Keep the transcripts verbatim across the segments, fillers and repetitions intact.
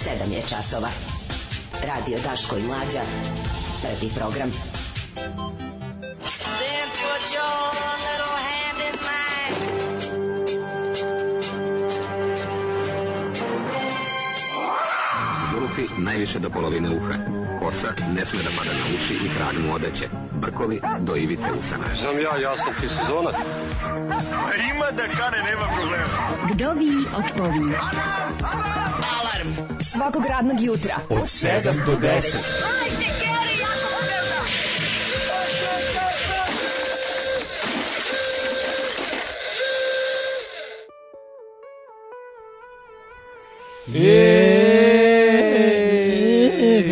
sedam je časova. Radio Daško i Mlađa. Prvi program. Then put your little hand in mine. Zulufi najviše do polovine uha. Kosa ne sme da pada na uši i krag mu odeće. Brkovi do ivice usana. Znam ja, ja sam ti sezonac. Ima da kane, nema problema. Vdovi odpovi. Alarm svakog radnog jutra od sedam do deset.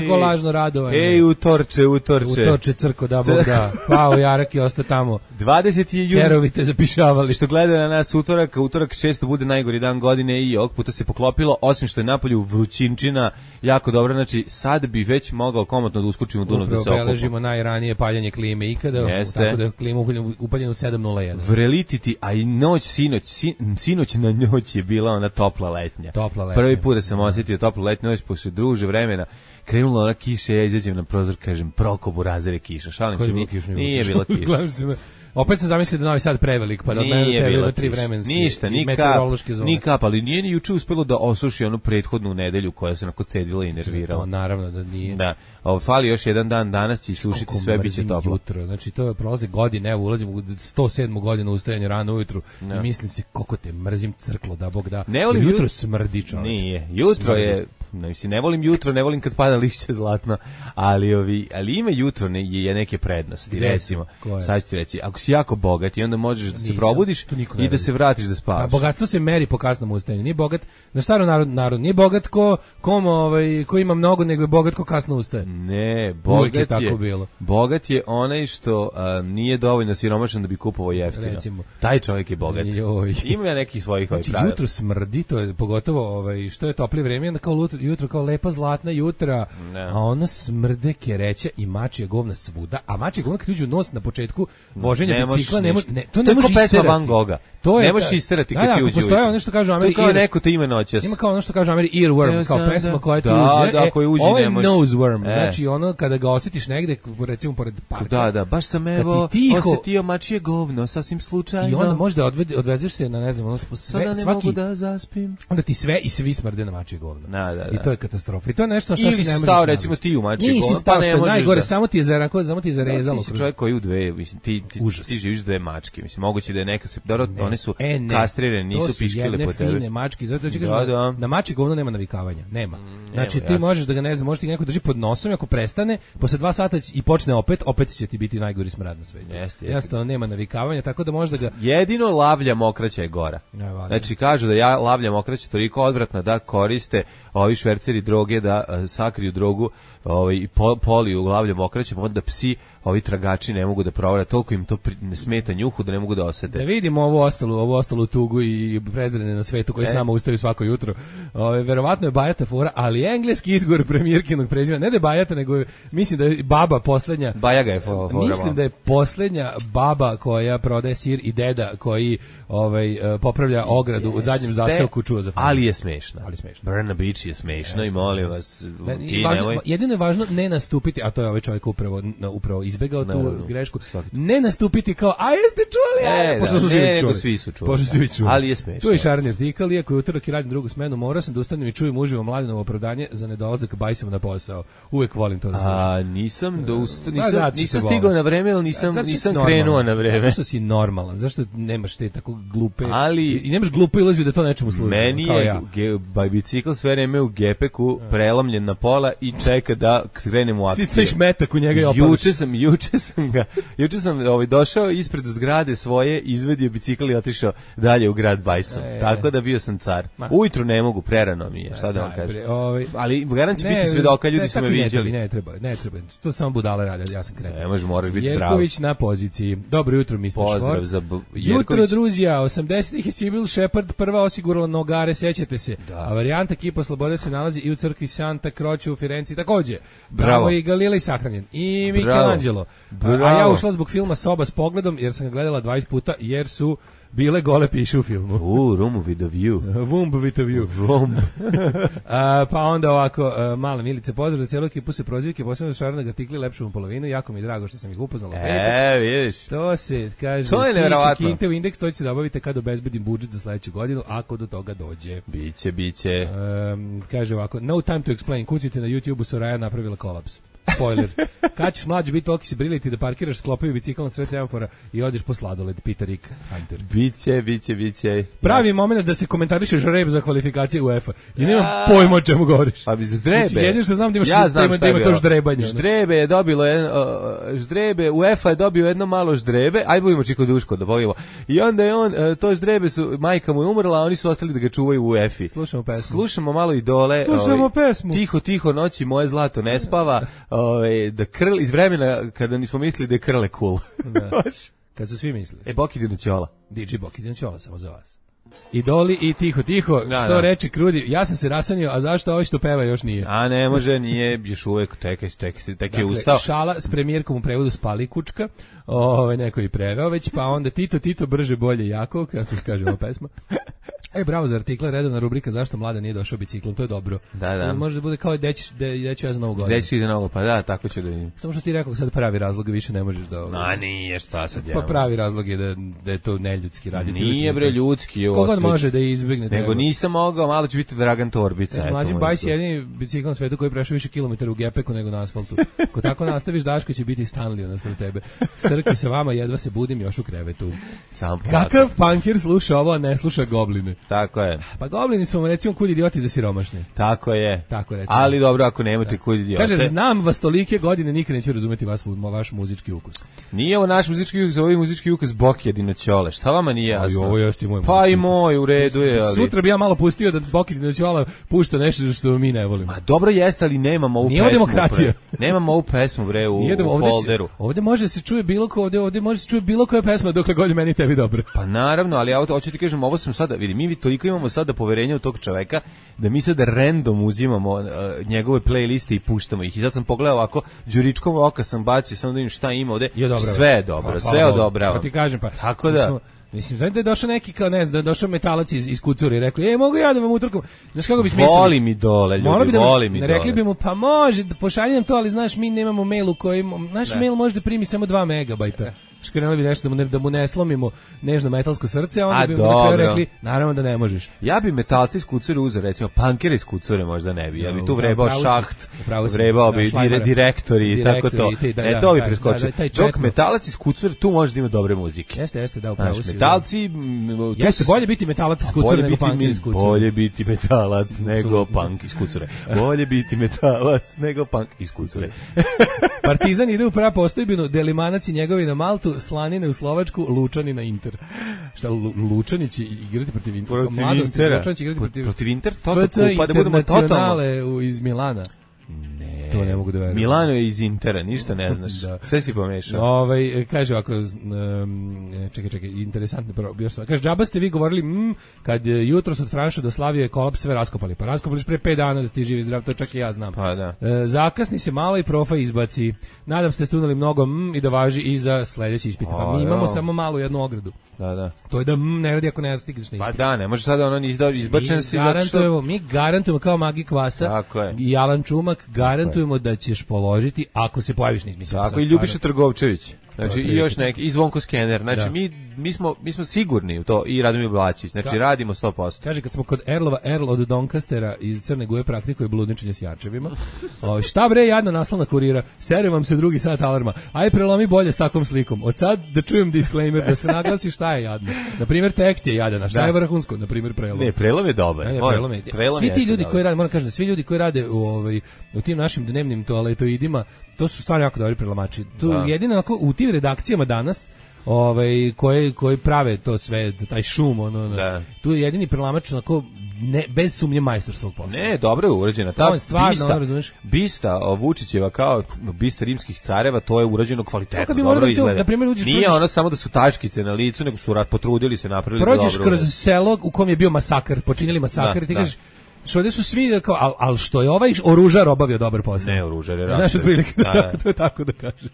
Kako lažno radovanje. Ej, utorče, utorče. Utorče crko, da Bog da. Pao Jarak i ostao tamo. dvadeseti jun. Herovi te zapišavali. Što gleda na nas utorak, utorak često bude najgori dan godine i ovog puta se poklopilo, osim što je napolju vrućinčina jako dobro, znači sad bi već mogao komotno da uskočim u Dunav da se okupa. Upravo beležimo najranije paljenje klime ikada, Jeste. tako da je klima upaljena u sedam nula jedan. Vrelititi, a i noć, sinoć, sin, sinoć na noć je bila ona topla letnja. Topla letnja. Prvi put da sam osjetio toplu letnju noć, posle druže vremena, krenula ona kiša, ja izađem na prozor, kažem, prokobu razere kiša. Šalim se, nije, nije bila kiša. Opet sam zamislio da Novi Sad prevelik, pa da od mene tebe tri vremenski ništa, ni meteorološke zone. Ni kap, ali nije ni juče uspelo da osuši onu prethodnu nedelju koja se onako cedila i nervirala. No, naravno da nije. Da, ovo fali još jedan dan, danas će sušiti, sve biće toplo. Jutro, znači to je prolaze godine, evo ulazim u sto sedmu godinu ustajanja rano ujutru no. I mislim se koliko te mrzim crklo, da Bog da. Ne volim jutro smrdi, čoveče. Nije, jutro smrdi. Je ne, mislim, ne volim jutro, ne volim kad pada lišće zlatno, ali ovi, ali ima jutro ne, je neke prednosti, Gde recimo. Sad ću ti reći, ako si jako bogat i onda možeš da se Nisam, probudiš i da se vratiš da spavaš. A bogatstvo se meri po kasnom ustajanju. Nije bogat, na staro narod, narod nije bogat ko, kom, ovaj, ko ima mnogo, nego je bogat ko kasno ustaje. Ne, bogat je, je tako bilo. Bogat je onaj što a, nije dovoljno siromašan da bi kupovao jeftino. Recimo. Taj čovjek je bogat. Joj. Ima ja nekih svojih znači, pravila. Jutro smrdi, to je pogotovo ovaj, što je toplije vreme, onda kao jutro kao lepa zlatna jutra, no. A ono smrde kereća i mačija govna svuda, a mačija govna kad uđe u nos na početku voženja ne bicikla, ne može, ne, to ne može isterati. Pesma Van Gogha. To je, ne možeš isterati kad da, ti uđe. Da, postoje ono što kažu Ameri, to kao neko te ime noćas. Ima kao ono što kažu Ameri earworm, kao pesma koja ti da, uđe. Da, koji uđe ovo je ne može. nose worm, e. znači ono kada ga osjetiš negde, recimo pored parka. Da, da, baš sam evo osjetio mačije govno, sasvim slučajno. I onda možda odvede, odvezeš se na, ne znam, ono, sve, ne svaki, mogu da zaspim. Onda ti sve i svi smrde na mačije govno. Da, da, da. I to je katastrofa. I to je nešto što ili se ne možeš stao, recimo ti u mačije govno. Nisi stao, pa što je najgore, da... samo ti je zarako, samo ti je zarezalo. Da, ti si čovjek koji u dve, mislim, ti, ti, ti živiš dve mačke, mislim, moguće da je neka se, dobro, ne. one su e, kastrirane, nisu piškile po tebi. Fine mačke, zato ću kažem, da, da. na mačje govno nema navikavanja, nema. Mm, znači nema, ti jasno. možeš da ga ne znam, možeš ti neko drži pod nosom i ako prestane, posle dva sata i počne opet, opet će ti biti najgori smrad na svetu. Jeste, jasno, nema navikavanja, tako da možda ga jedino lavlja mokraća je gora. Ja, znači kažu da ja lavlja mokraća toliko odvratna da koriste ovi šverceri droge da uh, sakriju drogu, ovaj po, poliju lavlja mokraća, pa onda psi, ovi tragači ne mogu da provare, toliko im to pri, ne smeta njuhu da ne mogu da osete. Da vidimo ovu ostalu, ovu ostalu tugu i prezrene na svetu koji e. s nama ustaju svako jutro. Ove, verovatno je bajata fora, ali engleski izgovor premijerkinog prezimena, ne da je bajata, nego je, mislim da je baba poslednja. Bajaga je fora. Mislim da je poslednja baba koja prodaje sir i deda koji ovaj popravlja ogradu yes, u zadnjem zaseoku čuo za fora. Ali je smešno. Ali smešno. Burna Beach je smešno yes, i molim vas. I važno, jedino je važno ne nastupiti, a to je ovaj čovjek upravo, upravo izbegao tu no, grešku, ne nastupiti kao, a jeste čuli? E, pošto su da, svi ne, čuli. Svi su čuli. Pošto su svi čuli. Ali je smešno. Tu je šarni artikal, iako je utorak i radim drugu smenu, morao sam da ustanem i čujem uživo Mladinovo opravdanje za nedolazak bajsom na posao. Uvek volim to da slušam. A nisam da usta, nisam, da, nisam stigao na vreme, ali nisam, a, nisam krenuo na vreme. Zašto si normalan? Zašto nemaš te tako glupe? Ali, I nemaš glupe iluziju da to nečemu služi. Meni kao je ja. ge, bicikl sve vreme u gepeku, prelamljen na pola i čeka da krenem u akciju. Sviš metak u njega i opadaš. Juče sam, juče sam ga, juče sam ovaj, došao ispred zgrade svoje, izvedio bicikl i otišao dalje u grad Bajsom. E, Tako da bio sam car. Ma. Ujutru ne mogu, prerano mi je, šta da vam kažem. Ovaj, ali garant će biti svedoka, ljudi ne, su me viđali. Ne treba, ne treba, to samo budale rade, ja sam krenuo. Ne, može, moraš biti zdrav. Jerković na poziciji. Dobro jutro, mister Pozdrav Švorc. za B- Jutro, druzija, osamdesetih je Sibyl Shepard prva osigurala nogare, sećate se. Da. A varijanta Kipa Slobode se nalazi i u crkvi Santa Croce u Firenci takođe. Bravo. Tamo i Galilej sahranjen. I Michelangelo. A, a ja ušla zbog filma Soba s pogledom, jer sam ga gledala dvadeset puta, jer su bile gole piše u filmu. U, room with a view. Womb with a view. Womb. A, pa onda ovako, a, mala Milice, pozdrav za celu ekipu se prozivke, posebno Šarana artikli lepšu polovinu, jako mi je drago što sam ih upoznala. E, vidiš. To se, kaže, to je nevjerovatno. Kinte u indeks, to će da obavite kad obezbedim budžet za sledeću godinu, ako do toga dođe. Biće, biće. Um, kaže ovako, no time to explain, kucite na YouTube-u, Soraya napravila kolaps. Spoiler. Kad ćeš mlađi biti toliko si briliti da parkiraš, sklopavi bicikl na sred semafora i odeš po sladoled, pita Rick Hunter. Biće, biće, biće. Pravi ja. moment da se komentariše žreb za kvalifikacije UEFA. I nemam ja. pojma o čemu govoriš. Pa bi ždrebe. Znači, jedino što znam da imaš ja znam da ima to ždrebanje. Ždrebe je dobilo jedno, uh, ždrebe, UEFA je dobio jedno malo ždrebe, aj budemo Čiko Duško da bavimo. I onda je on, uh, to ždrebe su, majka mu je umrla, a oni su ostali da ga čuvaju u UEFA. Slušamo pesmu. Slušamo malo Idole. Slušamo ovaj, pesmu. Tiho, tiho, noći moje zlato ne spava. Ovaj, da krl iz vremena kada nismo mislili da je krle cool. Da. Kad su svi mislili. E, Boki Dinoćola. D J Boki Dinoćola samo za vas. Idoli i tiho, tiho, da, što da. reče Krudi, ja sam se rasanio, a zašto ovaj što peva još nije? A ne može, nije, još uvek, tekaj, tekaj, tekaj dakle, je ustao. Šala s premijerkom u prevodu Spali kučka, ovaj neko i preveo već, pa onda Tito, Tito, brže, bolje, jako, kako se kaže ova pesma. E, bravo za artikla, redovna rubrika zašto mlada nije došao biciklom, to je dobro. Da, da. Može da bude kao dećiš, deću ja za novu godinu. Dećiš ide novo, pa da, tako će da vidim. Samo što ti rekao sad pravi razlog, više ne možeš da... A nije, šta sad ja. Pa pravi razlog je da, da je to neljudski raditi. Nije bre ljudski. Kogod može da izbegne. Nego treba. Nisam mogao, malo će biti Dragan Torbica. Ja, mlađi Bajs je jedini bicikl na svetu koji prešao više kilometara u gepeku nego na asfaltu. Ko tako nastaviš, Daško će biti Stanley naspram tebe. Srki sa vama, jedva se budim još u krevetu. Sam kakav punkir sluša ovo, a ne sluša Gobline? Tako je. Pa Goblini su recimo kud idioti za siromašne. Tako je. Tako recimo. Ali dobro ako nemate kud idiote. Kaže, znam vas tolike godine, nikad neću razumeti vas, vaš muzički ukus. Nije ovo naš muzički ukus, ovo je muzički ukus Boki Dinoćole. Šta vama nije jasno? Aj, ovo jeste i moj. Pa i moj, u redu je, ali... Sutra bi ja malo pustio da Boki Dinoćola pušta nešto što mi ne volimo. Ma dobro jeste, ali nemamo ovu nije pesmu. Nije demokratija. Bre. Nemamo ovu pesmu, bre, u, Nijedemo, u ovde folderu. Će, ovde može se čuje bilo ko, ovde, ovde može se čuje bilo koja pesma dokle god je meni tebi dobro. Pa naravno, ali ja hoću ti kažem, ovo sam sada, vidi, mi toliko imamo sada poverenja u tog čoveka da mi sada random uzimamo uh, njegove playliste i puštamo ih. I sad sam pogledao ovako, đuričkom oka sam bacio, samo da vidim šta ima ovde. Je dobro, sve je dobro, pa, sve odobrava. Pa ti kažem, pa. Tako da... Smo, mislim, da je došao neki, kao ne znam, da je došao metalac iz, iz Kucure i rekao, e, mogu ja da vam utrkam. Znaš kako bi smislili? Voli mi dole, ljudi, bi da, voli mi rekli dole. Rekli bi mu, pa može, pošalji nam to, ali znaš, mi nemamo mail u kojem, naš ne. mail može da primi samo dva megabajta. Škrenuli bi nešto da mu ne, da mu ne slomimo nežno metalsko srce, a onda a bi mu na rekli, naravno da ne možeš. Ja bi metalci iz Kucure uzeo, recimo, punkeri iz Kucure možda ne bi, ja bi tu vrebao šaht, vrebao bi da, direktori i tako to. Ti, da, e, to bi preskočio. Da, da, dok metalac iz Kucure, tu može da ima dobre muzike. Jeste, jeste, da, upravo si. Metalci... Jeste, bolje biti metalac iz Kucure nego punk iz Kucure. Bolje biti metalac nego punk iz Kucure. Bolje biti metalac nego punk iz Kucure. Partizan ide u pravu postojbinu, Delimanac i njegovi na Maltu, Slanine u Slovačku, Lučani na Inter. Šta, Lučani će igrati protiv Intera? Protiv Intera. Lučani će igrati protiv, protiv Inter? F C pa da budemo totalno. Iz Milana. Ne. To ne mogu da verujem. Milano je iz Intera, ništa ne znaš. Da. Sve si pomešao. Ovaj kaže ovako, um, čekaj, čekaj, interesantno još sam. Kaže, džaba ste vi govorili, mm, kad jutros od Franša do Slavije kolaps sve raskopali. Pa raskopali pre pet dana da ti živi zdrav, to čak i ja znam. Pa da. E, zakasni se malo i profa izbaci. Nadam se da ste uneli mnogo mm, i da važi i za sledeći ispit. Pa mi imamo samo malu jednu ogradu. Da, da. To je da mm, ne radi ako ne stigneš na ispit. Pa da, ne može sada ono izbačen se zato što mi garantujemo kao Magi Kvasa i Alan Čumak garantujemo da ćeš položiti ako se pojaviš na ispitu. Tako i Ljubiša Trgovčević. Znači i još neki i Zvonko Skener. Znači da. mi mi smo mi smo sigurni u to i Radomir Blačić. Znači da. radimo sto posto. Kaže kad smo kod Erlova, Erl od Donkastera iz Crne Gore praktikuje bludničenje s jarčevima. O, šta bre jadna naslovna kurira. Sere vam se drugi sat alarma. Aj prelomi bolje s takvom slikom. Od sad da čujem disclaimer da se naglasi šta je jadno. Na primjer tekst je jadan, a šta da. je vrhunsko, na primjer prelom. Ne, prelom je dobar. Ne, ne, prelom je. Prelom svi ti ljudi dobar. koji rade, moram kažem da svi ljudi koji rade u ovaj u tim našim dnevnim toaletoidima, to su stvarno jako dobri prelomači. Tu da. jedino onako u tim redakcijama danas ovaj koji koji prave to sve taj šum ono da. tu je jedini prelamač onako ne bez sumnje majstor svog posla. Ne, dobro je urađena ta bista. Bista Vučićeva kao bista rimskih careva, to je urađeno kvalitetno, dobro da izgleda. Na primjer, uđeš, nije prođeš, ono samo da su tačkice na licu, nego su rad potrudili se, napravili dobro. Prođeš kroz selo u kom je bio masakr, počinili masakr da, i ti kažeš Što ovdje su svi, kao, al, al što je ovaj oružar obavio dobar posao. Ne, oružar je Znaš, otprilike, da, da, to je tako da kažeš.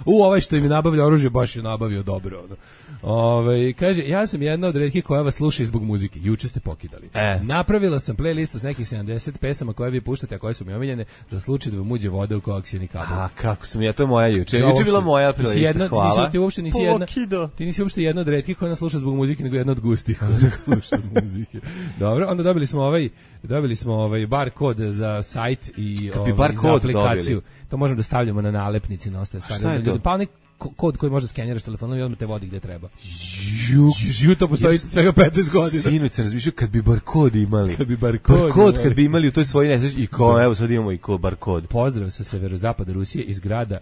U, ovaj što im je nabavio oružje, baš je nabavio dobro. Ono. Ove, kaže, ja sam jedna od retkih koja vas sluša zbog muzike. Juče ste pokidali. E. Napravila sam playlistu s nekih sedamdeset pesama koje vi puštate, a koje su mi omiljene, za slučaj da vam uđe voda u koaksioni kabel. A kako sam ja, to je moja juče. Juče bila moja playlista, hvala. Ti, nisi, ti uopšte nisi jedna, ti nisi uopšte jedna od retkih koja nas sluša zbog muzike, nego jedna od gustih koja nas sluša muzike. Dobro, onda dobili smo ovaj, dobili smo ovaj bar kod za sajt i ovaj, za aplikaciju. Dobili. To možemo da stavljamo na nalepnici na ostale stvari. Šta je to? Pa onaj kod koji može skeniraš telefonom i odmah te vodi gde treba. Ju, ju to postoji svega petnaest godina. Sinoć sam razmišljao kad bi bar kod imali. Kad bi bar kod, bar kod kad bi imali u toj svojoj nesreći i ko, evo sad imamo i ko bar kod. Pozdrav sa severozapada Rusije iz grada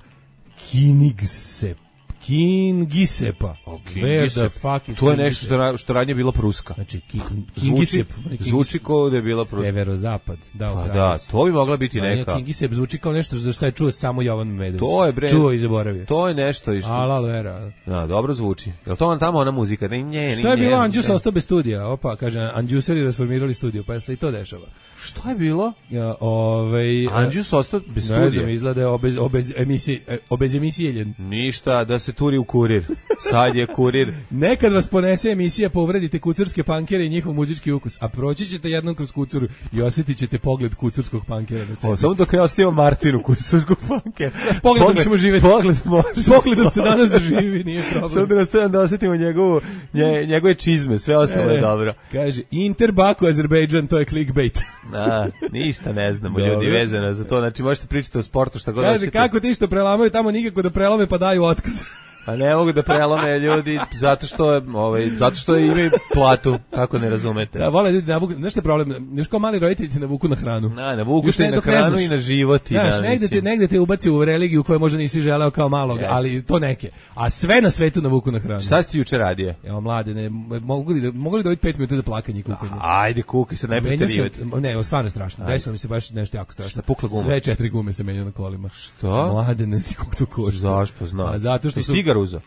Kinigsep. Kingisepa. Oh, Kingisep. To je nešto što, što radnje bila pruska. Znači, ki, Kingisep. Zvuči, zvuči kao da je bila pruska. Severozapad. Da, pa da, to bi mogla biti neka. Kingisep zvuči kao nešto za što je čuo samo Jovan Medović. To je bre. Čuo i zaboravio. To je nešto isto. Alalo era. Da, dobro zvuči. Jel to on tamo ona muzika? Ne, ne, šta je bilo? Anđus ostao bez studija. Opa, kaže, Anđuseri rasformirali studio, pa se i to dešava. Šta je bilo? Ja, ovaj Anđus ostao bez studija. Ne znam, izgleda obez, obez emisije, obez emisije. Ništa, da se turi u kurir. Sad je kurir. Nekad vas ponese emisija pa uvredite kucurske pankere i njihov muzički ukus, a proći ćete jednom kroz kucuru i osjetit ćete pogled kucurskog pankera na sebi. O, samo dok ja ostavim Martinu kucurskog pankera. S pogledom pogled, ćemo živjeti. Pogled može. S pogledom se danas zaživi, nije problem. Samo da nas sedam da osjetimo njegovu, nje, njegove čizme, sve ostalo je dobro. Kaže, Inter Baku, Azerbejdžan, to je clickbait. Da, ništa ne znamo ljudi vezano za to, znači možete pričati o sportu šta god kaže, hoćete. Kako ti što prelamaju tamo nikako da prelome pa daju otkaz. A ne mogu da prelome ljudi zato što ovaj zato što imaju platu, kako ne razumete. Da, vole ljudi navuku, znaš šta je problem? Još kao mali roditelji te navuku na hranu. Na, navuku te na hranu i na život i znaš, da, negde te, negde te ubaci u religiju koju možda nisi želeo kao malog, yes. Ali to neke. A sve na svetu navuku na hranu. Šta si ti juče radio? Evo mlade, ne, mogu li da mogu li dobiti pet minuta za plakanje i kukanje? Ajde, kukaj se, ne preterivati. Ne, stvarno strašno. Desilo mi se baš nešto jako strašno. Pukla guma. Sve četiri gume se menjaju na kolima. Što? Mlade, ne si kako to košta. Zašto znam? A zato što su Tigar uzeo.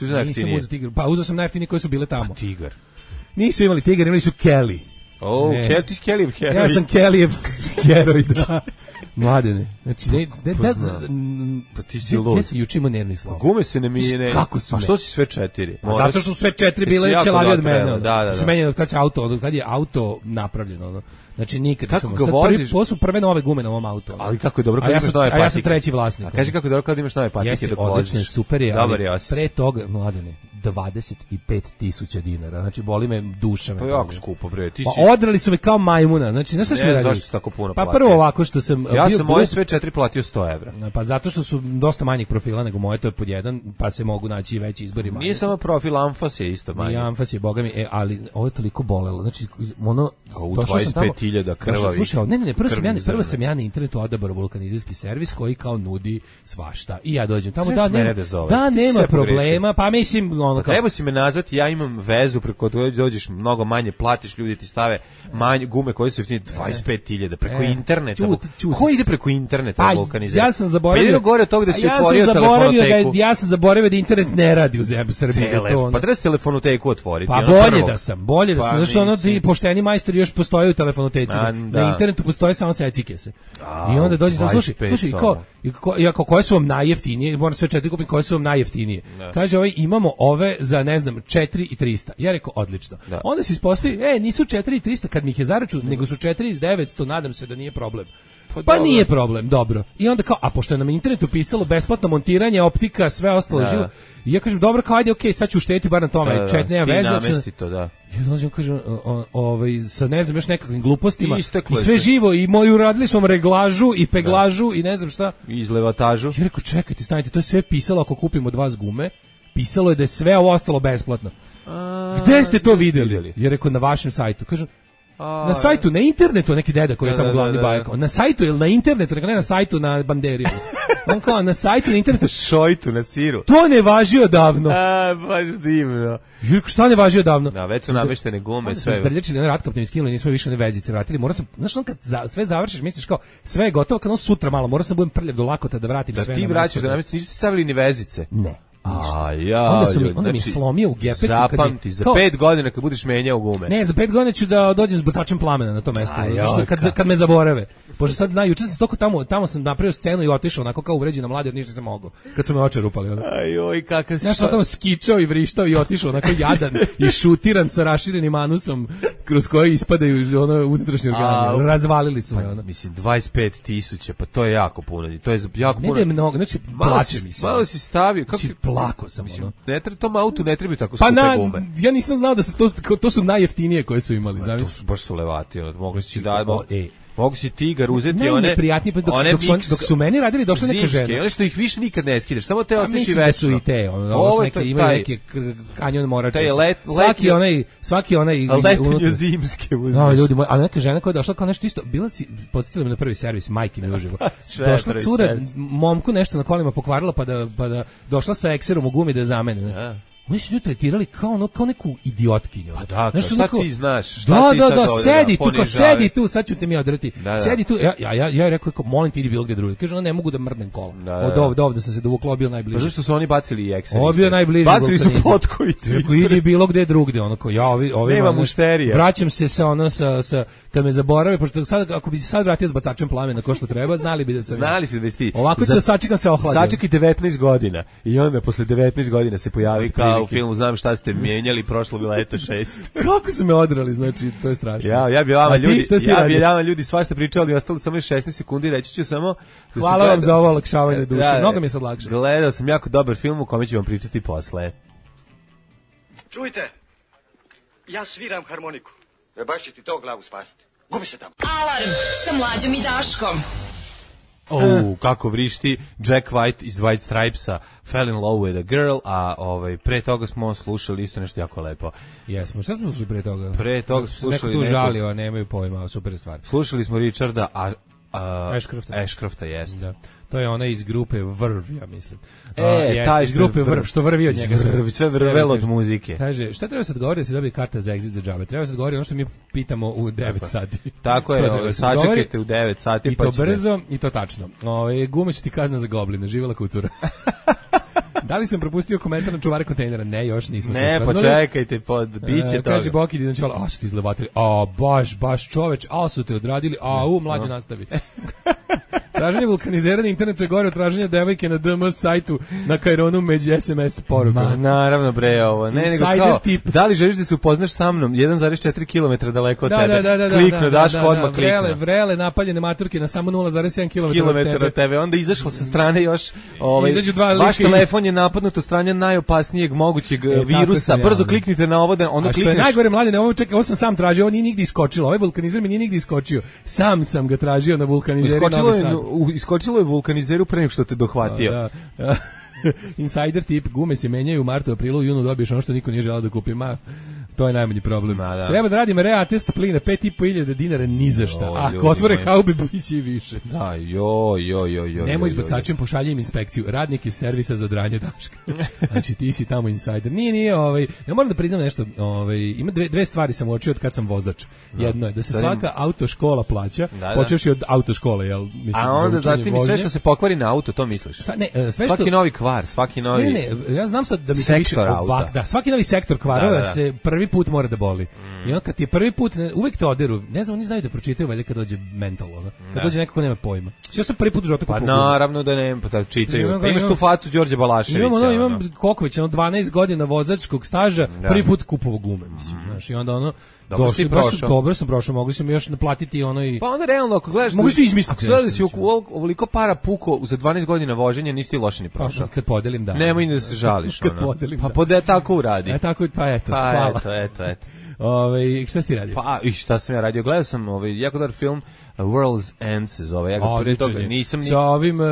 Nisam uzeo Tigar. Pa uzeo sam najjeftinije koje su bile tamo. A Tigar. Nisu imali Tigar, imali su Kelly. Oh, Kelly, ti si Kelly heroj. Ja sam Kellyjev heroj, da. Mladene. Znači, ne, ne, da, pa ti si lud. Ja sam juče imao nervni slov. Gume se ne mine. Kako su? A što si sve četiri? Moraš, zato što su sve četiri bile ćelavi od mene. Da, da, da. Menjeno kad se auto, od kad je auto napravljeno, ono. Znači nikad kako sam ga voziš? Prvi, su prve nove gume na ovom autu. Ali kako je dobro kad ja imaš nove patike. A ja sam treći vlasnik. A kaži kako je dobro kad imaš nove patike dok voziš. Odlično, super je, ali je pre toga, mladene, dvadeset pet tisuća dinara. Znači boli me duša me. To je jako skupo, bre. Ti si pa odrali su me kao majmuna. Znači, znaš šta su mi radili? Zašto su tako puno pa prvo ovako što sam ja bio, sam moje sve četiri platio sto evra. Pa zato što su dosta manjih profila nego moje, to je pod jedan, pa se mogu naći veći izbori. Nije samo profil, Anfas je isto manji. Nije Anfas je, boga mi, e, ali ovo je toliko bolelo. Znači, ono, u dvadeset pet hiljada krvavi. Slušaj, ne, ne, ne, prvo sam ja, prvo sam ja na internetu odabrao vulkanizerski servis koji kao nudi svašta. I ja dođem tamo, da, nema, da, nema problema, pa mislim, ono kao... Treba si me nazvati, ja imam vezu preko koje dođeš mnogo manje, platiš, ljudi ti stave manje gume koje su jeftinije dvadeset pet hiljada preko e, interneta. Čuti, čuti. Ko ide preko interneta vulkanizer? Ja sam zaboravio. Pa gore od toga da si ja otvorio telefonoteku. Da, ja sam zaboravio da internet ne radi u zemlji Srbiji. To, pa treba si telefonoteku otvoriti. Pa bolje da sam, bolje da sam. Znaš, ono ti pošteni majstori još postoje u telefonoteci. A, da. Na internetu postoje samo secike se. A, i onda dođe, slušaj, slušaj, ko, i ko, koje su vam najjeftinije, moram sve četiri kupiti, koje su vam najjeftinije. Da. Kaže, ovaj, imamo ove za, ne znam, četiri i trista. Ja rekao, odlično. Da. Onda se ispostavi, e, nisu četiri i trista kad mi ih je zaračun, mm. nego su četiri i devetsto, nadam se da nije problem. Pa, pa nije problem, dobro. I onda kao, a pošto je na internetu pisalo besplatno montiranje, optika, sve ostalo da. Živo. I ja kažem, dobro, kao ajde, okej, okay, sad ću ušteti bar na tome, da, čet, nema veze. Namesti to, da. I onda on kaže, ovaj, sa ne znam, još nekakvim glupostima, i, i sve živo, i moju radili smo reglažu, i peglažu, da. I ne znam šta. I izlevatažu. I rekao, čekajte, stanite, to je sve pisalo ako kupimo od vas gume, pisalo je da je sve ovo ostalo besplatno. A, gde ste to vidjeli? vidjeli? Ja rekao, na vašem sajtu. Kažem, a, na sajtu, na internetu, neki deda koji je tamo glavni bajak. Na sajtu ili na internetu, ne na sajtu na banderiju. On kao, na sajtu, na internetu. Šojtu, na siru. To ne važi odavno. A, baš divno. Jurko, šta ne važi odavno? Da, već su nameštene gume, sve. Onda zdrljačili na ratkapne mi skinuli, nismo više one vezice vratili. Mora sam, znaš, on kad za, sve završiš, misliš kao, sve je gotovo, kad on sutra malo, mora sam budem prljav do lakota da vratim da sve. Da ti vraćaš da namestiš, nisu ti stavili ni vezice. Ne. ništa. A, ja, onda sam, ljudi, onda mi znači, slomio u gepetu. zapamti, za pet godina kad budeš menjao gume. Ne, za pet godina ću da dođem s bacačem plamena na to mesto. A, Zato što kad, kad me zaborave. Pošto sad znaju, juče sam toliko tamo, tamo sam napravio scenu i otišao onako kao uvređena mlada, jer ništa se mogao. Kad su me oče rupali. Onda. Ajoj, kakav si... Znaš, sam tamo skičao i vrištao i otišao onako jadan i šutiran sa raširenim anusom kroz koji ispadaju ono unutrašnje organe. Razvalili su me. Pa, ono. mislim, dvadeset pet tisuća, pa to je jako puno. To je jako Ne puno. da je mnogo, znači plače mi se. Malo si stavio, kako Znači, si plako sam, mislim, ono. ne treba tom autu, ne treba tako Pa skupe na, gume. ja nisam znao da su to, to su najjeftinije koje su imali, To zamisli. su baš su levati, ono, mogu si da, O, mogu, e. mogu si tigar uzeti one, Najneprijatnije, pa dok, one dok, su, mix dok su meni radili, došla neka zimske, žena. one što ih više nikad ne skidaš, samo te Pa ostaviš i mislim da su večno. i te, ono, ovo Ovo su je neke, to- imaju taj- neke kr- kanjon morače. taj let- svaki letnjo- onaj, svaki onaj Letenje unutra. zimske uzmeš. No, ljudi moji, a neka žena koja je došla kao nešto isto, bila si, podsjetila me na prvi servis, majke mi uživo. Sve Došla prvi cura, servis. momku nešto na kolima pokvarila, pa da, pa da došla sa ekserom u gumi da je zamene. Ne? Ja. Oni su nju tretirali kao, ono, kao neku idiotkinju. Pa da, Znaš, šta onako- ti znaš, šta Da, ti da, sad da, ovdje sedi da tu, kao ponižavaju? sedi tu, sad ću te mi odreti. Da, da. Sedi tu, ja, ja, ja, ja rekao, kao, molim ti idi bilo gde drugdje. Kaže, ona ne mogu da mrdnem kola. Da, da. Od ovde, ovde sam se dovukla, bio najbliže. Pa zašto su oni bacili i ekser? Ovo je bio najbliži Bacili su vulkanizam. potkovicu. Rekao, idi bilo gde drugde, ono kao, ja, ovi, ovi Nema ono, mušterija. Vraćam se sa, ono, sa, sa, kad me zaborave, pošto sad, ako bi se sad vratio s bacačem plamena ko što treba, znali bi da sam... Znali se da si ti. Ovako ću Za- da sačekam se ohladio. Sačekaj devetnaest godina i onda posle devetnaest godina se pojavi Od kao u prilike. filmu Znam šta ste mijenjali prošlog leta šest. Kako su me odrali, znači, to je strašno. Ja, ja bi vama A ti, ljudi, šta si ti ja bi radio? vama ljudi svašta pričali, ostalo samo još šesnaest sekundi, reći ću samo da Hvala sam vam gleda- za ovo olakšavanje duše, Da, mnogo mi je sad lakše. Gledao sam jako dobar film u kome ću vam pričati posle. Čujte, ja sviram harmoniku. E baš će ti to glavu spasiti. Gubi se tamo. Alarm sa mlađom i Daškom. Oh, kako vrišti Jack White iz White Stripesa, Fell in Love with a Girl, a ovaj, pre toga smo slušali isto nešto jako lepo. Jesmo, šta smo slušali pre toga? Pre toga Neko slušali tu nekog- žalio, a nemaju pojma, super stvar. Slušali smo Richarda, a, a Ashcrofta. Ashcrofta jeste. Da. To je onaj iz grupe Vrv, ja mislim. E, A, jeste, taj iz što grupe je Vrv, što vrvi od njega. Vrvi, sve vrvelo od kaže. muzike. Kaže, šta treba sad govori da se dobije karta za exit za džabe? Treba sad govori ono što mi pitamo u devet sati. Tako To je, treba ovaj, sad govori. sačekajte u devet sati. I pa to ćete- brzo, i to tačno. Ove, gume su ti kazna za gobline, živjela kucura. Da li sam propustio komentar na čuvare kontejnera? Ne, još nismo se Ne, pa osvrnuli. čekajte, pod, bit će E, toga. kaže Boki Dinančala, a su ti izlevatili, a baš, baš čoveč, a su te odradili, a u, mlađe nastavi. Traženje vulkanizera na internetu je gore od traženja devojke na D M sajtu na Kaironu među S M S porukama. Ma naravno bre ovo. Ne, nego Insider kao, tip. da li želiš da se upoznaš sa mnom jedan zarez četiri kilometra daleko od Da, tebe? da, da, da, Kliknu, da, daš da, odmah da, vrele, kliknu. vrele napaljene maturke na samo nula zarez sedam kilometara od Kilometar tebe. od tebe, onda izašlo sa strane još ovaj, Izađu dva vaš lika i- telefon je napadnut od strane najopasnijeg mogućeg e, tako virusa, sam ja, brzo ono. kliknite na ovo da ono A što je klikneš. najgore, mladine, ovo čekaj, ovo sam sam tražio, ovo nije nigdje iskočilo, ovaj vulkanizer mi nije nigdje iskočio. Sam sam ga tražio na vulkanizeri Iskočilo Novi je, Sad. u- iskočilo je vulkanizeru pre nego što te dohvatio. Da. Insider tip, gume se menjaju u martu, aprilu, junu dobiješ ono što niko nije želeo da kupi. Ma, to je najmanji problem. Ma, da. Treba da radimo reatest plina, pet i po hiljada dinara ni za šta. Jo, A ljudi ako otvore moji. haube, biće i više. Da, jo, jo, jo, jo. Nemo jo, izbacačem, pošaljem inspekciju. Radnik iz servisa za dranje Daška. Znači ti si tamo insider. Nije, nije, ovaj, ja moram da priznam nešto, ovaj, ima dve, dve stvari sam uočio od kad sam vozač. Jedno je da se Da, svaka autoškola plaća, Da, da. počevši od autoškole, jel, mislim, A za onda učenje zatim i sve vožnje. što se pokvari na auto, to misliš? Sa, ne, e, sve što, Svaki novi kvar, svaki novi... Ne, ne, ne, ja znam sad da mi se Sektor više auta. ovak, da, svaki novi sektor kvarova Da, da, da. se prvi put mora da boli. I onda kad ti je prvi put, ne, uvek te oderu, ne znam, oni znaju da pročitaju valjda kad dođe mental, ono. Kad Da. dođe neko ko nema pojma. Ja sam prvi put u životu Pa kupovao gumu. naravno da ne, pa da čitaju. Imam- Pa imaš imam- tu facu Đorđe Balaševića. Imam, ono, ono. imam koliko već, ono, dvanaest godina vozačkog staža, Da. prvi put kupovao gume, mislim, znaš, i onda ono, Dobro si došli, baš, prošao. dobro sam prošao, mogli su mi još naplatiti ono i... Pa onda realno ako gledaš Mogu si izmisliti ako gledaš da nešto, si oko- ovoliko para puko za dvanaest godina voženja nisi ti loše ni Pa, prošao. kad podelim, da. Nemoj ni da se žališ. Kad ono. podelim, Pa da. pode tako uradi. E, tako, pa eto, Pa hvala. eto, eto, eto. Ove, šta si ti radio? Pa i šta sam ja radio? Gledao sam ovaj jako dobar film uh, World's End se zove. Ja ga pre Odličan toga je. nisam ni Sa ovim uh,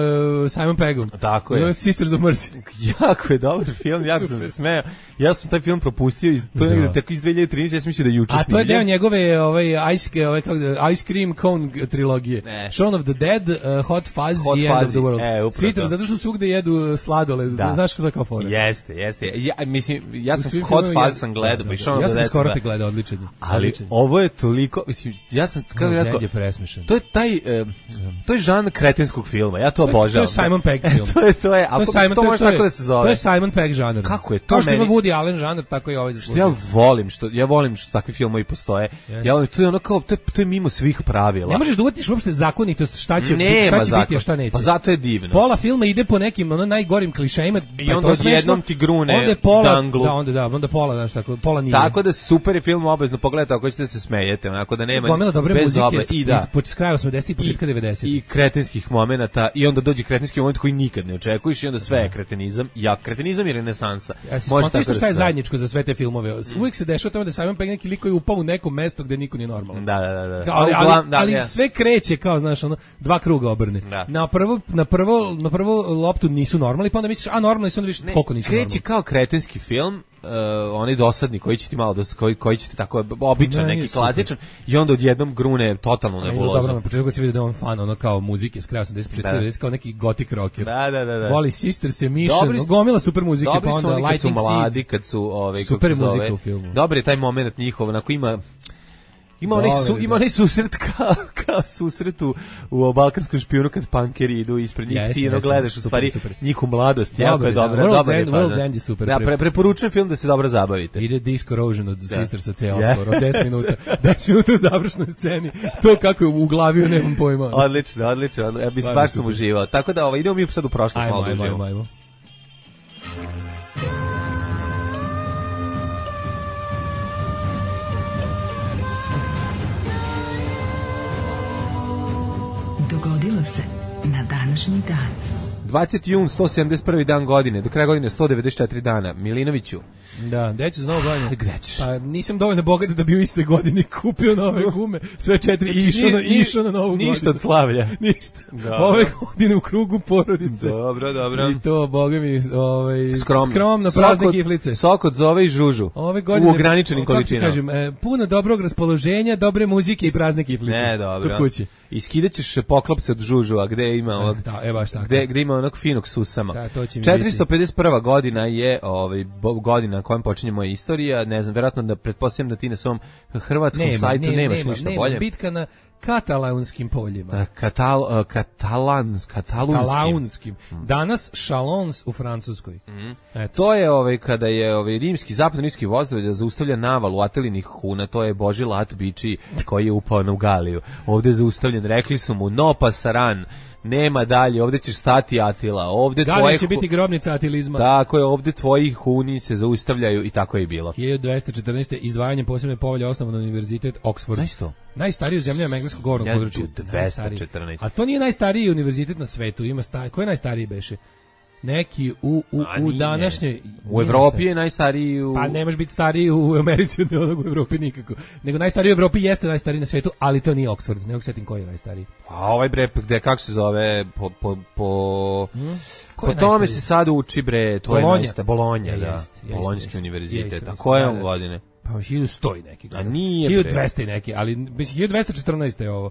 Simon Peggom. Tako je. No, Sisters of Mercy. jako je dobar film, jako sam se smejao. Ja sam taj film propustio i to je Da. negde tako iz dve hiljade trinaeste, ja sam mislio da je juče A to je snimljen. deo njegove ovaj ice ovaj kako se- Ice Cream Cone trilogije. Ne. Shaun of the Dead, uh, Hot Fuzz Hot i End of Fuzzy. the World. E, upravo Svi to. zato što svugde jedu sladoled. Da. Znaš kako to je kao fora. Jeste, jeste. Ja mislim ja U sam svim Hot filmovima Fuzz je- sam gledao, da, da, pa i da. Shaun of Ja the sam Dead skoro da. te gledao, odličan je. Ali Odličan je. ovo je toliko, mislim, ja sam kako World's bih rekao, End je presmešan. smešan. To je taj, e, to je žan kretenskog filma, ja to obožavam. To je Simon Pegg film. to je, to je, ako to je Simon, to to, može to je, tako da se zove. To je Simon Pegg žanr. Kako je to Kao što meni? ima Woody Allen žanr, tako i ovaj zaslužuje. Ja volim što, ja volim što takvi filmovi postoje. Yes. Ja volim, to je ono kao, to je, to je mimo svih pravila. Ne možeš da uvatiš uopšte zakonitost šta će, Nema šta će zakon. biti, a šta neće. Pa zato je divno. Pola filma ide po nekim ono najgorim klišejima, I pa je onda to smešno. odjednom ti grune onda je pola, danglu. Da, onda da, onda pola, znaš, tako, pola nije. Tako da super je film, obavezno pogledajte ako ćete da se smejete, onako da nema gomila dobre bez muzike obe- i da. iz kraja osamdesetih i početka devedesetih. I kretenskih momenata i onda dođe kretenski moment koji nikad ne očekuješ i onda sve je kretenizam. Ja, kretenizam i renesansa. Ja si Može skonto isto tako šta je da se- zajedničko za sve te filmove. Uvijek se dešava tamo da Simon Pegg neki lik koji je upao u neko mesto gde niko nije normalan. Da, da, da. da. Kao, ali, A ali, uglavnom, da, ali ja. sve kreće kao, znaš, ono, dva kruga obrne. Da. Na prvo, na prvo, na prvo loptu nisu normalni, pa onda misliš, a normalni su, onda vidiš koliko nisu kreće normalni. kao kretenski film, uh, onaj dosadni koji će ti malo dos, koji koji će ti tako običan, Ne, neki super. klasičan i onda odjednom grune totalno A ide nebulozu. dobro, na početku kad se vidi da je on fan ono kao muzike s kraja osamdesetih početka Da. devedesetih kao neki gothic rocker. Da, da, da, da. Voli Sisters Emission, Dobri su- gomila super muzike, Dobri pa su onda oni kad su Lightning mladi, Seeds. kad su ovaj kako Super se zove. muzika u filmu. Dobar je taj momenat njihov, onako ima Ima onaj, su, Dobar, ima da. onaj susret kao, kao susret u, u balkanskom špijunu kad punkeri idu ispred njih, Jeste, ti ono jeste, gledaš u super, stvari super. njihovu mladost, jako Dobar je je, da. dobra, World's dobar je End- fazon. World's End je super. Da, pre, preporučujem film da se dobro zabavite. Ide Disc Corrosion od Sisters ceo Ja. skoro, deset minuta. deset minuta u završnoj sceni. To kako je u glavi, nemam pojma. Odlično, odlično, odlično. Ja mislim, Stvarno baš sam super. uživao. Tako da ovaj, idemo mi sad u prošlost Ajmo, malo da ajmo, uživamo. ajmo, ajmo. Dogodilo se na današnji dan. dvadeseti jun, sto sedamdeset prvi dan godine, do kraja godine sto devedeset četiri dana. Milinoviću, Da, gde ću za novu godinu? gde ćeš? Pa nisam dovoljno bogat da bi u istoj godini kupio nove gume. Sve četiri i išao na, Ni- išao na novu godinu. Ništa od slavlja. Ništa. Da. Ove godine u krugu porodice. Dobro, dobro. I to, boga mi, ovaj, Skromno. skromno Sok prazne od- kiflice. Sok od zove i žužu. Ove godine, U ograničenim kako ti količinama. kažem, e, puno dobrog raspoloženja, dobre muzike i prazne kiflice. Ne, dobro. Kod kuće. I skidaćeš poklopce od žužu, a gde ima onog, Da, e, baš tako. gde, gde ima onog finog susama. Da, to će mi četiristo pedeset prva godina je ovaj, bo- godina na kojem počinje moja istorija. Ne znam, verovatno da pretpostavljam da ti na svom hrvatskom Nema, sajtu nema, nemaš nema, ništa nema. bolje. Bitka na katalaunskim poljima. Da, Katal, uh, katalans, katalunskim. Katalaunskim. Danas Chalons u Francuskoj. Eto. To je ovaj kada je ovaj rimski zapadno-rimski vozdravlje da zaustavlja navalu atelinih huna, to je Boži lat biči koji je upao na Ugaliju. Ovde je zaustavljen, rekli su mu no pasaran, nema dalje, ovde ćeš stati Atila, ovde Da tvoje li će hu- biti grobnica atilizma? Tako je, ovde tvoji huni se zaustavljaju i tako je i bilo. hiljadu dvesta četrnaeste. izdvajanjem posebne povelje osnovan univerzitet Oxford. Znaš to? Najstariji u zemlji engleskog govornog Ja, područja. dvesta Najstariji. četrnaeste. A to nije najstariji univerzitet na svetu. Ima sta... Ko je najstariji beše? Neki u, u, A u nije. današnjoj... U Evropi je najstariji u... Pa ne može biti stariji u Americi od onog u Evropi nikako. Nego najstariji u Evropi jeste najstariji na svetu, ali to nije Oxford. Ne mogu setim koji je najstariji. A ovaj bre, gde, kako se zove, po, po, po, Ko po je tome najstariji? se sad uči bre, to je Bolonja. najsta, Bolonja, Ja, da, jest, jest, Bolonjski jest. univerzitet, Jeste, a jeste, koje da, on da. godine? Pa hiljadu sto i neki. A nije, hiljadu bre. dvesta i neki, ali mislim hiljadu dvesta četrnaeste je ovo.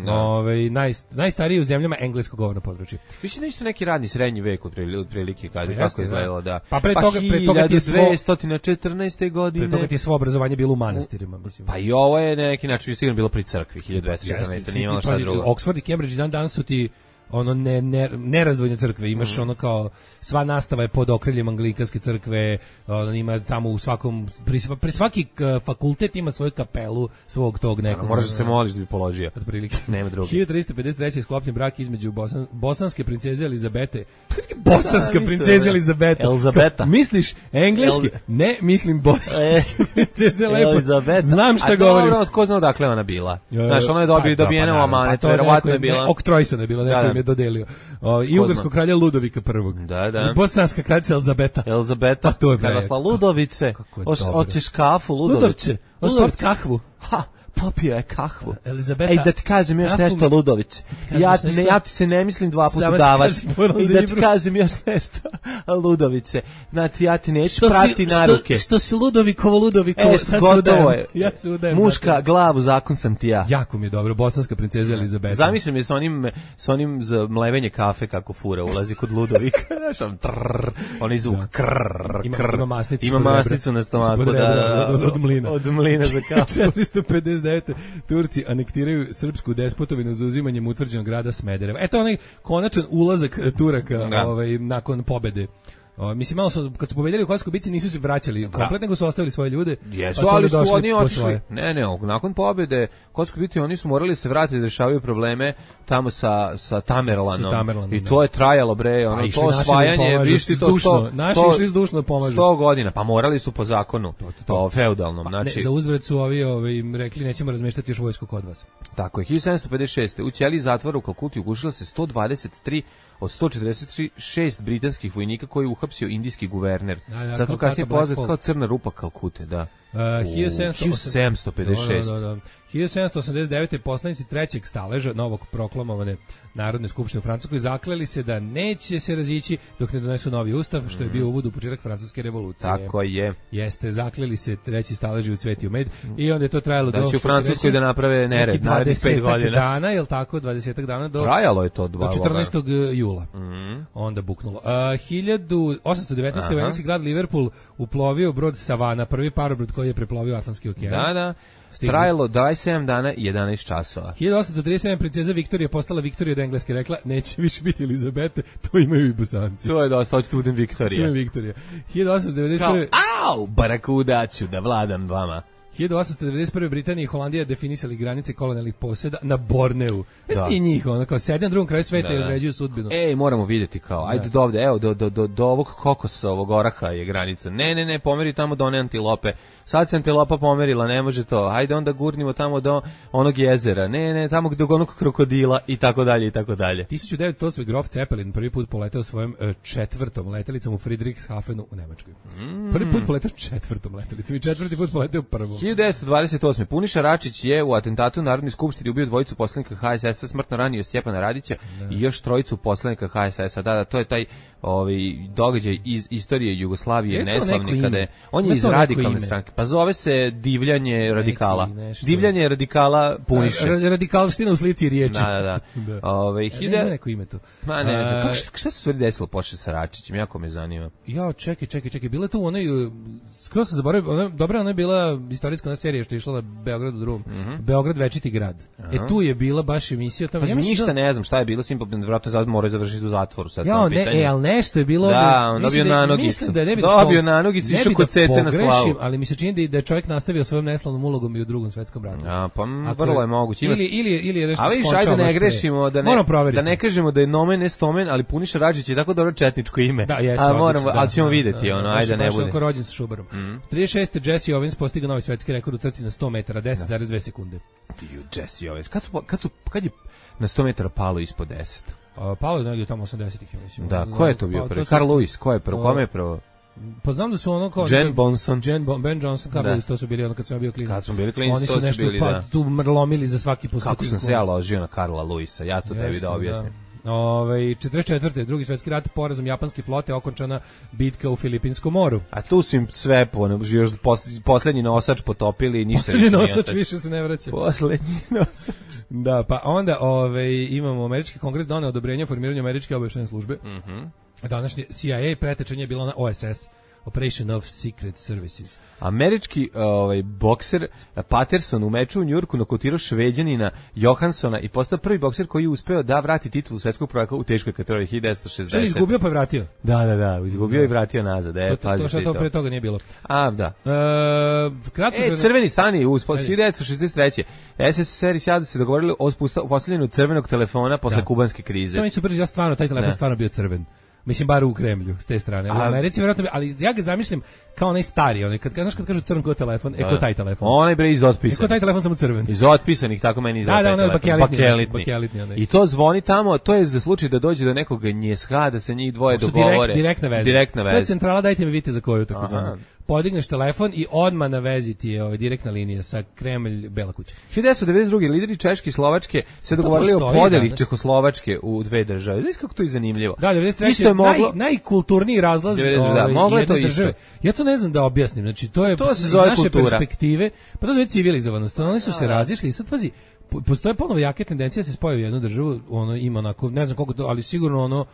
Da. Ovaj naj, najstariji u zemljama engleskog govornog područja. Mislim nešto neki radni srednji vek otprilike, otprilike kad Pa kako jeste, izgledalo, da. Pa pre toga- pre toga ti je svo- hiljadu dvesta četrnaeste. godine. Pre toga ti je svo obrazovanje bilo u manastirima, mislim. Pa i ovo je na neki način sigurno bilo pri crkvi, hiljadu dvesta četrnaeste. Jeste, nije ti- imalo šta pazi, drugo. Oxford i Cambridge dan danas su ti ono ne, ne, nerazdvojne crkve, imaš Mhm. ono kao sva nastava je pod okriljem anglikanske crkve, ono, ima tamo u svakom pri, sva- pri svaki k- fakultet ima svoju kapelu svog tog nekog. Moraš da se moliš da bi položio. Otprilike. Nema druge. hiljadu trista pedeset treće je sklopljen brak između bosan, bosanske princeze Elizabete. Bosanska Da, princeza mislim, Elizabeta. Elizabeta. Kao, misliš engleski? El- Ne, mislim bosanske princeze lepo. Elizabeta. Znam šta A govorim. dobro, tko zna odakle ona bila? Znaš, ona je Pa, dobi, da, dobijena pa, u naravno, amanet, pa to je verovatno neko- je bila. Ne, oktrojsana je bila, neko Da, da. im je dodelio. O, I Ko ugarskog zna. kralja Ludovika prvog. Da, da. I bosanska kraljica Elizabeta. Elizabeta, Pa to je bre. Karosla Ludovice, Kako je Hoš- dobro. hoćeš kafu, Ludovice? Ludovče, osport kahvu. Ha, popio je kahvu. Elizabeta. Ej, da ti kažem još kafu nešto, mi- Ludovice. kažeš Ja, nešto? ne, ja ti se ne mislim dva puta Samo ti davati. kažem, moram I za da ti Ibru. kažem još nešto, Ludovice. Znači, ja ti neću Što si- prati na što- ruke. Što si Ludovikovo, Ludovikovo, E, sad se gotovo udajem. je. Ja se udajem. Muška zato. glavu, zakon sam ti ja. Jako mi je dobro, bosanska princeza Elizabeta. Zamišljam je sa onim, sa onim za mlevenje kafe kako fura ulazi kod Ludovika. Znaš, on trrr, onaj zvuk, krrr, Ima- krrr. ima masnicu Ima ispod rebra. masnicu na stomaku, Ispod da, rebra, da, da. od- od mlina. Od mlina za kafu. četiristo pedeset osamdeset devete. Turci anektiraju srpsku despotovinu za uzimanjem utvrđenog grada Smedereva. Eto onaj konačan ulazak Turaka da. ovaj, nakon pobede. O, mislim, malo su, kad su pobedili u Kosovskoj bici, nisu se vraćali komplet, nego su ostavili svoje ljude. Jesu, pa ali su oni otišli. Ne, ne, nakon pobede u Kosovskoj bici oni su morali se vratiti da rešavaju probleme tamo sa, sa Tamerlanom. Sa Tamerlanom i to da. je trajalo, bre, ono, to osvajanje, višti to sto, naši išli zdušno pomažu. sto godina, pa morali su po zakonu, to, to, to. o feudalnom. Pa, znači, ne, za uzvrat su ovi, ovi im rekli, nećemo razmeštati još vojsku kod vas. Tako je, hiljadu sedamsto pedeset šeste. u ćeliji zatvora u Kalkuti ugušilo se sto dvadeset tri od sto četrdeset šest britanskih vojnika koji je uhapsio indijski guverner. Da, da, zato kasnije poznat kao crna rupa Kalkute, da. Uh, hiljadu sedamsto pedeset šest. Da, da, da. hiljadu sedamsto osamdeset devete. poslanici trećeg staleža novog proklamovane Narodne skupštine u Francuskoj zakleli se da neće se razići dok ne donesu novi ustav, što je bio uvod u početak francuske revolucije. Tako je. Jeste, zakleli se treći staleži u cvetio med i onda je to trajalo da do... Da će u Francuskoj da naprave nered, narednih pet godina. dana, je li tako, dvadesetak dana do... Trajalo je to dva do četrnaestog jula. Mm. Onda buknulo. Uh, hiljadu osamsto devetnaeste. u engleski grad Liverpool uplovio brod Savana, prvi parobrod koji je preplovio Atlantski okean. Da, da. Stigli. Trajalo dvadeset sedam dana i jedanaest časova. hiljadu osamsto trideset sedam. princeza Viktorija postala Viktorija od Engleske, rekla neće više biti Elizabete, to imaju i Bosanci. To je dosta, hoćete budem Viktorija. Čujem Viktorija. hiljadu osamsto devedeset prve. Kao, au, barakuda ću da vladam vama. hiljadu osamsto devedeset prve. Britanija i Holandija definisali granice kolonijalnih posjeda na Borneu. Jeste ti njih, ono, kao sede na drugom kraju sveta da, i određuju sudbinu. Ej, moramo vidjeti kao, ajde da. do ovde, evo, do, do, do, do ovog kokosa, ovog oraha je granica. Ne, ne, ne, pomeri tamo do one antilope. Sad se antilopa pomerila, ne može to. Ajde onda gurnimo tamo do onog jezera. Ne, ne, tamo do onog krokodila i tako dalje i tako dalje. hiljadu devetsto osme. Grof Zeppelin prvi put poleteo svojom uh, četvrtom letelicom u Friedrichshafenu u Nemačkoj. Mm. Prvi put poleteo četvrtom letelicom i četvrti put poleteo prvom. hiljadu devetsto dvadeset osme. Puniša Račić je u atentatu u Narodnoj skupštini ubio dvojicu poslanika H S S-a, smrtno ranio Stjepana Radića da. i još trojicu poslanika H S S-a. Da, da, to je taj ovaj događaj iz istorije Jugoslavije neslavni kada je on je iz radikalne stranke. Pa zove se divljanje radikala. Divljanje radikala Puniše. Radikalština u slici riječi. Da, da, da. Ovaj hiljadu neko ime tu. Ma ne znam. Kako šta, šta se sve desilo posle sa Račićem? Jako me zanima. Ja, čekaj, čekaj, čekaj. Bila tu onaj skroz sam zaboravio, ona dobra, ona je bila istorijska serija što je išla na Beogradu drugom. Mm -hmm. Beograd večiti grad. Aha. E tu je bila baš emisija tamo. Pa ja ništa da... ne znam šta je bilo, sim verovatno sad moraju završiti u zatvoru sad ja, sam pitanje. Ja, ne, e, al nešto je bilo. Da, on dobio na nogicu. Da dobio na nogicu, išao kod Cece na slavu. Ali mi se čini da je čovjek nastavio svojom neslavnom ulogom i u Drugom svetskom ratu. A pa vrlo je moguće. Ili ili ili je nešto. A viš, ajde ne grešimo, da ne da ne kažemo da je nomen ne stomen, ali Puniša Račić je tako dobro četničko ime. Da, jeste. A moramo, al ćemo videti ono, ajde ne bude. Baš rođen sa Šubarom. trideset šeste. Jesse Owens postigao novi svetski rekord u trci na sto metara, deset zarez dve sekunde. Ju Jesse Owens. Kad su kad su kad je na sto metara palo ispod deset? Uh, palo je negdje tamo osamdesetih, ja mislim. Da, ko je to bio prvi? Carl Lewis, ko je prvo? Kome je prvo? Pa znam da su ono kao... Jen Bonson. Jen bon, Ben Johnson, kao bili, to su bili ono kad sam ja bio klinac. Kad smo bili klinac, oni to su su nešto bili, pa, da. tu mrlomili za svaki poslutik. Kako sam se ja ložio na Karla Lewisa, ja to tebi da objasnim. Da. Ove, četrdeset četvrte. drugi svetski rat, porazom japanske flote okončana bitka u Filipinskom moru. A tu su im sve po, još poslednji nosač potopili i ništa. Poslednji nosač više se ne vraća. Poslednji nosač. Da, pa onda ove, imamo američki kongres doneo odobrenje formiranju američke obavještajne službe. Mhm. Mm Današnje C I A pretečenje je bilo na O S S. Operation of Secret Services. Američki ovaj bokser Patterson u meču u Njujorku nokautirao Šveđanina Johanssona i postao prvi bokser koji je uspeo da vrati titulu svetskog prvaka u teškoj kategoriji hiljadu devetsto šezdeset. Što je izgubio pa vratio? Da, da, da, izgubio da. i vratio nazad. E, to, to što to pre toga nije bilo. A, da. E, kratko e, crveni stani u hiljadu devetsto šezdeset treće. S S S R i SAD se dogovorili o uspostavljanju crvenog telefona posle da. kubanske krize. To mi su brzo, ja stvarno, taj telefon da. stvarno bio crven. Mislim, bar u Kremlju, s te strane. U Americi, vjerojatno, ali ja ga zamišljam kao onaj stari, onaj, kad, znaš kad kažu crn ko telefon, e ko taj telefon. Onaj bre iz otpisanih. E ko taj telefon samo crven. Iz otpisanih, tako meni izgleda. Da, da, onaj bakelitni. bakelitni. bakelitni I to zvoni tamo, to je za slučaj da dođe do nekog njeska, da se njih dvoje dogovore. Direkt, direktna veza. Direktna veza. To je centrala, dajte mi vidite za koju, tako zvano. Podigneš telefon i odmah na vezi ti je ovaj direktna linija sa Kremlj Bela kuća. hiljadu devetsto devedeset druge. lideri Češke i Slovačke se dogovorili o podeli Čehoslovačke u dve države. Znaš kako to je zanimljivo? Da, devedeset treće. Isto je moglo naj, najkulturniji razlaz ovaj, da, moglo je to države. Isto. Ja to ne znam da objasnim. Znači to je to se zove naše kultura. Perspektive, pa to zove civilizovanost. Oni su se razišli i sad pazi, postoje ponovo jake tendencije da se spoje u jednu državu, ono ima onako, ne znam koliko to, ali sigurno ono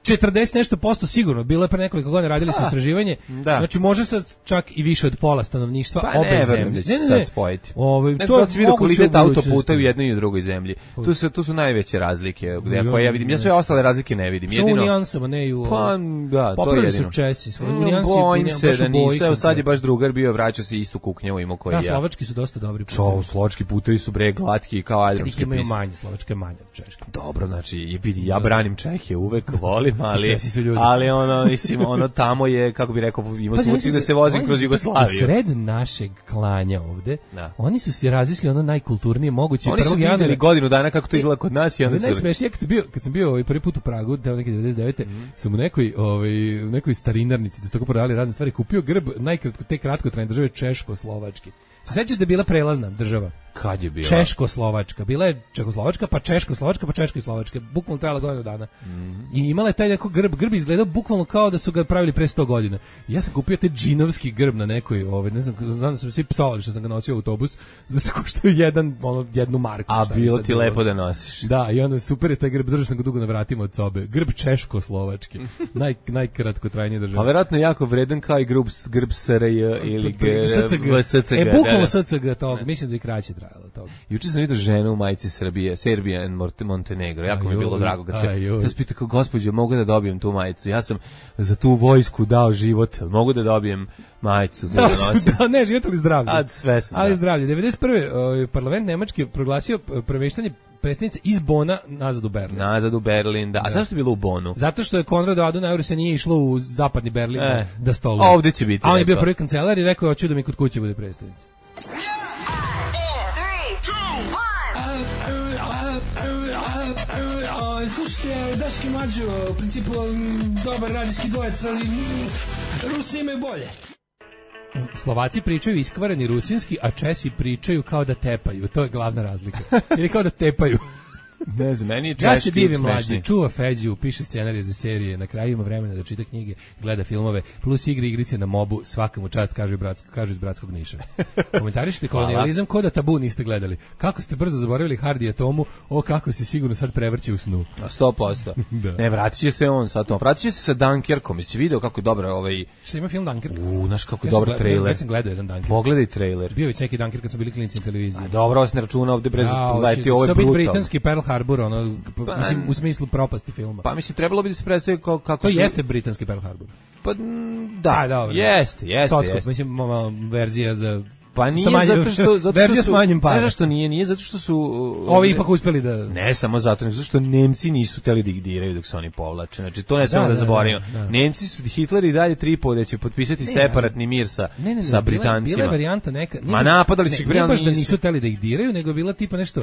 četrdeset nešto posto sigurno, bilo je pre nekoliko godina radili su istraživanje, da. Znači može sad čak i više od pola stanovništva pa obe ne, zemlje. Ne, ne, ne, sad spojiti. Ovaj ne, to je vidio kvalitet autoputa u jednoj i u drugoj zemlji. Tu su tu su najveće razlike, gde koje ja vidim. Ja sve ostale razlike ne vidim. Jedino u nijansama, ne i u. Pa da, to je jedino. Su Česi, svoje mm, nijansi, bojim se da nisu. Evo sad je baš drugar bio, vraćao se istu kuknjavu imao koji ja. Da, slovački su dosta dobri. Čo, slovački putevi su bre glatki kao aljramske imaju manje, slovačke manje od češke. Dobro, znači vidi, ja branim Čehe, uvek volim, ali ali ono mislim ono tamo je kako bi rekao ima pa, slučaj da se vozim kroz Jugoslaviju. Sred našeg klanja ovde, da. Oni su se razišli ono najkulturnije moguće. Oni su videli godinu dana kako to izgleda kod nas i onda su. Najsmešnije kad sam bio, kad sam bio ovaj prvi put u Pragu, tamo neke devedeset devete Mm. sam u nekoj ovaj u nekoj starinarnici da su tako prodavali razne stvari, kupio grb najkratko te kratkotrajne države Češko-Slovački. Se sećaš da je bila prelazna država? Kad je bila? Češko-Slovačka. Bila je Češko-Slovačka, pa Češko-Slovačka, pa Češka i Slovačka. Bukvalno trajala godinu dana. Mm. I imala je taj neko grb, grb izgledao bukvalno kao da su ga pravili pre sto godina. Ja sam kupio taj džinovski grb na nekoj, ovaj, ne znam, znam da su svi psovali što sam ga nosio u autobus, da se koštao jedan, ono, jednu marku. A bilo ti lepo da nosiš. Da, i onda super je taj grb, držao sam ga dugo na vratima od sobe. Grb Češko-Slovački. Naj, najkratkotrajnije države. Pa verovatno jako vredan kao i grb, grb S R J ili S C G. E, bukvalno S C G tog, mislim da i kraće trajalo tog. Juče sam vidio ženu u majici Srbije, Serbia and Montenegro. Jako mi je bilo drago kad se ja se pitao, gospođo, mogu da dobijem tu majicu? Ja sam za tu vojsku dao život, mogu da dobijem majicu? Da, da, ne, život ali zdravlje. A, sve sam, ali da. zdravlje. devedeset prve ovaj parlament nemački proglasio premeštanje predsjednice iz Bona nazad u Berlin. Nazad u Berlin, da. A da. Zašto je bilo u Bonu? Zato što je Konrad Adenauer se nije išlo u zapadni Berlin e, da stoluje. A ovdje će biti. A on je bio prvi kancelar i rekao, hoću da mi kod kuće bude predstavnica. Slušajte, Daški Mađo, u principu dobar radijski dvojec, ali Rusi imaju bolje. Slovaci pričaju iskvareni rusinski, a Česi pričaju kao da tepaju. To je glavna razlika. Ili kao da tepaju. Ne znam, meni je češki. Ja se divim mlađi, čuva Feđu, piše scenarije za serije, na kraju ima vremena da čita knjige, gleda filmove, plus igre igrice na mobu, svaka mu čast, kažu, bratsko, kažu iz Bratskog Niša. Komentarišite kolonijalizam, ko da Tabu niste gledali. Kako ste brzo zaboravili Hardija Tomu, o kako se sigurno sad prevrće u snu. A sto posto. Da. Ne, vratit će se on sa tom. Vratit će se sa Dunkerkom. Jesi video kako je dobro ovaj... Šta ima film Dunkerk? U, znaš kako je ja dobar trailer. Ja sam gledao jedan Dunkerk. Pogledaj trailer. Bio je neki Dunkerk kad smo bili klinici na televiziji. A dobro, vas ne računa ovde brez gledati, ovo je brutalno. Britanski Pearl Harbor, ono, pa, mislim, u smislu propasti filma. Pa mislim, trebalo bi da se predstavi kao, kako... To su... jeste britanski Pearl Harbor. Pa da, A, dobro, jeste, jeste, Sotskog, jeste. Mislim, verzija za... Pa nije manjim, zato što... Zato verzija što s manjim para. Ne zašto nije, nije zato što su... Ovi ne, ipak uspeli da... Ne samo zato, nego zato što Nemci nisu hteli da ih diraju dok se oni povlače. Znači, to ne smemo da, da, da zaboravimo. Da, da. Nemci su, Hitler i dalje tripo da će potpisati ne, separatni mir sa, ne, ne, ne, sa Britancima. Bila je varijanta neka... Ma napadali su ih Britanci. Ne baš da nisu hteli da ih diraju, nego bila tipa nešto...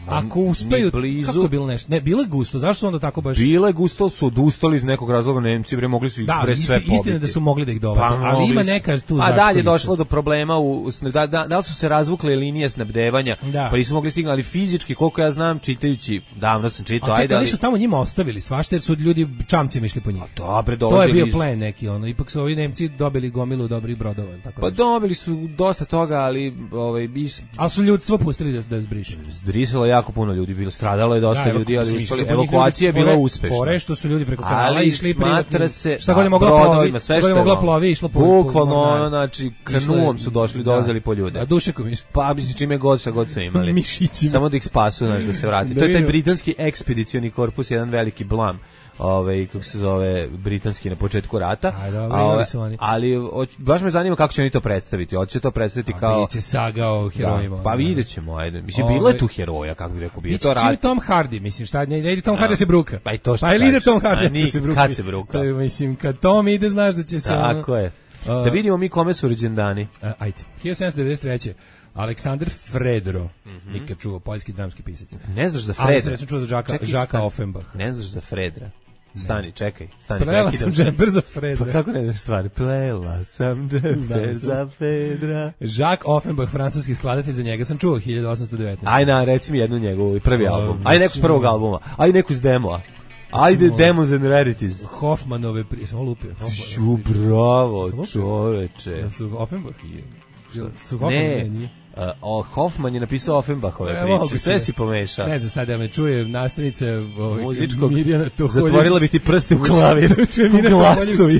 Ako uspeju, kako je bilo nešto? Ne, bilo je gusto, zašto su onda tako baš... Bilo je gusto, su odustali iz nekog razloga Nemci, bre, mogli su ih da, bre sve pobiti. Da, istina da su mogli da ih dovede, pa, ali ima neka tu začkoljica. A dalje je došlo do problema, u, da, da, da li su se razvukle linije snabdevanja, da. Pa nisu mogli stignuti, ali fizički, koliko ja znam, čitajući, davno sam čitao, a, ajde, čekaj, ali... su tamo njima ostavili svašta, jer su ljudi čamcima išli po njih. A dobre, to je bio plen neki, ono, ipak su ovi Nemci dobili gomilu dobrih brodova. Tako pa nešto. Dobili su dosta toga, ali... Ovaj, bis... Ali su ljudstvo pustili da, da zbriše. Zbrisalo jako puno ljudi, bilo stradalo je dosta da, ljudi, ali uspeli. Evakuacija je bila uspešna. Fore što su ljudi preko kanala išli privatno. Se, šta god je mogla plovi, šta god je mogla plovi, išlo po... Bukvalno, ono, znači, kanuom su došli, dolazili po ljude. A dušekom išli. Pa, mislim, čime god sa god su imali. Mišićima. Samo da ih spasu, znači, da se vrati. To je taj britanski ekspedicioni korpus, jedan veliki blam. Ovaj kako se zove britanski na početku rata. A, dobro, a, ove, ali o, baš me zanima kako će oni to predstaviti. Hoće to predstaviti a, kao biće saga o herojima. Da, pa videćemo, ajde. Mislim ove, bilo je tu heroja, kako bih rekao, bio to rat. Tom Hardy, mislim, šta ne ide Tom Hardy se bruka. Pa i to što. Pa ide Tom Hardy se bruka. Kad se bruka? To, mislim, kad Tom ide, znaš da će se tako ono, je. Da vidimo mi kome su rođendani. Uh, ajde. hiljadu sedamsto devedeset treće Aleksandar Fredro, mm -hmm. nikad čuo, poljski dramski pisac. Ne znaš za Fredra? Ali sam čuo za Žaka, Žaka Offenbach. Ne znaš za Fredra? Stani, čekaj, stani. Plela sam džemper za Fredra. Pa kako ne znaš stvari? Plela sam džemper za Fredra. Jacques Offenbach, francuski skladatelj, za njega sam čuo, hiljadu osamsto devetnaeste. Aj na, reci mi jednu njegovu, prvi uh, album. Aj neku s prvog albuma. Aj neku s demoa. Ajde, Demos and Rarities. Hoffmanove, pri... sam lupio. Šu, bravo, čoveče. Ja su Offenbach i... Su ne, Uh, Hoffman je napisao Offenbachove priče, sve si pomešao. Ne znam, sad da me čuje nastavnica ovaj, muzičkog, Mirjana Toholjić. zatvorila bi ti prste u klavir, u glasovi.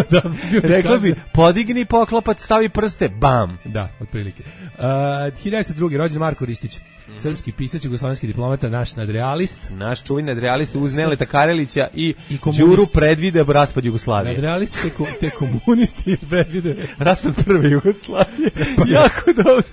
Da, rekla bi, podigni poklopac, stavi prste, bam. Da, otprilike. Uh, hiljadu devetsto drugi. rođen Marko Ristić, mm-hmm. srpski pisac, jugoslovenski diplomata, naš nadrealist. Naš čuveni nadrealist uz Neleta Karelića i, I Đuru predvide raspad Jugoslavije. Nadrealist te, ko, te komunisti predvide raspad prve Jugoslavije. Jako dobro.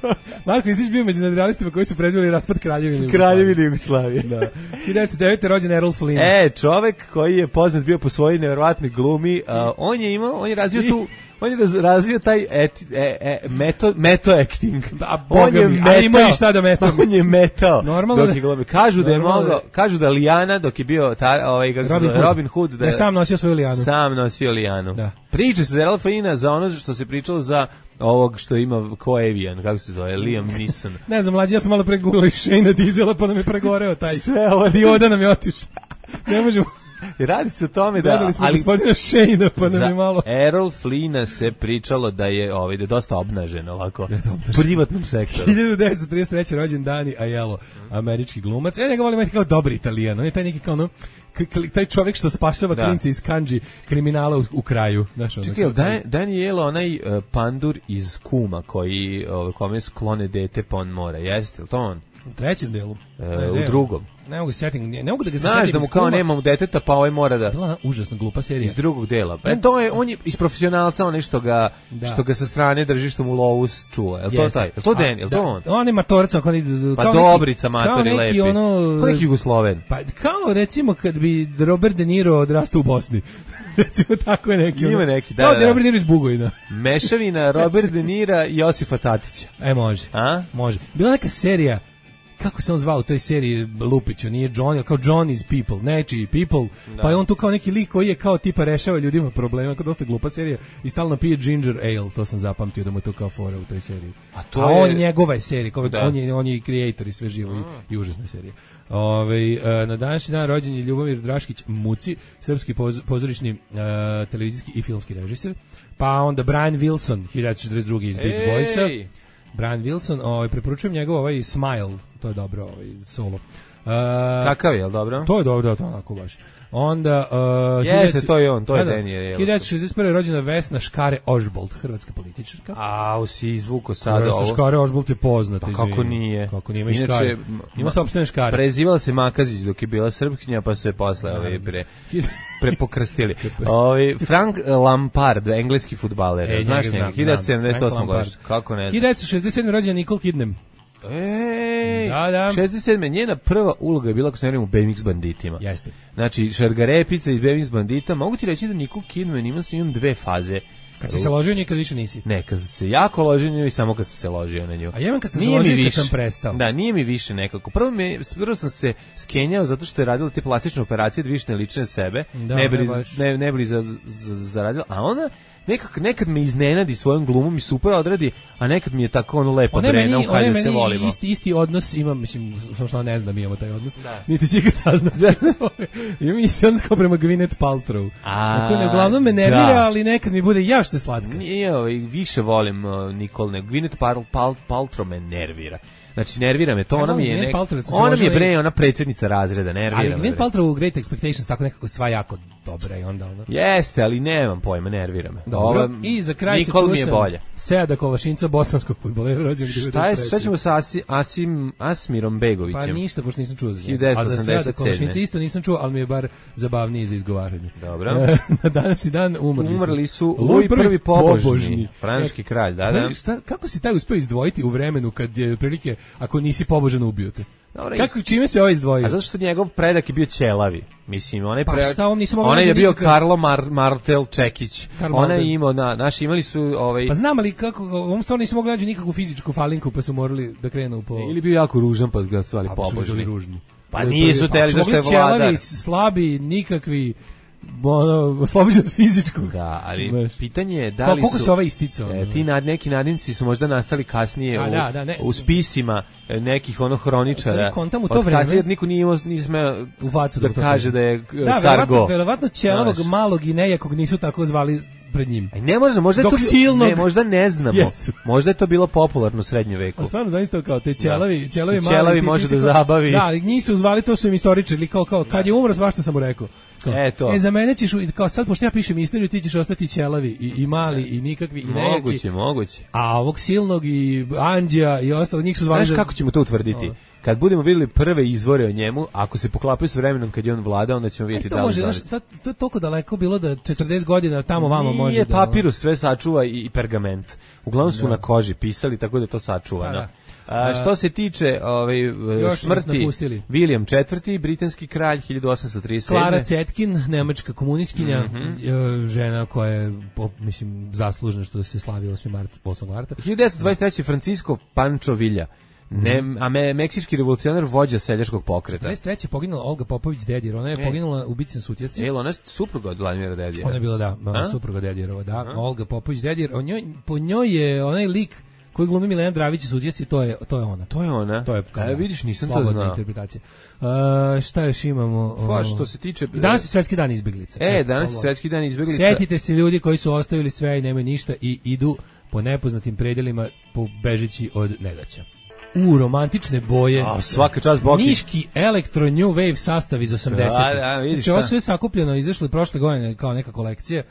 Marko Ristić bio među nadrealistima koji su predvideli raspad Kraljevine Kraljevine Jugoslavije. Da. hiljadu devetsto devete. rođen Errol Flynn. E, čovek koji je poznat bio po svojoj neverovatnoj glumi, uh, on je imao, on je razvio tu on je raz, razvio taj eti, e, e, meto, meto acting. Da, on je metao, a ima i šta da metao. On je metao. Normalno dok je glumio. Kažu da je mogao, kažu da Lijana dok je bio ta, ovaj kako Robin, Hood. Robin Hood da je sam nosio svoju Lijanu. Sam nosio Lijanu. Da. Priča se za Errol Flynna za ono što se pričalo za ovog što ima ko Avian, kako se zove, Liam Neeson. Ne znam, mlađi, ja sam malo pregooglao Shane Diesela pa nam je pregoreo taj. Sve ovo dioda nam je otišla. Ne možemo. I radi se o tome da gledali smo ali gospodina Shane pa nam je malo. Errol Flynna se pričalo da je ovaj da je dosta obnažen ovako u privatnom sektoru. hiljadu devetsto trideset treće. rođen Dani Aiello, američki glumac. Ja njega volim kao dobri Italijan. On je taj neki kao ono taj čovjek što spašava klince iz kanđi kriminala u, u kraju. Znaš, čekaj, ono, Dan, Danielo, onaj uh, pandur iz Kuma koji uh, kome sklone dete pa on mora, jeste li to on? U trećem delu. E, ne, u drugom. Ne mogu se setim, ne mogu da ga se setim. Znaš da mu kao nema mu deteta, pa ovaj mora da... Bila ona užasna glupa serija. Iz drugog dela. E, to je, on je iz profesionalca, onaj što ga, da. što ga sa strane drži, što mu lovu čuva. Je li to taj? Je li to Dan? Je li to on? On je matorica. Kao pa kao Dobrica, matori, lepi. Neki ono... Kao neki Jugosloven. Pa kao recimo kad bi Robert De Niro odrastao u Bosni. Recimo tako je neki. Ima neki, da, kao da. Da Robert De Niro iz Bugojna. Mešavina Robert De Nira i Josifa Tatića. E, može. A? Može. Bila neka serija, kako se on zvao u toj seriji Lupiću, nije Johnny, kao Johnny's People, nečiji People, da. Pa je on tu kao neki lik koji je kao tipa rešava ljudima problema, kao dosta glupa serija i stalno pije ginger ale, to sam zapamtio da mu je to kao fora u toj seriji. A, to A je... on njegova je serija, kao da. on, je, on je i kreator i sve živo i, i užasna serija. Ove, na današnji dan rođen je Ljubomir Draškić Muci, srpski poz, pozorišni uh, televizijski i filmski režiser, pa onda Brian Wilson, hiljadu devetsto četrdeset druge. iz Beach Boysa. Brian Wilson, ovaj, preporučujem njegov ovaj Smile, to je dobro, ovaj solo. Uh, Kakav je, dobro? To je dobro, to onako baš. Onda... Uh, Jeste, to je on, to je Daniel. hiljadu devetsto šezdeset prve. rođena Vesna Škare Ožbolt, hrvatska političarka. A, si izvuko sad Vesna ovo. Škare Ožbolt je poznata. Pa kako nije? Kako nije, ima i Škare. Ima sopstvene Škare. Prezivala se Makazić dok je bila Srpkinja, pa su je posle ovaj pre... prepokrstili. Ovaj Frank Lampard, engleski fudbaler, e, znaš njega, hiljadu sedamdeset osme. godište. Kako ne znam. hiljadu devetsto šezdeset sedme. rođena Nicole Kidman. Ej, da, da. šezdeset sedme. njena prva uloga je bila, ako se ne vjerujem, u B M X banditima. Jeste. Znači, šargarepica iz B M X bandita. Mogu ti reći da Nicole Kidman ima s njom dve faze. Kad si se ložio, nikad više nisi. Ne, kad se jako ložio nju i samo kad se ložio na nju. A jedan kad se ložio, kad sam prestao. Da, nije mi više nekako. Prvo, me, prvo sam se skenjao zato što je radila te plastične operacije da više ne lične sebe. Da, ne bili, ne, ne bili za, za, zaradila. A ona nekak, nekad me iznenadi svojom glumom i super odradi, a nekad mi je tako ono lepa brena u kada se volimo. Isti, isti odnos imam, mislim, samo što ne znam, imamo taj odnos. Da. Niti će ga saznati. Imam isti odnos kao prema Gwyneth Paltrow. A, dakle, uglavnom me nervira, da. Ali nekad mi bude ja što je slatka. Nije, ovaj, više volim uh, Nicole, nego Gwyneth Pal, Pal, Paltrow me nervira. Znači, nervira me to, ona mi je nek... ona mi je bre, ona predsjednica razreda, nervira me. Ali Gwyneth Paltrow u Great Expectations tako nekako sva jako dobra i onda ono. Jeste, ali nemam pojma, nervira me. Dobro. Ova, i za kraj se čuo sam Seada Kolašinca, bosanskog fudbalera, rođenog devedeset treće. Šta je, šta ćemo sa Asi, Asim, Asmirom Begovićem? Pa ništa, pošto nisam čuo za njega. hiljadu devetsto osamdeset sedme. A za Seada Kolašinca isto nisam čuo, ali mi je bar zabavniji za izgovaranje. Dobro. Na današnji dan umrli, umrli su Louis prvi pobožni, francuski kralj, da, da. Šta, kako si taj uspeo izdvojiti u vremenu kad je prilike, ako nisi pobožan, ubio te? Dobre, kako, čime se ovo izdvojio? A zato što njegov predak je bio ćelavi. Mislim, onaj pa predak... Šta, on nisam onaj je bio nikakav... Karlo Mar, Martel Čekić. Ona je imao, na, naši imali su... Ovaj... Pa znam, ali kako, ovom stvarno nisam mogli nađu nikakvu fizičku falinku, pa su morali da krenu po... Ili bio jako ružan, pa su ga zvali pobožni. Ružni. Pa nisu teli, zašto je vladar. Ćelavi, slabi, nikakvi... Ono, oslobođen od fizičkog. Da, ali Baš. Pitanje je da li koliko su... se ova isticao? E, ti nad, neki nadimci su možda nastali kasnije u, da, da, ne. u spisima nekih ono hroničara. Kontam u to vreme. Kasnije niko nije imao, nisme u facu da, da kaže da je da, car go. Verovatno ćelavog malog i nejakog nisu tako zvali pred njim. Aj ne možemo, možda Dok je to silnog... ne, možda ne znamo. Jesu. Možda je to bilo popularno u srednjem veku. A stvarno zaista kao te ćelavi, da. ćelavi mali. Ćelavi može da zabavi. Da, ali njih su zvali, to su im istoričari, kao kao kad je umro, svašta sam mu rekao. Kao, e, to. e, za mene ćeš, kao sad, pošto ja pišem istoriju, ti ćeš ostati ćelavi i, i mali i nikakvi i neki. Moguće, moguće. A ovog silnog i Anđija i ostalo, njih su zvali... Znaš kako ćemo to utvrditi? Kad budemo vidjeli prve izvore o njemu, ako se poklapaju s vremenom kad je on vlada, onda ćemo vidjeti e, da li može, znaš, to, to je toliko daleko bilo da četrdeset godina tamo vamo može Nije, da... papirus sve sačuva i, i pergament. Uglavnom su da. na koži pisali, tako da to sačuvano. Da. A, što se tiče ovaj, smrti William četvrti, britanski kralj, hiljadu osamsto trideset sedme. Klara Cetkin, nemačka komunistkinja, mm-hmm. žena koja je, mislim, zaslužna što se slavi osmog marta. hiljadu devetsto dvadeset treće. Francisco Pancho Villa, ne, a me, meksički revolucionar, vođa seljačkog pokreta. četrdeset treće poginula Olga Popović Dedijer, ona je e. poginula u bici na Sutjesci. E, ona je supruga od Vladimira Dedijera. Ona je bila, da, a? supruga Dedijerova, da. A? Olga Popović Dedijer, o njoj, po njoj je onaj lik koji glumi Milena Dravić u Sutjesci, to je, to je ona. To je ona? To je, kao, e, vidiš, nisam to znao. Interpretacija. Uh, šta još imamo? Pa, što se tiče... Danas je svetski dan izbeglica. E, danas je svetski dan izbeglica. Sjetite se ljudi koji su ostavili sve i nemaju ništa i idu po nepoznatim predelima bežeći od nedaća. U romantične boje. A, svaka čast Boki. Niški Electro New Wave sastav iz osamdesetih. Da, da, vidiš znači, ovo sve sakupljeno, izašlo je prošle godine kao neka kolekcija,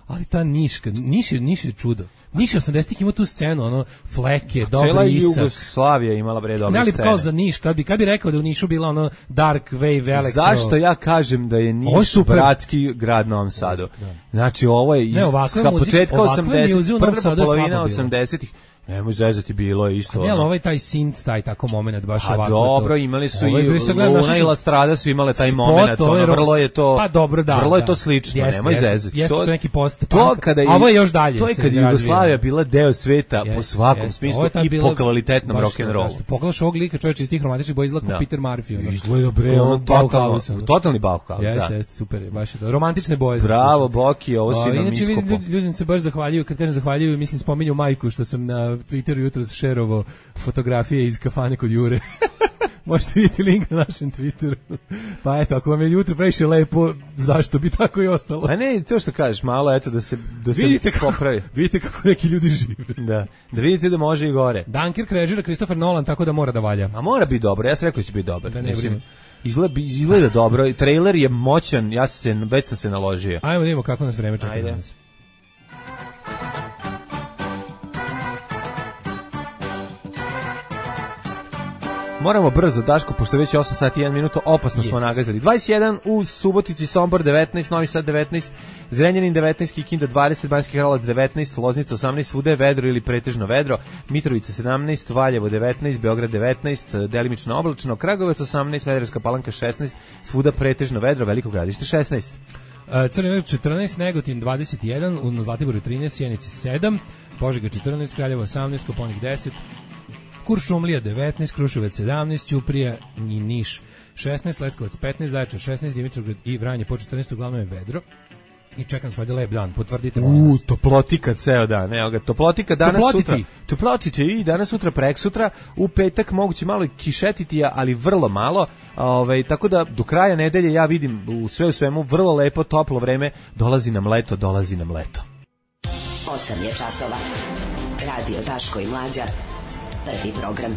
ali ta Niška, Niš je, Niš je čudo. Niš osamdesetih ima tu scenu, ono, fleke, dobri cela isak. Cela Jugoslavija imala bre dobre scene. Scene. Kao za Niš, kad bi, kad bi rekao da u Nišu bila ono dark wave, elektro. Zašto ja kažem da je Niš bratski grad Novom Sadu? Da. Znači, ovo je ne, iz početka osamdesetih, prva polovina osamdesetih. Nemoj zezati, bilo je isto. A ne, ali ovaj taj synth, taj tako moment baš a ovako. Dobro, imali su ovaj, i Luna i La Strada su imale taj moment, ono, vrlo je to, pa dobro, da, vrlo je da. to slično, jest, nemoj jest, zezati. Jeste to neki post, to kada a ovo je još dalje. To je kad Jugoslavija bila deo sveta jest, po svakom jest, smislu i bilo, po kvalitetnom rock'n'rollu. Pogledaš ovog lika, čovječe iz tih romantičnih boja izgleda kao Peter Murphy. Ono. Izgleda bre, ono totalno, totalni Bauhaus. Jeste, jeste, super je, baš je to. Romantične boje. Bravo, Boki, ovo si nam iskopo. Inače, ljudi se baš zahvaljuju, kad kažem zahvaljuju, mislim spominju majku što sam na Twitteru jutros šerovao fotografije iz kafane kod Jure. Možete vidjeti link na našem Twitteru. Pa eto, ako vam je jutro previše lepo, zašto bi tako i ostalo? A ne, to što kažeš, malo eto da se da se vidite kako, popravi. Vidite kako neki ljudi žive. Da. Da vidite da može i gore. Dunkirk režira Christopher Nolan, tako da mora da valja. A mora biti dobro. Ja sam rekao da će biti dobar. Da ne Mislim, izgleda, izgleda dobro. Trailer je moćan. Ja sam se već sam se naložio. Ajmo da vidimo kako nas vreme čeka danas. Moramo brzo, Daško, pošto već je osam sati i jedan minuto, opasno yes. smo nagazili. dvadeset jedan u Subotici, Sombor devetnaest, Novi Sad devetnaest, Zrenjanin devetnaest, Kikinda dvadeset, Banjski Karlovac devetnaest, Loznica osamnaest, svuda je vedro ili pretežno vedro, Mitrovica sedamnaest, Valjevo devetnaest, Beograd devetnaest, delimično oblačno, Kragujevac osamnaest, Smederevska Palanka šesnaest, svuda pretežno vedro, Veliko Gradište šesnaest. Crni vrh četrnaest, Negotin dvadeset jedan, u Zlatiboru trinaest, Sjenici sedam, Požega četrnaest, Kraljevo osamnaest, Koponik deset, Kuršumlija devetnaest, Kruševac sedamnaest, Ćuprija i Niš šesnaest, Leskovac petnaest, Zaječar šesnaest, Dimitrovgrad i Vranje po četrnaest, uglavnom je vedro. I čekam svoj lep dan, potvrdite molim vas. U, toplotika ceo dan, evo ga, toplotika danas Toplotici. sutra. Toplotiće i danas sutra, preksutra, u petak moguće malo kišetiti, ali vrlo malo, ovaj, tako da do kraja nedelje ja vidim u sve u svemu vrlo lepo, toplo vreme, dolazi nam leto, dolazi nam leto. osam je časova, radio Daško i Mlađa. Prvi program.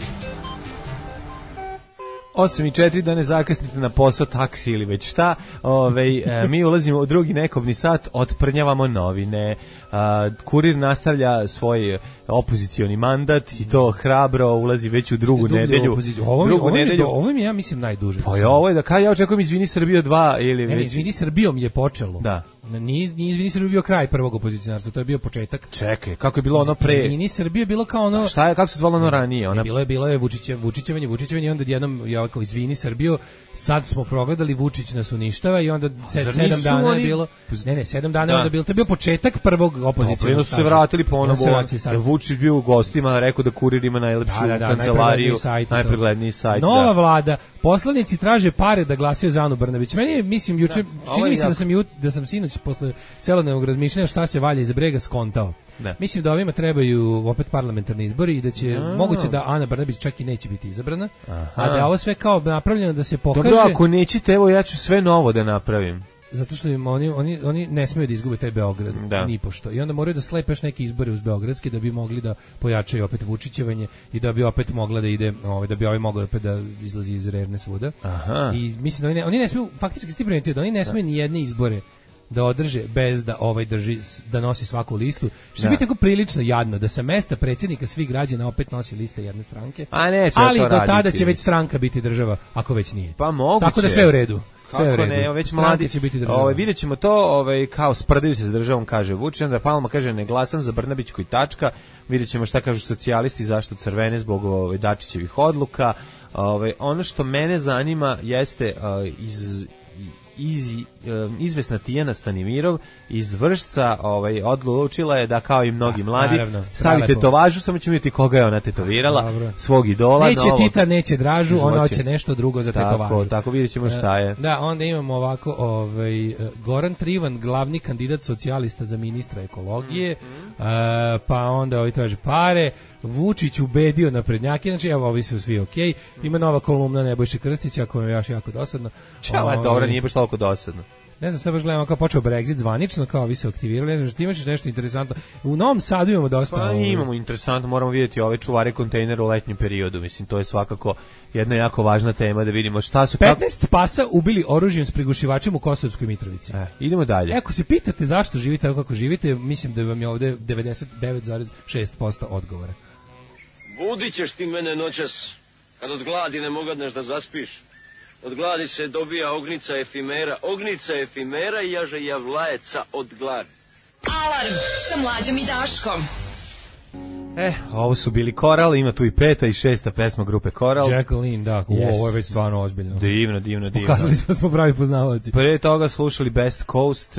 osam i četiri, da ne zakasnite na posao, taksi ili već šta. Ove, e, mi ulazimo u drugi nekobni sat, otprnjavamo novine. A, kurir nastavlja svoj opozicioni mandat i to hrabro ulazi već u drugu Dublje nedelju. Ovo, drugu ovo, nedelju. ovo mi je, ja mislim, najduže. Pa je ovo je da kaj ja očekujem Izvini Srbijo dva ili ne, već... Izvini Srbijom je počelo. Da. Nije, nije Izvini Srbijo bio kraj prvog opozicionarstva, to je bio početak. Čekaj, kako je bilo ono pre? Izvini Srbijo je bilo kao ono... A šta je, kako se zvalo ono ranije? Ona... Bilo je, bilo je Vučiće, Vučićevanje, Vučićevanje i onda jednom je kao Izvini Srbijo, sad smo progledali, Vučić nas uništava i onda se, sedam dana oni... je bilo... Ne, ne, sedam dana da. onda je bilo, to je bio početak prvog opozicionarstva. su se vratili ponovo, Vučić bio u gostima, rekao da Kurir ima najlepšu da, da, da, kancelariju, najpregledniji sajt. Nova da. vlada, poslanici traže pare da glasaju za Anu Brnabić. Meni je, mislim, juče, da, čini mi se da sam, jut, da sam sinoć posle celodnevnog razmišljanja šta se valja iza brega skontao. Da. Mislim da ovima trebaju opet parlamentarni izbori i da će, no. moguće da Ana Brnabić čak i neće biti izabrana, aha. a da ovo sve kao napravljeno da se pokaže... Dobro, ako nećete, evo ja ću sve novo da napravim. zato što im oni, oni, oni ne smiju da izgube taj Beograd, da. ni pošto. I onda moraju da slepe još neke izbore uz beogradske da bi mogli da pojačaju opet Vučićevanje i da bi opet mogla da ide, ovaj, da bi ovaj mogao opet da izlazi iz Rerne svuda. Aha. I mislim da oni ne, oni ne smiju, faktički ste primetili da oni ne smiju ni jedne izbore da održe bez da ovaj drži, da nosi svaku listu. Što će biti tako prilično jadno da sa mesta predsjednika svih građana opet nosi liste jedne stranke. A neće ali to do tada raditi. će već stranka biti država, ako već nije. Pa moguće. Tako da sve u redu. Sve Kako u redu. ne, već Stranka mladi će biti država. Ovaj videćemo to, ovaj kao sprdaju se s državom, kaže Vučić, da Palma kaže ne glasam za Brnabićku i tačka. Videćemo šta kažu socijalisti, zašto crvene zbog ovaj Dačićevih odluka. Ovaj ono što mene zanima jeste uh, iz iz izvesna Tijana Stanimirov iz Vršca, ovaj odlučila je da kao i mnogi mladi naravno, stavi tetovažu, samo ćemo vidjeti koga je ona tetovirala, dobro. Svog idola. Neće novo. Tita, neće Dražu, ona hoće nešto drugo za tako, tetovažu. Tako, vidjet ćemo šta je. Da, onda imamo ovako, ovaj, Goran Trivan, glavni kandidat socijalista za ministra ekologije, mm-hmm. uh, pa onda ovaj traže pare, Vučić ubedio naprednjake, znači evo, ovi su svi okej, okay. Ima nova kolumna Nebojše Krstića, koja je još jako dosadno. Čala, ovaj, dobro, nije baš toliko dosadno. Ne znam, sad baš gledamo kao počeo Brexit zvanično, kao vi se aktivirali, ne znam, što ti imaš nešto interesantno. U Novom Sadu imamo dosta... Pa ovaj... imamo interesantno, moramo vidjeti ove čuvare kontejnera u letnjem periodu, mislim, to je svakako jedna jako važna tema da vidimo šta su... petnaest kako... pasa ubili oružjem s prigušivačem u Kosovskoj Mitrovici. E, idemo dalje. Ako se pitate zašto živite tako kako živite, mislim da vam je ovde devedeset devet zarez šest posto odgovora. Budit ćeš ti mene noćas, kad od gladi ne mogadneš da zaspiš. Od gladi se dobija ognica efimera, ognica efimera i jaže javlajeca od gladi. Alarm sa Mlađom i Daškom. E, ovo su bili Koral, ima tu i peta i šesta pesma grupe Koral. Jacqueline, da, yes. Ovo je već stvarno ozbiljno. Divno, divno, divno. Pokazali smo smo pravi poznavaoci. Pre toga slušali Best Coast,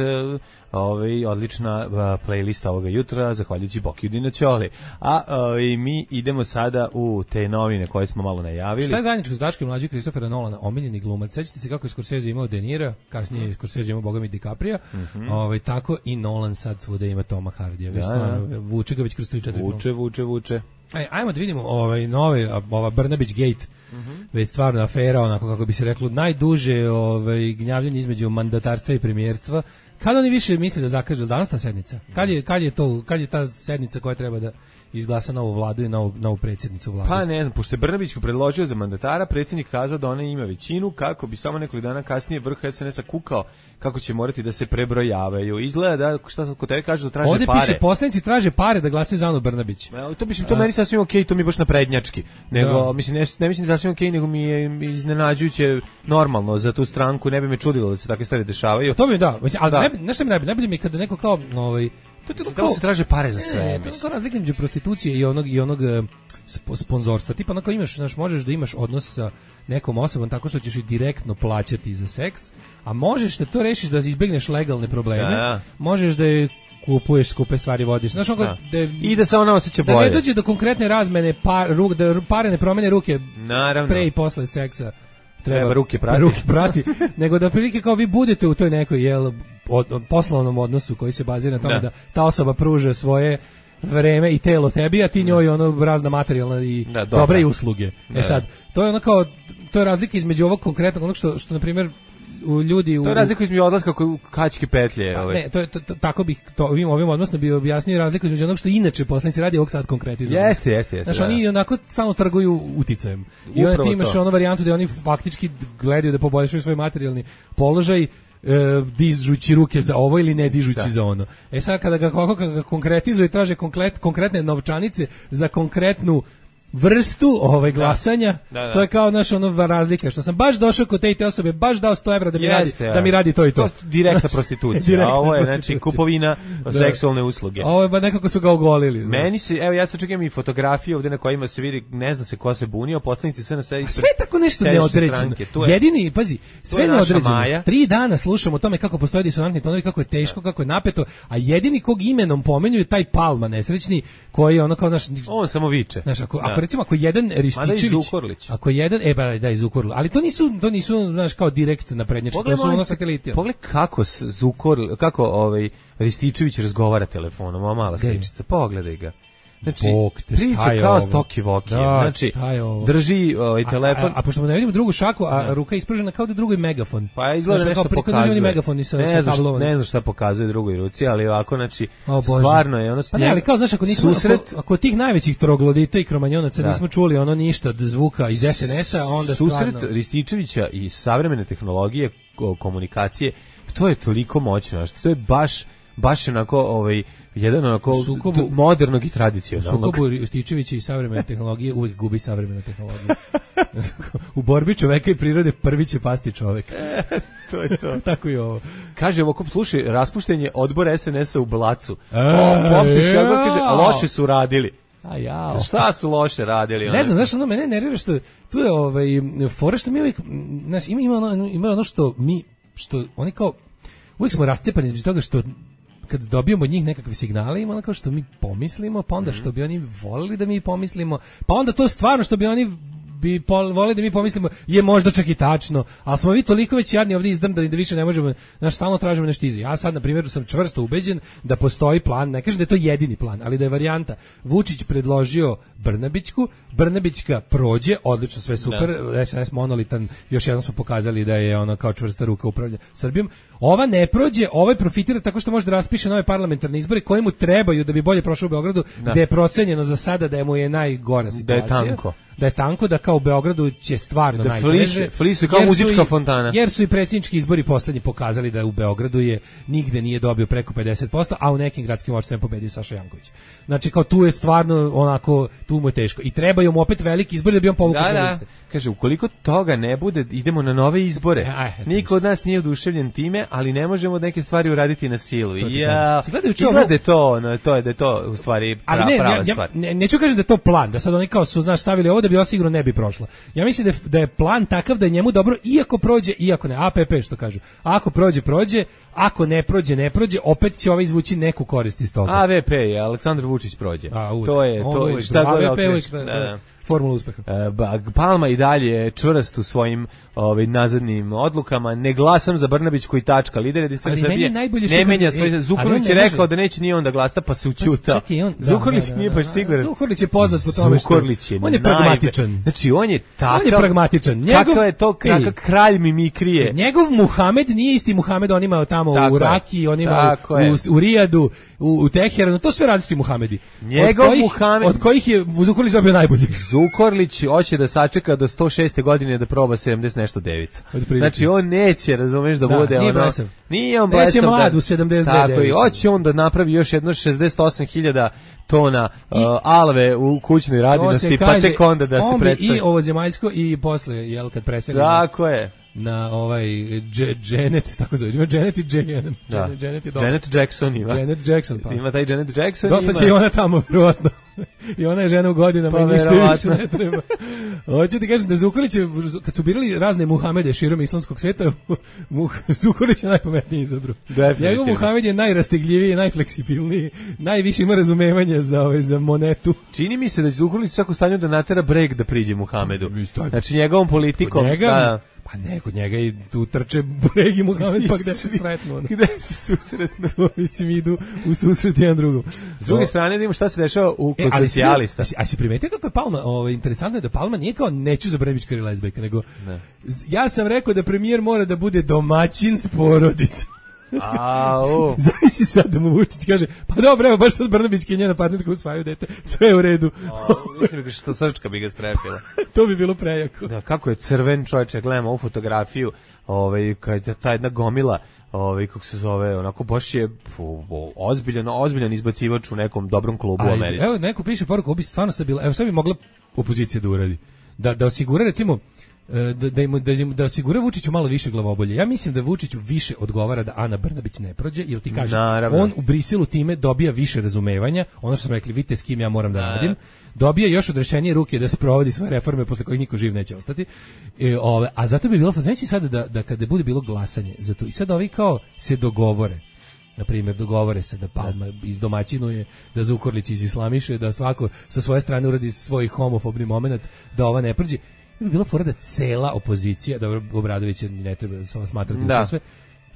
ovaj odlična uh, playlista ovoga jutra, zahvaljujući Bokiju Dinaćoli. A ovaj, mi idemo sada u te novine koje smo malo najavili. Šta je zajedničko s Daškom Mlađi Kristofera Nolana, omiljeni glumac? Sećate se kako je Scorsese imao De Nira, kasnije je Scorsese imao Bogami DiCaprio, mm-hmm. ovaj, tako i Nolan sad svuda ima Toma Hardija. Da, stvarno, vuče ga već kroz tri četiri vuče, film. vuče, vuče. Aj, ajmo da vidimo ovaj, nove, ova Brnabić Gate, mm-hmm. već stvarno afera, onako kako bi se reklo, najduže ovaj, gnjavljenje između mandatarstva i premijerstva. Kad oni više misle da zakažu danas ta sednica? Kad je, kad je to, kad je ta sednica koja treba da izglasa novu vladu i novu, novu predsjednicu vlade? Pa ne znam, pošto je Brnabić predložio za mandatara, predsjednik kazao da ona ima većinu, kako bi samo nekoliko dana kasnije vrh es en es a kukao kako će morati da se prebrojavaju. Izgleda da, šta sad kod tebe kažu da traže ovdje pare. Ovdje piše, poslanici traže pare da glasaju za Anu Brnabić. E, to mislim, to meni sasvim okej, okay, to mi je baš naprednjački. Nego, da. mislim, ne, ne mislim da sasvim okej, okay, nego mi je iznenađujuće normalno za tu stranku, ne bi me čudilo da se takve stvari dešavaju. To mi da, ali da. Ne, nešto mi najbolje, najbolje mi je kada neko kao, ovaj, to je kao, da se traže pare za sve. Ne, to je kao razlika među prostitucije i onog, i onog uh, sponzorstva. Tipa, onako imaš, znaš, možeš da imaš odnos sa nekom osobom tako što ćeš i direktno plaćati za seks, a možeš da to rešiš da izbegneš legalne probleme, da. Možeš da je kupuješ skupe stvari, vodiš. Znaš, onako, da. Da, i da se ona osjeća bolje. Da ne dođe do konkretne razmene, par, ruk, da pare ne promene ruke naravno. Pre i posle seksa. Treba, treba ruke prati. Ruke prati. Nego da prilike kao vi budete u toj nekoj jel, od, od poslovnom odnosu koji se bazira na tome da, da ta osoba pruža svoje vreme i telo tebi, a ti njoj ono razna materijalna i da, dobre i usluge. Da. E sad, to je ono kao, to je razlika između ovog konkretnog, onog što, što na primjer, u ljudi u... To je razlika između odlaska u kačke petlje. Pa, ne, to je, to, to, tako bih to ovim, ovim odnosno bi objasnio razliku između onog što inače poslanici radi ovog sad konkretizam. Jeste, jeste, jeste. Znači, da. Oni onako stalno trguju uticajem. I onda ti imaš ono varijantu da oni faktički gledaju da poboljšaju svoj materijalni položaj, E, dižući ruke za ovo ili ne dižući da. Za ono. E sad kada ga, kada ga konkretizuje, traže konkret, konkretne novčanice za konkretnu vrstu ovaj glasanja, da. Da, da. To je kao naš ono razlika, što sam baš došao kod te i te osobe, baš dao sto evra da mi, Jeste, radi, da mi radi to i to. To direktna prostitucija, direktna a ovo je znači kupovina da. Seksualne usluge. Ovo je ba nekako su ga ogolili. Meni se, evo ja sad čekam i fotografije ovde na kojima se vidi, ne zna se ko se bunio, poslanici sve na sve. Sve tako nešto neodređeno. Jedini, pazi, sve neodređeno. Tri dana slušamo o tome kako postoje disonantni tonovi, kako je teško, da. Kako je napeto, a jedini kog imenom pomenju je taj Palma nesrećni koji je ono kao naš on samo viče. Znaš, ako, da. Ako recimo ako jedan Rističević, ako jedan, e ba da iz Zukorlić, ali to nisu, to nisu, znaš, kao direkt naprednjački, to su ono sateliti. Pogledaj kako Zukorlić, kako ovaj Rističević razgovara telefonom, ova mala sličica, pogledaj ga. Znači, Bog te, šta priča je kao ovo? Stoki Voki. Da, znači, šta je ovo? drži ovaj telefon. A, a, a pošto mu ne vidimo drugu šaku, a da. ruka je ispružena kao da drugi megafon. Pa izgleda znači, nešto kao pokazuje. Megafon sa, ne, sa znam, ne znam šta pokazuje drugoj ruci, ali ovako, znači, o, stvarno je ono... Pa ne, ali kao, znaš, ako, nismo, susret... ako, ako tih najvećih troglodita i kromanjonaca da. nismo čuli ono ništa od zvuka iz es en es-a, onda susret stvarno... Rističevića i savremene tehnologije komunikacije, to je toliko moćno, znači, to je baš, baš onako, ovaj, jedan onako sukobu, modernog i tradicionalnog. U sukobu Rističevića i savremene tehnologije uvijek gubi savremena tehnologija. U borbi čoveka i prirode prvi će pasti čovek. E, to je to. Tako i ovo. Kaže, ovako, slušaj, raspuštenje odbora es en es-a u Blacu. E, o, Poptiški odbor kaže, loše su radili. A jao. Šta su loše radili? Ne znam, znaš, ono mene nervira što tu je ovaj fora što mi uvijek, znaš, ima ima ono, ima ono što mi, što oni kao uvijek smo rascepani zbog toga što kad dobijemo od njih nekakve signale, ima ono kao što mi pomislimo, pa onda što bi oni volili da mi pomislimo, pa onda to stvarno što bi oni bi voleli da mi pomislimo je možda čak i tačno, ali smo vi toliko već jadni ovdje izdrndani da više ne možemo, znaš, stalno tražimo nešto iza. Ja sad, na primjer, sam čvrsto ubeđen da postoji plan, ne kažem da je to jedini plan, ali da je varijanta. Vučić predložio Brnabićku, Brnabićka prođe, odlično, sve super, da. es en es monolitan, još jednom smo pokazali da je ono kao čvrsta ruka upravlja Srbijom. Ova ne prođe, ovaj profitira tako što može da raspiše nove parlamentarne izbore koji mu trebaju da bi bolje prošao u Beogradu, da. Gde je procenjeno za sada da je mu je najgora situacija. Da je tanko. Da je tanko, da kao u Beogradu će stvarno najteže. Flisu kao muzička fontana. Jer su i predsjednički izbori poslednji pokazali da u Beogradu je nigde nije dobio preko pedeset posto, a u nekim gradskim opštinama pobedio Saša Janković. Znači kao tu je stvarno onako, tu mu je teško. I trebaju mu opet veliki izbori da bi on povukao da, sve da. liste. Kaže, ukoliko toga ne bude, idemo na nove izbore. Aj, Niko od nas nije oduševljen time, ali ne možemo neke stvari uraditi na silu. Ja, izgleda to, no, to je da je to u stvari pra, ne, prava ja, stvar. Ja, ne, neću kažem da je to plan, da sad oni kao su, znaš, stavili ovo da bi ova sigurno ne bi prošla. Ja mislim da je, da je plan takav da je njemu dobro, iako prođe, iako ne, A P P što kažu. Ako prođe, prođe, ako ne prođe, ne prođe, opet će ovaj izvući neku korist iz toga. A V P je, Aleksandar Vučić prođe. A, uvijek. To je, to je, šta god okreš. Formula uspeha. E, Palma i dalje čvrst u svojim ovaj nazadnim odlukama. Ne glasam za Brnabićku i tačka. Lider Jedinstvene Srbije ne menja svoj. Zukorlić je rekao da neće ni on da glasa, pa se ućutao. Zukorlić nije baš siguran. Zukorlić je poznat po tome što on je pragmatičan. Znači on je takav. On je pragmatičan. Kako je to kakav kralj mimikrije. Njegov Muhamed nije isti Muhamed, on ima tamo u Raki, on ima u Rijadu, u Teheranu, to sve različiti Muhamedi. Njegov Muhamed, od kojih je Zukorlić dobio najbolji. Zukorlić hoće da sačeka do sto šeste godine da proba sedamdeset nešto devica. Znači on neće, razumeš, da, da bude nije ono. Blesav. Nije on blesav. Neće mlad u sedamdeset devet. Tako i hoće on da napravi još jedno šezdeset osam hiljada tona uh, alve u kućnoj radinosti, pa tek onda da se predstavi. I ovozemaljsko i posle, jel, kad preseli. Tako je. Na ovaj Janet, tako zove, ima Janet i Janet. Da. Janet, Janet Jackson ima. Janet Jackson, pa. Ima taj Janet Jackson. Dotle će i ona tamo, vjerojatno. I ona je žena u godinama pa, i ništa više ne treba. Hoću ti kažem da Zukorlić, kad su birali razne Muhamede širom islamskog sveta, Zukorlić je najpametniji izabru. Njegov Muhamed je najrastegljiviji, najfleksibilniji, najviše ima razumevanja za, ove, za monetu. Čini mi se da će Zukorlić svako stanju da natera breg da priđe Muhamedu. Znači njegovom politikom. Njega, da, pa ne, kod njega i tu trče Breg i Muhamed, pa gde se sretnu? Ono. Gde se susretnu? Mislim, idu u susret jedan drugom. S druge strane, da imamo šta se dešava u kod e, socijalista. A si primetio kako je Palma, ovaj, interesantno je da Palma nije kao neću za Brnabićka ili lezbejka, nego ne. Ja sam rekao da premijer mora da bude domaćin s porodicom. Au. Zavisi sad da mu Vučić kaže, pa dobro, evo baš sad Brnabićka i njena partnerka usvajaju dete, sve je u redu. Mislim da što srčka bi ga strepila. To bi bilo prejako. Da, kako je crven čovječe, gledamo ovu fotografiju, ovaj, kad je ta jedna gomila, ovaj, kako se zove, onako baš je ozbiljan, ozbiljan izbacivač u nekom dobrom klubu u Americi. Evo, neko piše poruku, bi stvarno sad bila, evo sad bi mogla opozicija da uradi. Da, da osigura, recimo, Da, da, im, da, im, da osigura Vučiću malo više glavobolje. Ja mislim da Vučiću više odgovara da Ana Brnabić ne prođe, jer ti kaže, naravno, on u Briselu time dobija više razumevanja, ono što smo rekli, vidite s kim ja moram da radim, dobija još odrešenije ruke da sprovodi svoje reforme posle kojih niko živ neće ostati. E, ove, a zato bi bilo, znači sada da, da kada bude bilo glasanje za to, i sad ovi kao se dogovore, na primjer, dogovore se da Palma izdomaćinuje, da Zukorlić izislamiše, da svako sa svoje strane uradi svoj homofobni moment, da ova ne prođe. Bi bila fora da cela opozicija, dobro, Obradović ne treba samo smatrati da sve,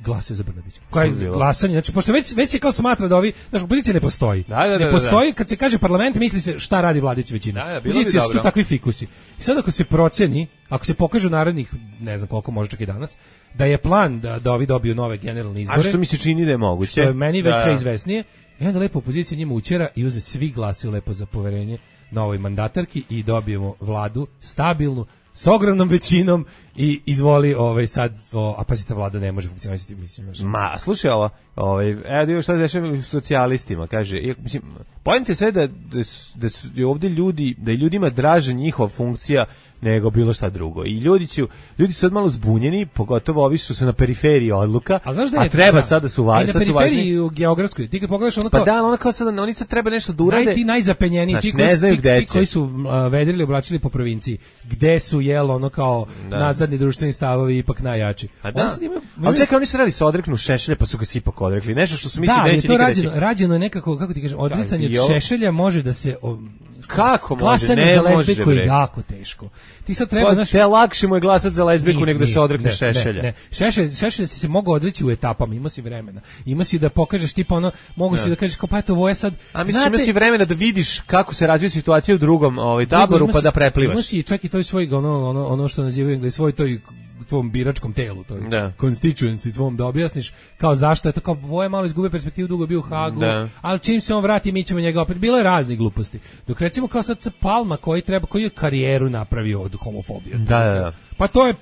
glasaju za Brnabića. Koje glasanje, znači pošto već već se kao smatra da ovi, znači opozicija ne postoji. Da, da, da, ne postoji, kad se kaže parlament, misli se šta radi vladajuća većina. Da, da, opozicija su tu takvi fikusi. I sad ako se proceni, ako se pokaže u narednih, ne znam koliko, može čak i danas, da je plan da, da ovi dobiju nove generalne izbore. A što mi se čini da je moguće? Što je meni već da, sve izvesnije. I onda lepo opozicija njima učera i uzme svi glasaju lepo za poverenje novoj mandatarki i dobijemo vladu stabilnu, s ogromnom većinom i izvoli ovaj sad, o, a pazite, vlada ne može funkcionisati, mislim. Znači. Ma, slušaj ovo, ovaj, evo da šta se dešava u socijalistima, kaže, iako, mislim, pojente sve da, da, da su ovdje ljudi, da je ljudima draže njihova funkcija nego bilo šta drugo. I ljudi će, ljudi su sad malo zbunjeni, pogotovo ovi što su na periferiji odluka, a, znaš da je, a treba sad da su važni. Na periferiji u geografskoj, ti kad pogledaš ono kao... Pa da, ono kao sad, oni sad treba nešto da urade. Naj, ti najzapenjeniji, znači, ti, koji, ne znaju ti, gde ti koji su uh, vedrili, oblačili po provinciji, gde su, jel, ono kao da. Nazadni društveni stavovi ipak najjači. A da, imaju, ali čekaj, oni su radi se odreknu Šešelja, pa su ga si ipak odrekli. Nešto što su mislili da, neće nikada reći. Da, je to rađeno je nekako, kako ti kažem, odricanje od Šešelja može da se... O, kako može? Ne za može, bre. Je jako teško. Ti sad treba, znaš, te lakše mu je glasati za lezbiku nego da se odrekne ne, Šešelja. Ne, ne. Šešelj, Šešelj si se mogao odreći u etapama, ima si vremena. Ima si da pokažeš tipa ono, mogu si da kažeš kao pa eto ovo je sad. A mislim ima si vremena da vidiš kako se razvija situacija u drugom ovaj taboru pa da preplivaš. Ima si čak i toj svoj ono ono ono što nazivaju Englezi svoj toj tvom biračkom telu, to je da. Constituency tvom, da objasniš kao zašto je to, kao Voje malo izgubio perspektivu, dugo bio u Hagu, da. Ali čim se on vrati mi ćemo njega opet, bilo je raznih gluposti. Dok recimo kao sad Palma koji treba, koji je karijeru napravio od homofobije. Da, da, da. Pa to je,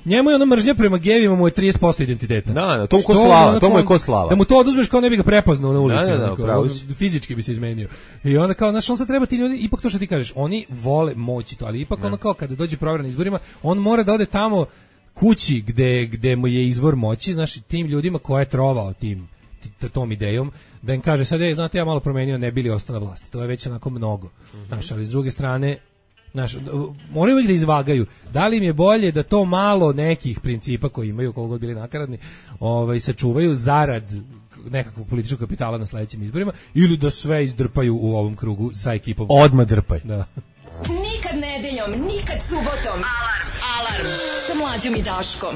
njemu je ono mržnja prema gejevima mu je trideset posto identiteta. Da, da, to mu ko slava, to mu je ko slava. Da mu to oduzmeš kao ne bi ga prepoznao na ulici, da, da, da, kao, fizički bi se izmenio. I onda kao, znaš, on sad treba ti ljudi, ipak to što ti kažeš, oni vole moći to, ali ipak da. Ono kao kada dođe provera na izborima, on mora da ode tamo kući gde, gde mu je izvor moći, znaš, tim ljudima koje je trovao tim, tom idejom, da im kaže sad, je, znate, ja malo promenio, ne bili ostao na vlasti, to je već onako mnogo, mm-hmm. Znaš, ali s druge strane, znaš, moraju uvijek da izvagaju, da li im je bolje da to malo nekih principa koji imaju, koliko god bili nakaradni, ovaj, sačuvaju zarad nekakvog političkog kapitala na sledećim izborima, ili da sve izdrpaju u ovom krugu sa ekipom. Odmah drpaj. Da. Nikad nedeljom, nikad subotom. Alarm, alarm, sa Mlađom i Daškom.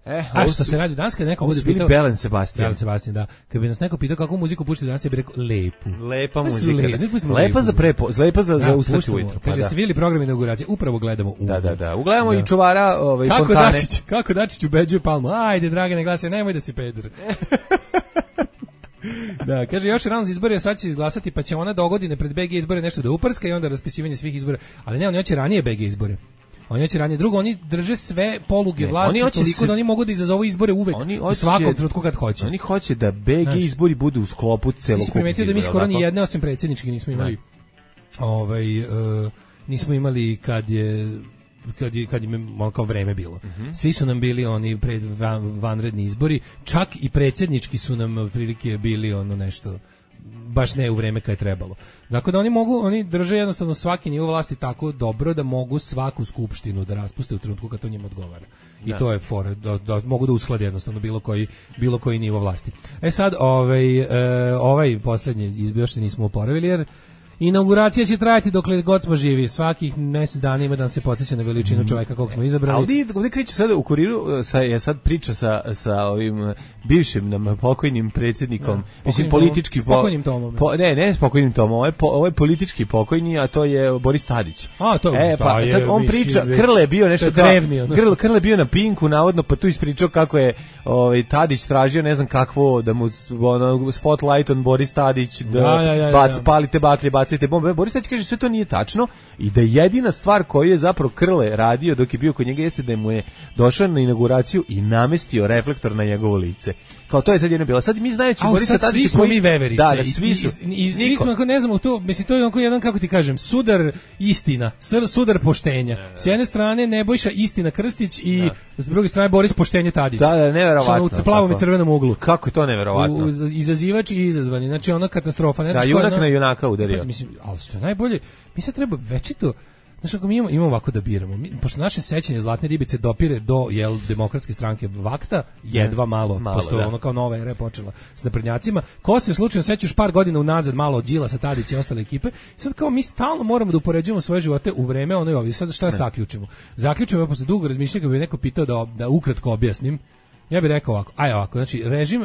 E, a što se radi danas kad neko bude pitao... Belen Sebastian. Belen Sebastian, da. Kad bi nas neko pitao kako muziku puštaju danas, ja bih rekao lepu. Lepa muzika. Le, da. Lepa za prepo, lepa za, za ustati ujutro. Kaže, pa ste vidjeli program inauguracije? Upravo gledamo u. Da, da, da. Ugledamo da. I čuvara ovaj, kako fontane. Dačić, kako Dačić ubeđuje Palmu? Ajde, Dragane, glasaj, nemoj da si peder. Da, kaže, još rano za izbore, sad će izglasati, pa će ona do godine pred B G izbore nešto da uprska i onda raspisivanje svih izbora. Ali ne, oni hoće ranije B G izbore. Oni hoće ranije. Drugo, oni drže sve poluge ne, vlasti toliko se... da oni mogu da izazovu izbore uvek, oni hoće, u svakom trenutku kad hoće. Oni hoće da B G izbori budu u sklopu celokupnog. Ti si primetio da mi skoro ni jedne osim predsjednički nismo imali. Ovaj, uh, nismo imali kad je kad je, kad je kao vreme bilo. Uh-huh. Svi su nam bili oni pred van, vanredni izbori, čak i predsjednički su nam prilike bili ono nešto baš ne u vreme kad je trebalo. Dakle da oni mogu, oni drže jednostavno svaki nivo vlasti tako dobro da mogu svaku skupštinu da raspuste u trenutku kad to njima odgovara. I da. To je fora, da, da mogu da usklade jednostavno bilo koji bilo koji nivo vlasti. E sad, ovaj e, ovaj poslednji izbor još se nismo oporavili jer inauguracija će trajati dokle god smo živi. Svakih mjesec dana ima da se podsjeća na veličinu čovjeka kog smo izabrali. Ali ovdje kreću sada u kuriru, sa, je sad priča sa, sa ovim bivšim nam pokojnim predsjednikom, ja, mislim politički po, pokojnim tomom. Po, ne, ne s pokojnim tomom, ovo je, po, ovo je politički pokojni, a to je Boris Tadić. A, to e, pa, je, sad on priča, Krle je bio nešto kao, Krle, Krle bio na Pinku, navodno, pa tu ispričao kako je ovaj, Tadić tražio, ne znam kakvo, da mu ono, spotlight on Boris Tadić, da ja, ja, ja, bac, ja. palite baklje, bacite bombe. Boris Tadić kaže sve to nije tačno i da jedina stvar koju je zapravo Krle radio dok je bio kod njega jeste da mu je došao na inauguraciju i namestio reflektor na njegovo lice. Kao to je sad jedno bilo. Sad mi znajući Borisa Tadića svi smo koji... mi veverice. Da, da, svi su. I, i, i svi smo, ako ne znamo to, mislim, to je onako jedan, kako ti kažem, sudar istina, sudar poštenja. Ne, ne. S jedne strane Nebojša Istina Krstić i ne. S druge strane Boris Poštenje Tadić. Da, da, neverovatno. U plavom i crvenom uglu. Kako je to neverovatno? U, izazivač i izazvani. Znači, ona katastrofa. Ne da, junak na junaka udario. Mislim, ali što je najbolje, mi sad treba večito. Znaš, ako mi imamo, imamo ovako da biramo, mi, pošto naše sećanje Zlatne ribice dopire do jel, demokratske stranke Vakta, jedva malo, malo pošto da. Ono kao nova era je počela s naprednjacima, ko se slučajno sećaš par godina unazad malo od Đilasa, Tadića i ostale ekipe, sad kao mi stalno moramo da upoređujemo svoje živote u vreme ono i ovi, sad šta ne. Zaključimo? Zaključimo, posle dugo razmišljanja, bi neko pitao da, da ukratko objasnim, Ja bih rekao ovako, aj ovako, znači režim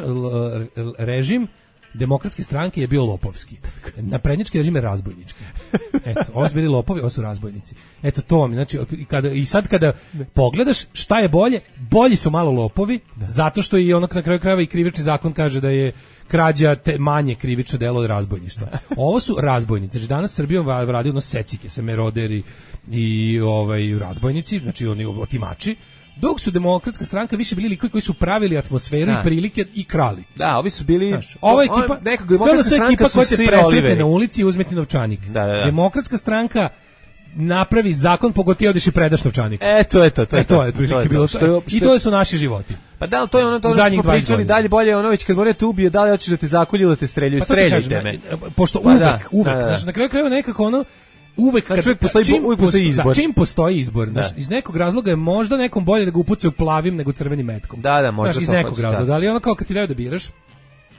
režim Demokratske stranke je bio lopovski. Naprednjački režim je razbojnički. Eto, ovo su bili lopovi, ovo su razbojnici. Eto to vam, znači kada i sad kada pogledaš šta je bolje, bolji su malo lopovi, da. Zato što i onak na kraju krajeva i krivični zakon kaže da je krađa te manje krivično delo od razbojništva. Ovo su razbojnici. Znači danas Srbijom radi ono secike, se meroderi i ovaj razbojnici, znači oni otimači. Dok su Demokratska stranka više bili likovi koji su pravili atmosferu da. I prilike i krali. Da, ovi su bili... Znaš, ova ekipa, sada su ekipa koja te presretne na ulici i uzmeti novčanik. Da, da, da. Demokratska stranka napravi zakon, pogoti odeš i predaš novčanik. Eto, eto, to je e, to. je prilike bilo. Što je, što... I to su naši životi. Pa da li to je ono to što smo pričali, dalje bolje ono već kad morate ubije, da li hoćeš da te zakolju ili da te streljaju, pa streljajte me. Pošto pa uvek, da, uvek, da, da. Znači na kraju krajeva nekako ono, uvek kad, kad postoji, čim, uvek postoji izbor. Da, čim postoji izbor, znaš, iz nekog razloga je možda nekom bolje da ga upucaju plavim nego crvenim metkom. Da, da, možda znaš, iz to nekog hoće, razloga, da. Ali ono kao kad ti daju da biraš,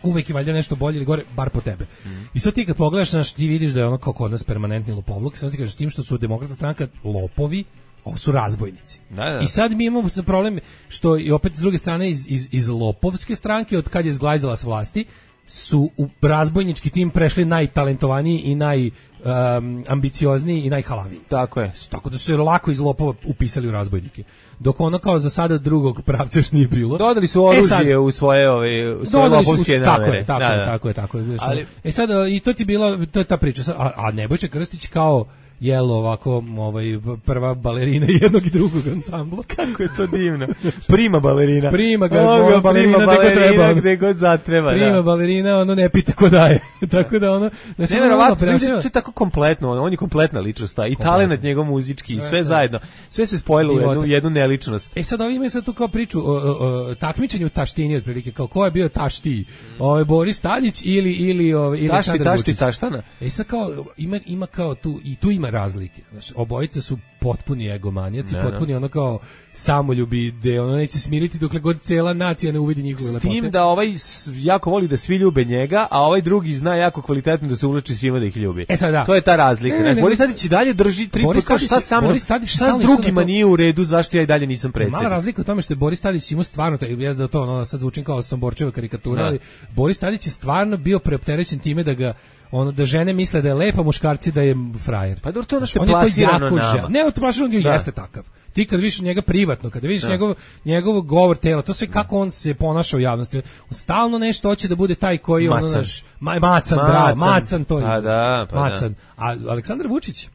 uvek je valjda nešto bolje ili gore, bar po tebe. Mm. I sad ti kad pogledaš, znaš, ti vidiš da je ono kao kod nas permanentni lopovluk, sad ti kažeš tim što su Demokratska stranka lopovi, ovo su razbojnici. Da, da. I sad mi imamo problem što i opet s druge strane iz, iz, iz lopovske stranke, od kad je zglajzala s vlasti, su u razbojnički tim prešli najtalentovaniji i najambiciozniji um, i najhalaviji. Tako je. Tako da su je lako iz lopova upisali u razbojnike. Dok ono kao za sada drugog pravca još nije bilo. Dodali su oružje e sad, u svoje, ove, u svoje lopovske namere. Tako je, tako, da, je, da. tako je, tako je. Ali, e sad, i to ti bila, to je ta priča. A, a Nebojša Krstić kao jel ovako ovaj prva balerina jednog i drugog ansambla. Kako je to divno. Prima balerina. Prima ga, oh, balerina, prima balerina gde god treba. Gde god zatreba, prima da. balerina, ono ne pita ko daje. Tako da ono... Ne, ne, verovatno, sve je tako kompletno, on je kompletna ličnost, i talenat njegov muzički, i sve zajedno. Sve se spojilo u jednu, jednu neličnost. E sad ovi imaju sad tu kao priču o, o, o takmičenju u taštini, otprilike, kao ko je bio tašti, ovaj Boris Tadić ili, ili, ovaj, ili tašti, tašti, taštana. E sad kao, ima, ima kao tu, i tu ima razlike. Znači, obojice su potpuni egomanijaci, ne, potpuni ne. ono kao samoljubi, gde ono neće smiriti dokle god cela nacija ne uvidi njihove lepote. S tim da ovaj jako voli da svi ljube njega, a ovaj drugi zna jako kvalitetno da se uvlači svima da ih ljubi. E sad da. To je ta razlika. Ne, ne, Boris Tadić i dalje drži tri puta šta sa mnom, šta s drugima nije u redu, zašto ja i dalje nisam predsjednik. Mala razlika u tome što je Boris Tadić imao stvarno, taj, ja da to ono, sad zvučim kao Somborčeva karikatura, ali Boris Tadić je stvarno bio preopterećen time da ga ono da žene misle da je lepa, muškarci da je frajer. Pa dobro, to ono što je plasirano nama. Ne, to plasirano ga jeste takav. Ti kad vidiš njega privatno, kada vidiš njegov, njegov govor tela, to sve kako on se ponaša u javnosti. On stalno nešto hoće da bude taj koji macan. ono naš ma, macan, bravo, macan to je. Pa da, pa macan. A Aleksandar Vučić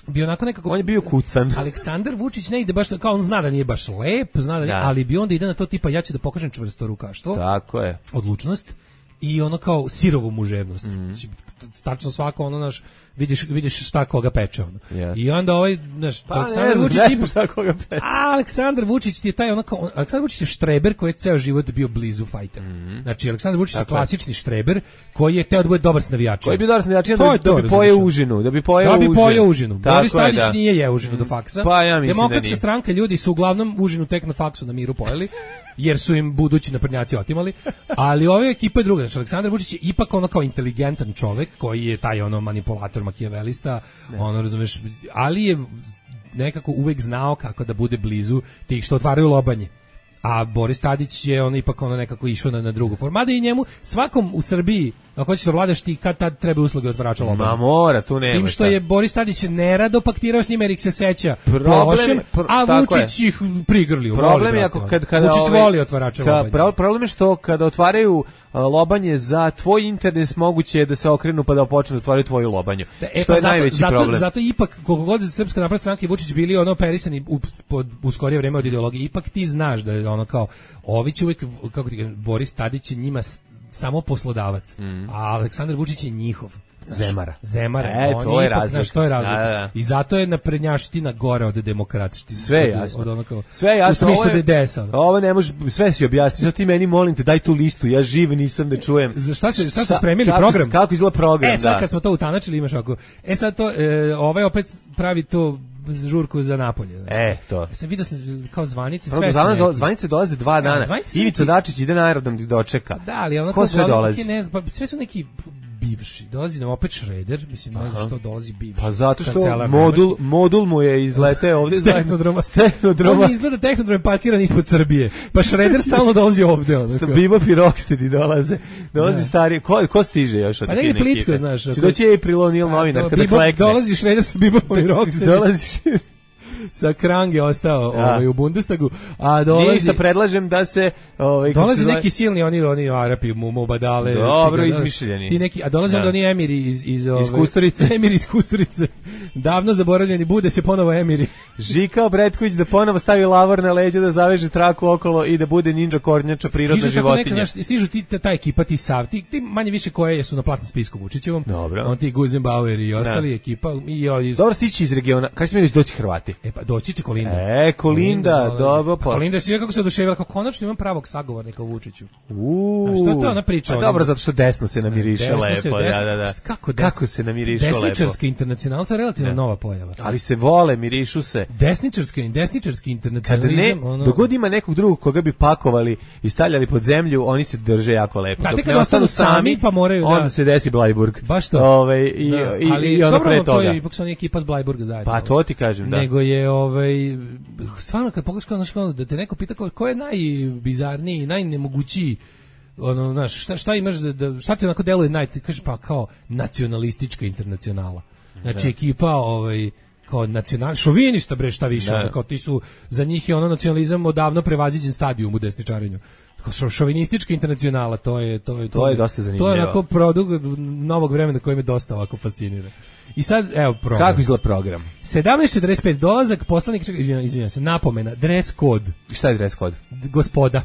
bio onako nekako... On je bio kucan. Aleksandar Vučić ne ide baš, kao on zna da nije baš lep, zna da nije, ali bi onda ide na to tipa ja ću da pokažem čvrsto rukaštvo. Tako je. Odlučnost. I ono kao sirovu muževnost. Mm. Tačno svako ono naš vidiš vidiš šta koga peče ono. Yes. I onda ovaj naš pa Aleksandar ne, Vučić ne šta koga peče. A Aleksandar Vučić je taj onako Aleksandar Vučić je štreber koji je ceo život bio blizu fajter. Mm -hmm. Znači Aleksandar Vučić je klasični štreber koji je teo da bude dobar s navijačima. Koji bi dobar s navijačima da, da bi pojeo užinu, da bi pojeo da bi pojeo užinu. užinu. Boris Tadić da. nije jeo užinu mm. do faksa. Pa ja mislim Demokratska da stranka ljudi su uglavnom užinu tek na faksu na miru pojeli. Jer su im budući naprednjaci otimali, ali ove ekipa je druga. Znači, Aleksandar Vučić je ipak ono kao inteligentan čovek koji je taj ono manipulator, makijavelista, ne. ono razumeš, ali je nekako uvek znao kako da bude blizu tih što otvaraju lobanje. A Boris Tadić je ono ipak ono nekako išao na, na drugu formu. Mada i njemu, svakom u Srbiji, ako hoćeš da vladaš ti, kad tad treba usluge otvarača lobanja. Ma mora, tu nema. S tim što je Boris Tadić nerado paktirao s njima jer ih se seća lošem, a Vučić ih prigrlio. Problem je ako kad, kada Vučić ove, voli otvarača ka, lobanja. Problem je što kada otvaraju lobanje za tvoj interes moguće je da se okrenu pa da počnu da otvaraju tvoju lobanju. Da, e, što pa je zato, najveći zato, problem. Zato ipak, koliko god Srpska napredna stranka i Vučić bili ono operisani u, pod, u skorije vreme od ideologije, ipak ti znaš da je ono kao, ovi će uvijek, kako ti kažem, Boris Tadić je njima samo poslodavac, mm. a Aleksandar Vučić je njihov. Zemara. Zemara. E, to je razlika. Znaš, to je razlika. Da, da, da. I zato je naprednjaština gore od demokratštine. Sve je jasno. Od, od kao, sve je jasno. U smislu da je desa. Ovo ne može, sve si objasniti. Zato ti meni molim te, daj tu listu. Ja živ nisam da čujem. Za šta se šta su spremili kako, program? Kako izgleda program, E sad da. kad smo to utanačili imaš ovako. E sad to, e, ovaj opet pravi to žurku za Napolje. Znači. E, to. Ja sam vidio sam kao zvanice, sve sve. Zvanice dolaze dva dana. Ja, Ivica Dačić ide na aerodrom da dočeka. Da, ali ono ko sve dolazi? Ne, pa sve su neki bivši. Dolazi nam opet Šreder, mislim, ne znam što dolazi bivši. Pa zato što kancelar modul, nemački. modul mu je izleteo ovde zajedno. Tehnodroma. Tehnodroma. On izgleda Tehnodrom parkiran ispod Srbije. Pa Šreder stalno dolazi ovde. Onako. Bebop i Rocksteady dolaze. Dolazi stari. Ko, ko stiže još od pa kine ekipe? Pa negdje plitko, znaš. Či doći April O'Neil novinar kada Bebop, klekne. dolazi Šreder sa Bebopom i Rocksteady. Dolazi sa Krange ostao ja. ovaj, u Bundestagu, a dolazi... Ništa, predlažem da se... Ovaj, dolazi zove... neki silni, oni, oni Arapi, mu, Mubadale... Dobro, ti, izmišljeni. Ti neki, a dolaze onda oni emiri iz... Iz, iz Kusturice. Emiri iz Kusturice. Davno zaboravljeni, bude se ponovo emiri. Žika Obretković da ponovo stavi lavor na leđa, da zaveže traku okolo i da bude ninja kornjača, prirodna stižu životinja. Neka, znaš, stižu ti, ta ekipa, ti Sav, ti, ti manje više koje su na platnom spisku Vučićevom. Dobro. On ti Guzenbauer i ostali, da. Ekipa. I, o, iz... Dobro, stići iz regiona. Kada smijeli doći Hrvati? E pa, doći će Kolinda. E, Kolinda, dobro. Pa. Kolinda je kako se oduševila, kako konačno imam pravog sagovornika u Vučiću. Uuu. A što to ona priča? Pa dobro, zato što desno se namiriše desno lepo. Se, desno, da, da, da. Kako, desno, kako se namiriše lepo? Desničarski internacional, to je relativno ne. Nova pojava. Ali se vole, mirišu se. Desničarski, desničarski internacionalizam. Kada ne, ono... dogod ima nekog drugog koga bi pakovali i stavljali pod zemlju, oni se drže jako lepo. Da, kad ostanu sami, pa moraju da... Onda se desi Blajburg. Baš to. Ove, i, da, i, ali, i ono dobro, pre toga. to je ipak su oni ekipa s Blajburga zajedno. Pa to ti kažem, da. Nego je, ovaj, stvarno, kad pogledaš kao, znaš, da te neko pita ko, ko je najbizarniji, najnemogućiji, ono, znaš, šta, šta imaš, da, da, šta ti onako deluje naj, ti kažeš, pa kao nacionalistička internacionala. Znači, da. Ekipa, ovaj, kao nacional, šovinista bre, šta više, ono, kao ti su, za njih je ono nacionalizam odavno prevaziđen stadijum u desničarenju. Šovinistička internacionala, to je to je to, to je dosta zanimljivo. To je onako produkt novog vremena koji me dosta ovako fascinira. I sad evo program. Kako izgleda program? sedamnaest četrdeset pet dolazak poslanik, čekaj, izvinjavam, izvinjavam se, napomena, dress code. Šta je dress code? Gospoda.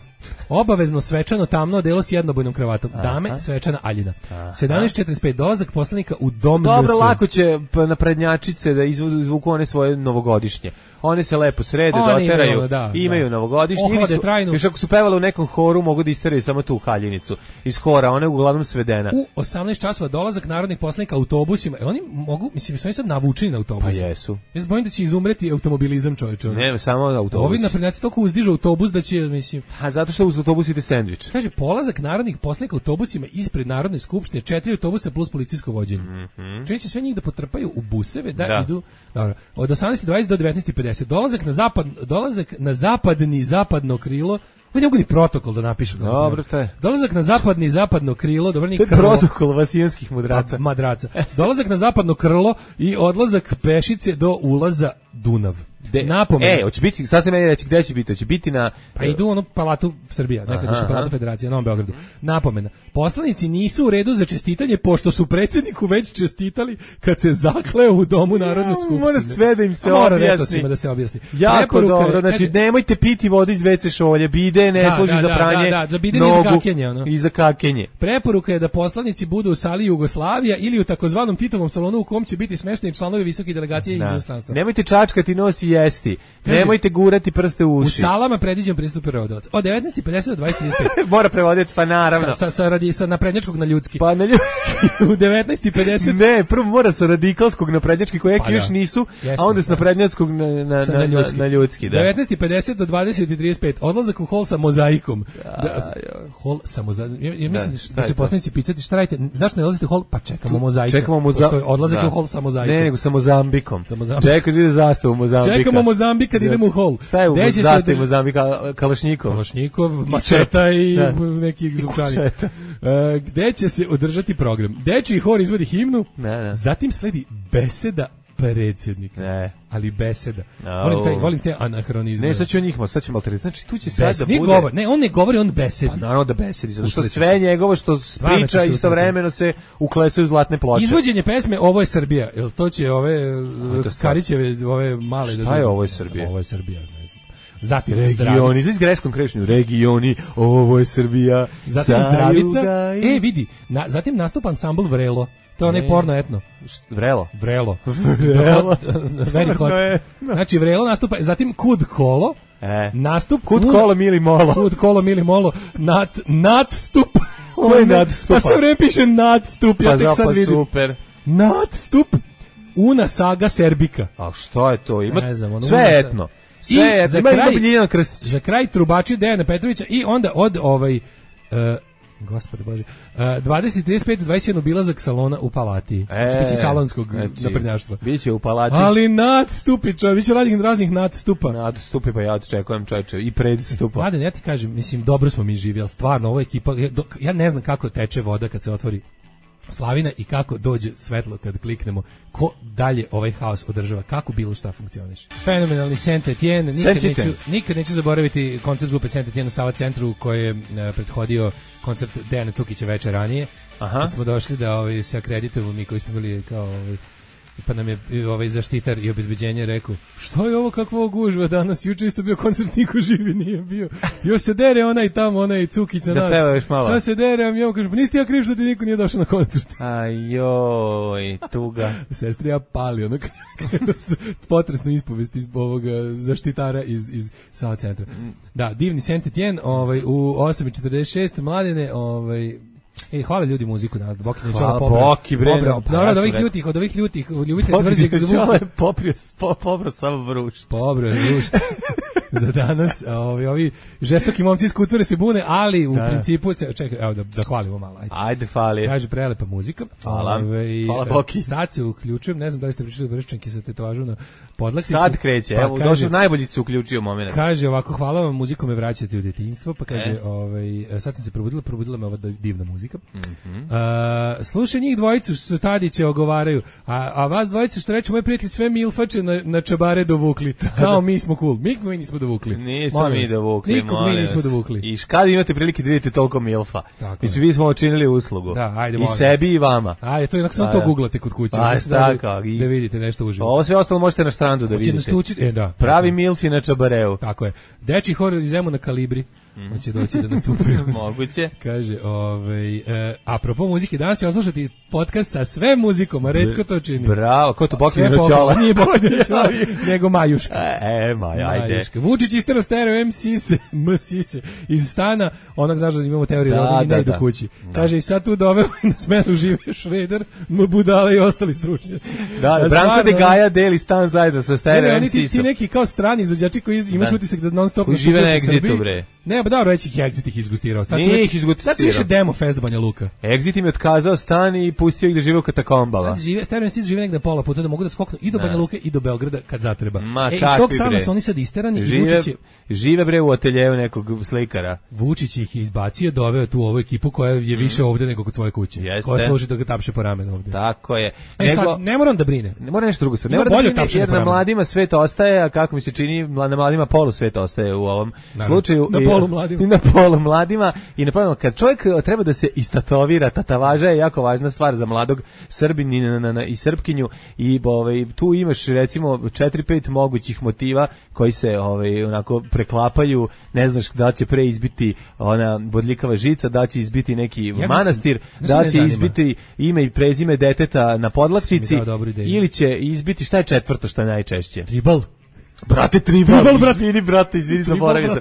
Obavezno svečano tamno odelo s jednobojnom kravatom. Dame, aha. Svečana aljina. sedamnaest četrdeset pet dolazak poslanika u dom. Dobro, lako će na prednjačice da izvuku one svoje novogodišnje. One se lepo srede, one doteraju, imaju, da, imaju da. Novogodišnje. Ohode trajnu. Još ako su pevale u nekom horu, mogu da isteraju samo tu haljinicu. Iz hora, ona je uglavnom svedena. U osamnaest časova dolazak narodnih poslanika autobusima. E, oni mogu, mislim, su oni sad navučeni na autobus. Pa jesu. Ja se bojim da će izumreti automobilizam, čoveče. Ne, samo autobus. Ovi naprednjaci toliko uzdižu autobus da će, mislim... A zato što uz autobus ide sendvič. Kaže, polazak narodnih poslanika autobusima ispred Narodne skupštine, četiri autobusa plus policijsko vođenje. Mm -hmm. Čovječe sve njih da potrpaju u buseve, da, da. Idu... Dobro, od osamnaest dvadeset do devetnaest pedeset. Dolazak na zapad, dolazak na zapadni zapadno krilo. Oni mogu ni protokol da napišu. Dobro, to je. Dolazak na zapadni zapadno krilo, dobro, ni krlo. To je protokol vasijanskih mudraca. Pa, madraca. Dolazak na zapadno krlo i odlazak pešice do ulaza Dunav. De, napomena. E, hoće biti, sad ste meni reći gde će biti, hoće biti na... Pa idu ono Palatu Srbija, nekada su Palata Federacija, na Novom Beogradu. Napomena. Poslanici nisu u redu za čestitanje, pošto su predsjedniku već čestitali kad se zakleo u domu Narodne skupštine. Mora sve da im se mora objasni. da se objasni. Jako Preporuka, dobro, znači kaže, nemojte piti vodu iz ve ce šolje, bide ne da, služi da, za pranje da, da, za bide nogu i za kakenje, ono. I za kakenje. Preporuka je da poslanici budu u sali Jugoslavija ili u takozvanom Titovom salonu u kom će biti smešteni članovi visoke delegacije da. Iz inostranstva. Nemojte čačkati nos i jesti. Nemojte gurati prste u uši. U salama predviđen pristup prevodilac. Od devetnaest i pedeset do dvadeset trideset pet. Mora prevoditi, pa naravno. Sa, sa, sa, radi, sa naprednjačkog na ljudski. Pa na ljudski. U devetnaest i pedeset. Ne, prvo mora sa radikalskog na prednjački, koje pa još nisu, Jeste, a onda sa naprednjačkog na, na, na, na, ljudski. na ljudski. Da. devetnaest i pedeset do dvadeset i trideset pet. Odlazak u hol sa mozaikom. Da, hol sa mozaikom. Ja, ja mislim da, da će poslanici pitati šta radite. Zašto ne odlazite u hol? Pa čekamo mozaiku. Čekamo mozaiku. Odlazak u hol sa mozaikom. Ne, nego sa Mozambikom. Čekaj, vidi zastavu Mozambika. Čekamo Mozambik kad idemo u hol. Šta je u zastavi Mozambika? Kalašnikov. Kalašnikov, mačeta i neki zvučani. Gde će se održati program? Dečiji hor izvodi himnu, ne, ne. Zatim sledi beseda predsjednika. Ne. Ali beseda. No. Volim te, volim te anahronizme. Ne, sad ću o njih, sad ćemo alternativno. Znači, tu će sad da bude... Govor, ne, on ne govori, on besedi. Pa naravno da besedi, zato što sve njegovo što priča istovremeno se uklesuju zlatne ploče. Izvođenje pesme Ovo je Srbija, jel to će ove Karićeve, ove male... Šta je Ovo je Srbija? Ovo je Srbija, ne znam. Zatim regioni, za greškom krešnju, regioni, ovo je Srbija. Zatim Zdravica, e vidi, na, zatim nastupa ansambl Vrelo. To je onaj porno etno. Vrelo. Vrelo. Vrelo. Very hot. Znači Vrelo nastupa, zatim Kud Kolo. E. Nastup. Kud Kolo Mili Molo. Kud Kolo Mili Molo. Nat, nadstup. Ko je nadstupa? Pa sve vreme piše nadstup, ja pa tek sad vidim. Super. Nadstup. Una saga Serbika. A što je to? Ima ne znam, ono, sve una etno. Sve etno. Za ima kraj, Biljana Krstić. Za kraj trubači Dejana Petrovića i onda od ovaj... Uh, Gospode Bože. Uh, dvadeset trideset pet dvadeset jedan obilazak salona u Palati. E, Biće salonskog znači, naprednjaštva. Biće u Palati. Ali nadstupi, čovječ, biće raznih, raznih nadstupa. Nadstupi, pa ja očekujem čovječe i predstupa. Mladen, ja ti kažem, mislim, dobro smo mi živjeli, stvarno, ovo ekipa, ja, dok, ja ne znam kako teče voda kad se otvori slavina i kako dođe svetlo kad kliknemo, ko dalje ovaj haos održava, kako bilo šta funkcioniše. Fenomenalni Saint Etienne, nikad neću, nikad neću zaboraviti koncert grupe Saint Etienne u Sava centru koji je uh, prethodio koncert Dejana Cukića veče ranije. Aha. Kad smo došli da ovaj, se akreditujemo mi koji smo bili kao ovaj, pa nam je ovaj zaštitar i obezbeđenje rekao, što je ovo, kakva gužva danas, juče isto bio koncert, niko živi nije bio, još se dere onaj tamo, onaj Cukić na nas, da šta se dere, a mi ovo kaže, pa nisi ti ja kriv što ti niko nije došao na koncert. Ajoj, tuga. Sestri ja pali, ono kada su potresno ispovesti iz ovoga zaštitara iz, iz Sava centra. Da, divni Saint Etienne, ovaj, u osam i četrdeset šest, Mladene, ovaj, e, hvala ljudi muziku danas, da Boki ne čola pobra. Boki, bre. Dobro, od ovih ljutih, od ovih ljutih, od ljubitelja tvrđeg zvuka. Poprio, popro samo vrušt. Pobro je vrušt. Za danas, ovi, ovi žestoki momci iz Kutvore se bune, ali u da. principu, se, čekaj, evo da, da hvalimo malo. Ajde, ajde fali. Kaže, prelepa muzika. Hvala, ove, hvala Boki. Sad se uključujem, ne znam da li ste pričali vrščanki sa tetovažu na podlaktici. Sad kreće, pa, evo, kaže, došao najbolji se uključio moment. Kaže ovako, hvala vam, muziku me vraćate u djetinjstvo, pa kaže, e? ovaj, sad sam se probudila, probudila me ova divna muzika. Mm-hmm. Uh, slušaj njih dvojicu što Tadiće ogovaraju, a, a vas dvojicu što reče, moji prijatelji sve milfače na, na čabare dovukli, kao mi smo cool. Mi, mi nismo dovukli. Nismo mi dovukli, nikog mi nismo dovukli. I kad imate prilike da vidite toliko milfa. Mislim, vi smo učinili uslugu. Da, ajde, i sebi i vama. Ajde, to jednako samo to googlate kod kuće. A, da, da, da vidite nešto uživo. Ovo sve ostalo možete na Strandu da vidite. Stuči, e, da, pravi tako. Milfi na čabareu. Tako je. Deči hor iz Zemuna Kalibri. Mm. Hoće doći da nastupaju. Moguće. Kaže, ovaj, e, apropo muzike, danas ću oslušati podcast sa sve muzikom, a retko to čini. Bravo, ko to Bokinjino čola? Nije Bokinjino čola, nego Majuška. E, Maja, ajde. Majuška. Vučić istero stereo M Sise, M Sise, iz stana, onak znaš da imamo teoriju da, da oni ne idu kući. Da. Kaže, i sad tu doveo na smenu žive Šreder, M Budala i ostali stručnjaci. Da, da Branko de Gaja deli stan zajedno sa stereo M Sisom. Ti, ti neki kao strani izvođači koji imaš da. utisak da non stop žive na Exitu, bre. Ne, pa dobro, već ih Exit ih izgustirao. Sad Nije već, ih izgustirao. Sad su više demo fest Banja Luka. Exit im je otkazao stan i pustio ih da žive u katakombama. Sad žive, stereo M žive negde pola puta da mogu da skoknu i do Banja Luke i do Beograda kad zatreba. Ma, e, iz tog stana su oni sad isterani žive, i Vučić je... Žive bre u ateljevu nekog slikara. Vučić ih je izbacio, doveo tu ovu ekipu koja je više ovde nego kod svoje kuće. Jeste. Koja služi da ga tapše po ramenu ovde. Tako je. E, nego, sad, ne moram da brine. Ne mora nešto drugo stvar. Ne mora da brine, jer na mladima svet ostaje, a kako mi se čini, na mladima polu svet ostaje u ovom Naravno. slučaju. Na polu mladima. I na polu mladima. I na polu, kad čovjek treba da se istatovira, tatavaža je jako važna stvar za mladog Srbinina i Srpkinju. I ovaj, tu imaš recimo četiri pet mogućih motiva koji se ovaj, onako preklapaju. Ne znaš da će pre izbiti ona bodljikava žica, da će izbiti neki ja manastir, mislim, da će izbiti ime i prezime deteta na podlaktici ili će izbiti, šta je četvrto što je najčešće? Tribal. Brate, tribal, tribal brate, izvini, brate, izvini, zaboravio sam.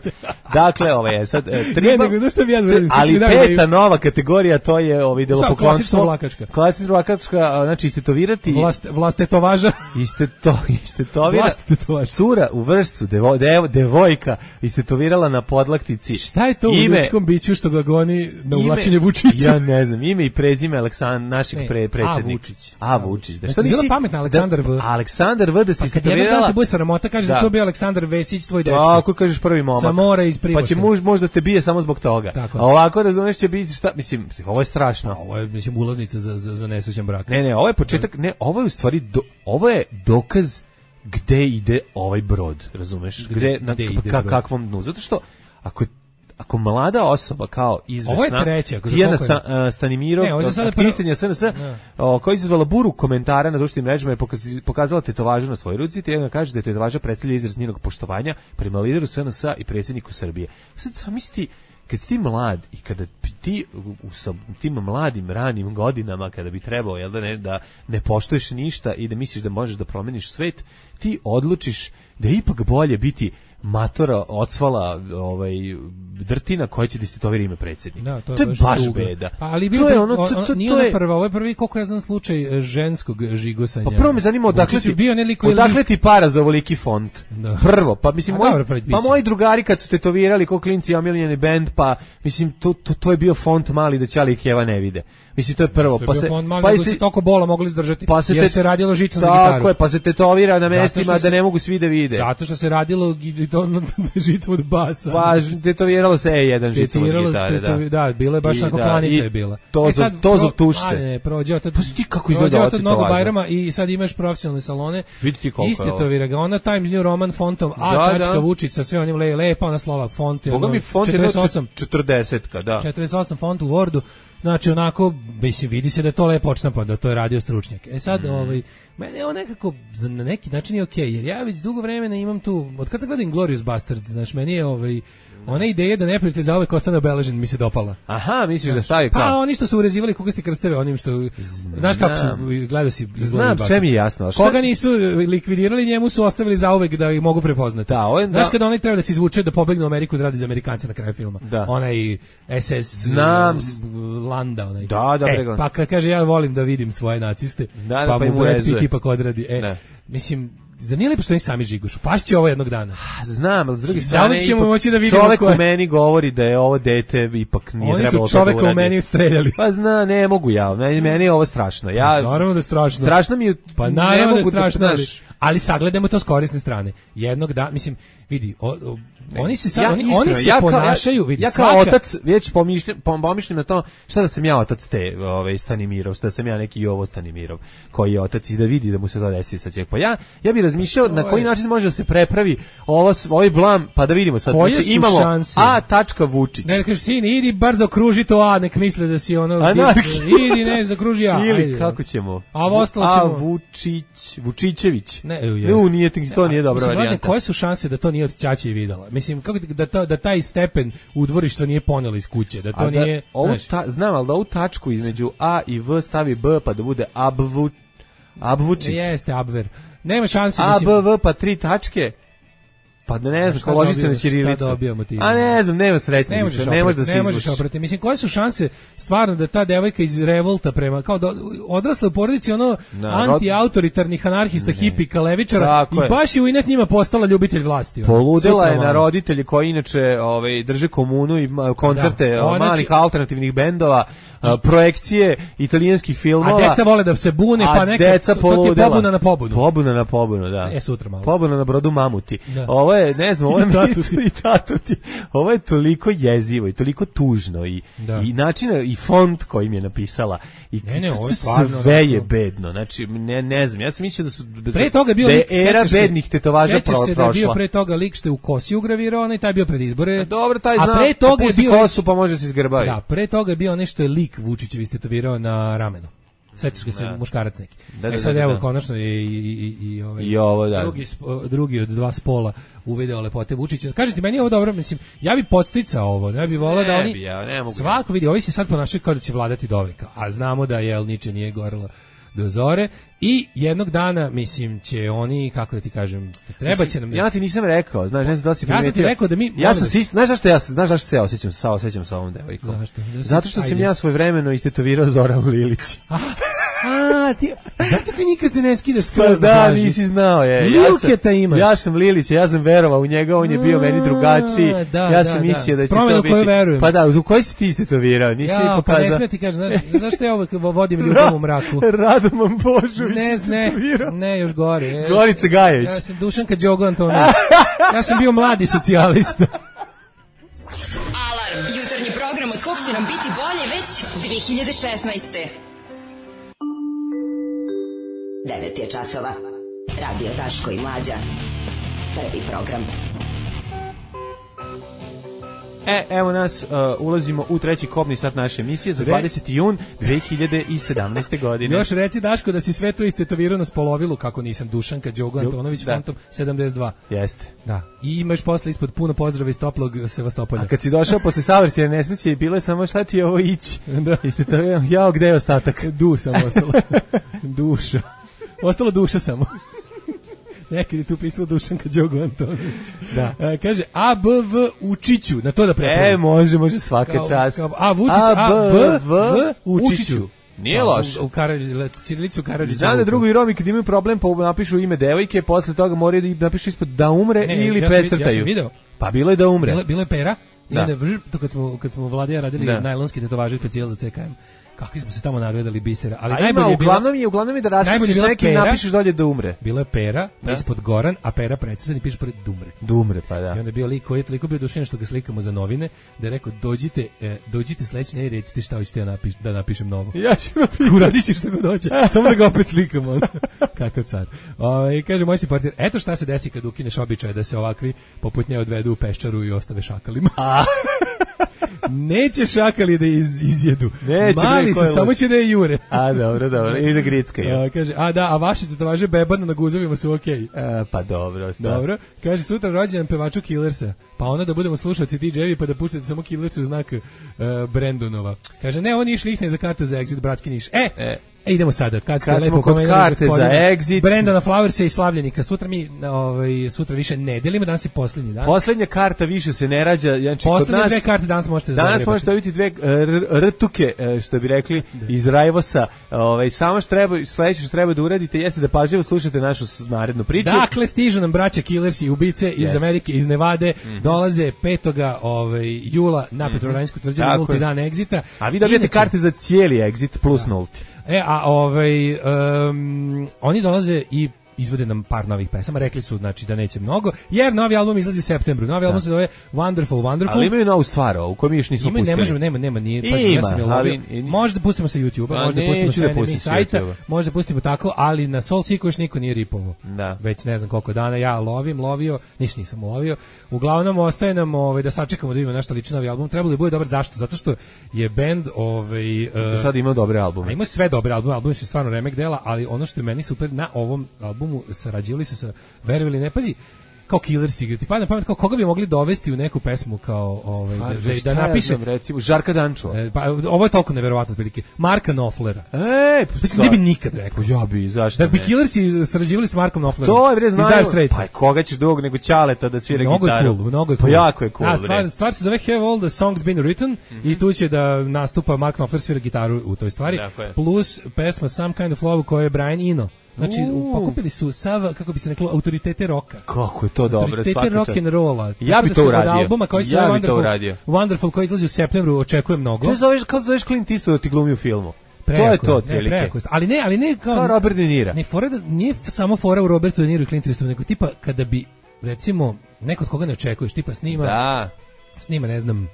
Dakle, ovo je sad e, tribal, ne, nego, ja velim, ali peta nova kategorija, to je ovaj delopoklonstvo. Klasična vlakačka. Klasična vlakačka, znači istetovirati. Vlast, vlast tetovaža. Isteto, istetovira. Vlast tetovaža. Cura u Vršcu, devo, devo, devojka, istetovirala na podlaktici. Šta je to ime, u ljudskom biću što ga goni na uvlačenje Vučića? Ja ne znam, ime i prezime Aleksandar, našeg pre, predsjednika. A Vučić. A Vučić. Da što nisi pametna Aleksandar V. Aleksandar V da se istetovirala. Kad jedan bude sramota, kaže da to bio Aleksandar Vesić, tvoj dečko. Tako kažeš prvi momak. Sa mora iz Primošta. Pa će muž možda te bije samo zbog toga. Tako. A ovako razumeš će biti šta, mislim, ovo je strašno. A, ovo je mislim ulaznica za za za nesrećan brak. Ne, ne, ovo je početak, ne, ovo je u stvari do, ovo je dokaz gde ide ovaj brod, razumeš? Gde, gde na gde ka, kakvom dnu? Zato što ako ako mlada osoba kao izvesna, ovo je treća, Tijana Sta, uh, Stanimirov, aktivistinja S N S, koja je izazvala buru komentara na društvenim mrežama, je pokazala tetovažu na svojoj ruci, Tijana kaže da je tetovaža predstavlja izraz njenog poštovanja prema lideru S N S i predsjedniku Srbije. Sad zamisli, kad si ti mlad i kada ti u tim mladim ranim godinama, kada bi trebao jel da, ne, da ne poštuješ ništa i da misliš da možeš da promeniš svet, ti odlučiš da je ipak bolje biti matora ocvala ovaj drtina koja će da istetovira ime predsjednika. Da, to je, to je baš, baš tuga. beda. Pa, ali to je ono, to, to, to, nije to ona je prva, ovo je prvi, koliko ja znam, slučaj ženskog žigosanja. Pa prvo me zanima odakle ti, bio neliko odakle ti para za ovoliki font. Da. Prvo, pa mislim, A, moj, dobro, pa moji drugari kad su tetovirali ko klinci omiljeni bend, pa mislim, to, to, to je bio font mali da Ćali i Keva ne vide. Mislim, to je prvo. Što je pa bio se, font mali, pa nego se toliko bola mogli izdržati, pa se jer te, se radilo žicom za gitaru. Tako je, pa se tetovira na mestima se, da ne mogu svi da vide. Zato što se radilo žicom od basa. Pa tetoviralo se E jedan žicom od gitare, da. Da, bilo je baš onako da, klanica je bila. To e sad, to zov tušce. A ne, prođe od pa ti kako izgleda od mnogo Bajrama i sad imaš profesionalne salone. Vidite koliko istetovira ga ona Times New Roman fontom A da, tačka da. Vučić sa sve onim le, lepa ona slova font je. Boga mi font je četrdeset osam četrdesetka, da. četrdeset osam font u Wordu. Znači onako, mislim, vidi se da je to lepo odštampa, da to je radio stručnjak. E sad, mm. ovaj, mene je on nekako, na neki način je okej, okay, jer ja već dugo vremena imam tu, od kad sam gledam Glorious Bastards, znaš, meni je ovaj, ona ideja da neprijatelj za uvek ostane obeležen mi se dopala. Aha, misliš da stavi kao? Pa oni što su urezivali kugasti krsteve, onim što, znaš kako su, gledao si Znam, sve mi je jasno. Šta? Koga nisu likvidirali, njemu su ostavili za uvek da ih mogu prepoznati. Da, on, znaš da. kada oni treba da se izvuče da pobegne u Ameriku da radi za Amerikance na kraju filma. Da. Onaj S S Znam. Landa, onaj. Da, da, e, pa kad kaže ja volim da vidim svoje naciste, da, da, pa, pa mu Brad Pitt rezuje. ipak odradi. E, ne. mislim, zar nije lepo što oni sami žigušu? Pašće ovo jednog dana. Znam, ali s druge strane ćemo moći da vidimo čovek koje. u meni govori da je ovo dete ipak nije oni trebalo su čoveka u meni streljali. Pa zna, ne mogu ja, meni, meni je ovo strašno. Ja, naravno da je strašno. Strašno mi je, pa naravno da je strašno, da, ali, ali sagledajmo to s korisne strane. Jednog dana, mislim, vidi, o, o, oni se sad, ja, oni, iskreno, oni se ja, ponašaju, ja, vidi, ja kao svaka... otac već pomišljam, pomišljam na to šta da sam ja otac te, ovaj Stanimirov, da sam ja neki Jovo Stanimirov, koji je otac i da vidi da mu se to desi sa ćeg. Pa ja, ja bih razmišljao na koji način može da se prepravi ovo, ovaj blam, pa da vidimo sad. Koje znači, su imamo šanse? A tačka Vučić. Ne, kažeš, sin, idi bar zakruži to A, nek misle da si ono... A, idi, ne, zakruži A. Ili, ajde. kako ćemo? A ovo ostalo ćemo... A, Vučić, Vučićević. Ne, ne, nije, to nije dobra mislim, varijanta. Koje su šanse da to nije od ćaće i videla? Mislim, kako da, to, da taj stepen u dvorišta nije ponelo iz kuće, da to A nije... Da, ovu ta, znam, ali da ovu tačku između A i V stavi B, pa da bude Abvu, Abvučić. Jeste, Abver. Nema šanse. A, B, V, pa tri tačke. Pa da ne znam, loži se na ćirilicu. A ne znam, nema srećne. Ne možeš, više, ne možeš da se ne možeš oprati. Mislim, koje su šanse stvarno da ta devojka iz revolta prema, kao da odrasla u porodici ono anti-autoritarnih anarhista, hipika, levičara i baš je u inet njima postala ljubitelj vlasti. Poludela je na roditelji koji inače ovaj, drže komunu i koncerte da, malih alternativnih bendova, projekcije italijanskih filmova. A deca vole da se bune, pa neka, to, to ti je pobuna na pobunu. Pobuna na pobunu, da. E, sutra malo. Pobuna na brodu Mamuti. Da. Ovo je, ne znam, ovo je i tatuti. Ovo je toliko jezivo i toliko tužno i, i način, i font kojim je napisala. I ne, ne, ovo je stvarno, sve je bedno. Znači, ne, ne znam, ja sam mislio da su pre toga je bio da lik, era bednih tetovaža sećaš prošla. Se da je bio pre toga lik što je u kosi ugravirao, onaj taj je bio pred izbore. A dobro, taj a zna, pre toga je bio kosu pa može se izgrbavi. Da, pre toga je bio nešto je lik Vučićev istetovirao na ramenu. Sećaš ga se da. Muškarac neki. Da, da, e sad da, evo da. konačno je i i i ovaj I ovo, da. drugi drugi od dva spola uvideo lepote Vučića. Kažete meni je ovo dobro, mislim, ja bih podsticao ovo, ja bih voleo da oni ja, ne mogu svako vidi, ovi se sad ponašaju kao da će vladati do veka, a znamo da je niče nije gorelo do zore i jednog dana, mislim, će oni, kako da ti kažem, treba će nam... Ja ti nisam rekao, znaš, ne znam da si primetio. Ja sam ti rekao da mi... Ja sam si, znaš zašto ja, znaš zašto se ja osjećam, sa osjećam sa ovom devojkom? Zašto? Zato što sam ja svojevremeno istetovirao Zoran Lilić. A, ti, zato ti nikad se ne skidaš skroz pa da, nisi znao je. Lilketa imaš. Ja sam Lilić, ja sam verovao u njega, on je bio meni drugačiji. Da, ja sam da, mislio da, da će Promjena to biti. koju verujem. Pa da, u koji si ti istetovirao? Nisi ja, mi pa ne smije ti kažem, znaš, zašto ja ovo vodim ljubav u mraku? Radoman Božović. Ne, ne, ne, još gore. Gorica Gajević. Ja sam Dušanka Đogo Antonović. Ja sam bio mladi socijalista. Alarm, jutarnji program od kog će nam biti bolje već dve hiljade šesnaeste. devet je časova. Radio Daško i Mlađa. Prvi program. E, evo nas, uh, ulazimo u treći kobni sat naše emisije za dvadeseti jun dve hiljade sedamnaeste. godine. Još reci, Daško, da si sve to istetovirao na spolovilu, kako nisam, Dušanka Đogo Antonović, da. Fantom sedamdeset dva. Jeste. Da. I imaš posle ispod puno pozdrava iz toplog Sevastopolja. A kad si došao posle savršene nesreće, bilo je samo šta ti je ovo ići. Da. Istetovirao, jao, gde je ostatak? Du sam ostalo. Duša. Ostalo duša samo. Nekad je tu pisao Dušanka Đogo Antonić. Da. E, kaže, A, B, V, Učiću, na to da prepravim. E, može, može svaka Kao- čast. kao A, Vučić, A, B, V, Učiću. Nije loš. U, u Karadži- Čirilicu Karadžića. Znam da drugi Romi kad imaju problem pa napišu ime devojke, posle toga moraju da napišu ispod da umre Ne, ili ja sam vid- precrtaju. Ja sam video. Pa bilo je da umre. Bilo, bilo je pera. I Da. onda vrž, to kad smo, kad smo Vladija radili Da. najlonski tetovaže specijal za C K M. Kakvi smo se tamo nagledali bisera. Ali A ima, najbolje je bilo, uglavnom je, uglavnom je da najbolje je raspišeš bila neki i pera. napišeš dolje da umre. bilo je pera, pa Da. ispod Goran, a pera precrtan i piše pored Dumre. Da umre, pa da. I onda je bio lik koji je toliko bio dušen što ga slikamo za novine, da je rekao, dođite, e, dođite sledeće nedelje i recite šta hoćete da, napiš, da napišem novo. Ja ću napisati. Uradit ćeš što god hoće, samo da ga opet slikamo. ono. Kakav car. Ove, kaže moj si partner, eto šta se desi kad ukineš običaj da se ovakvi poput nje odvedu u peščaru i ostave šakalima. A. Neće šakali da iz, izjedu. Neće, Mali bre, su, ko je samo lud. će da je jure. A, dobro, dobro. I da grickaju. A, kaže, a da, a vaše tetovaže bebana na guzovima su okej. E, pa dobro. Da. Dobro. Kaže, sutra rođendan pevaču Killersa. Pa onda da budemo slušalci D J-evi pa da puštate samo Killersa u znak uh, Brandonova. Kaže, ne, oni išli ih ne za karte za Exit, bratski Niš. E, E. E, idemo sada. Kad, ste Kad lepo smo kod pomenuli karte za gospodina Exit. Brandona Flowersa i Slavljenika. Sutra mi, ovaj, sutra više ne delimo, danas je posljednji dan. Poslednja karta više se ne rađa. Znači, kod Poslednje nas, dve karte danas možete danas zagrebati. možete dobiti dve e, r- rtuke, e, što bi rekli, iz Rajvosa. Ovaj, samo što treba, sledeće što treba da uradite jeste da pažljivo slušate našu s- narednu priču. Dakle, stižu nam braća Killersi i ubice iz Jeste. Amerike, iz Nevade, dolaze petog ovaj, jula na Petrovaradinjsku tvrđavu, Tako nulti je. dan Exita. A vi dobijete Inače- karte za cijeli Exit plus nulti. E, a ovaj, um, oni dolaze i izvode nam par novih pesama, rekli su znači da neće mnogo, jer novi album izlazi u septembru. Novi album se zove Wonderful Wonderful. Ali imaju novu stvar, ovu koju mi još nismo Ima, pustili. ne možemo, nema, nema, nije, pa ja Ima, sam je ali- lovio. Možda da pustimo sa YouTube-a, A, možda da pustimo neću sa da enemy pustim sa sajta, YouTube-a. možda pustimo tako, ali na Soul Seeku još niko nije ripovo. Da. Već ne znam koliko dana ja lovim, lovio, niš nisam lovio. Uglavnom ostaje nam ovaj, da sačekamo da vidimo nešto liči novi album. Trebalo bi bude dobar, zašto? Zato što je bend ovaj, uh, Do sada imao dobre a albume. ima sve dobre albume, albumi su stvarno remek dela, ali ono što je meni super na ovom albumu, sarađivali su sa, verovali ne, pazi, kao Killers igrati, pa na pamet kao koga bi mogli dovesti u neku pesmu kao ovaj, Pa, da, da, šta da ja napiše, znam, recimo, Žarka Dančova. e, pa ovo je toliko neverovatno otprilike, Marka Knopflera. E, pa Mislim, ne bi nikad rekao. Ja bi, zašto Da bi ne? Killersi sarađivali s Markom Knopflerom. To je bre iz Dire znaju. Straitsa. Pa koga ćeš drugog nego Ćaleta da svira Mnogo je gitaru. cool, mnogo je Pa cool. jako je cool. Da, bre. stvar, stvar se zove Have All the Songs Been Written i tu će da nastupa Mark Knopfler, svira gitaru u toj stvari. Tako je. Plus pesma Some Kind of Love koja je Brian Eno. Znači, U. pokupili su sav, kako bi se reklo, autoritete roka. Kako je to dobro, Autoritete svaka rock čast. and rolla. Ja Tako bi da to se uradio. Od albuma koji se Ja zove bi to Wonderful, uradio. Wonderful koji izlazi u septembru očekuje mnogo. To zoveš, kao zoveš Clint Eastwood da ti glumi u filmu. to je to, Ne, otprilike. prejako je. Ali ne, ali ne kao... Kao Robert De Niro. Ne, fora da, nije f- samo fora u Robertu De Niro i Clint Eastwoodu, nego tipa kada bi, recimo, neko od koga ne očekuješ, tipa snima, Da. snima, ne znam,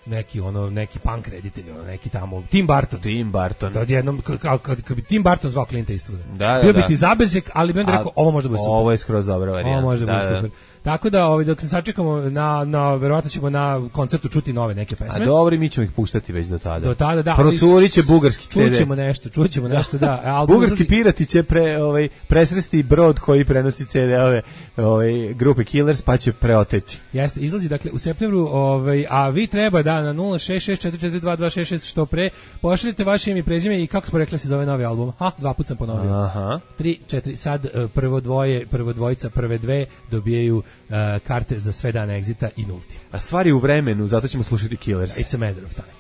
neki ono neki punk reditelj, ono neki tamo Tim Burton. Tim Burton. Da odjednom kad kad kad bi Tim Burton zvao Clint Eastwooda. Da, da, Bio bi da. ti zabezek, ali bi onda A, rekao ovo može da bude super. Ovo je skroz dobra varijanta. Ovo može da bude Da, da. super. Tako da ovaj dok sačekamo na na verovatno ćemo na koncertu čuti nove neke A pesme. dobro, mi ćemo ih puštati već do tada. Do tada da. ali Procurit će bugarski C D. Čućemo nešto, čućemo nešto da. Album Bugarski izlazi- pirati će pre, ovaj, presresti brod koji prenosi C D-ove ovaj, grupe Killers, pa će preoteti. Jeste, izlazi dakle u septembru, ovaj, a vi treba da na nula šest šest četiri četiri dva dva šest šest što pre pošaljite vaše ime i prezime i kako smo rekli se zove novi album. Ha, dva puta sam ponovio. Aha. tri, četiri, sad eh, prvo dvoje, prvo dvojica, prve dve dobijaju eh, karte za sve dane Exita i nulti. A stvari u vremenu, zato ćemo slušati Killers. It's a matter of time.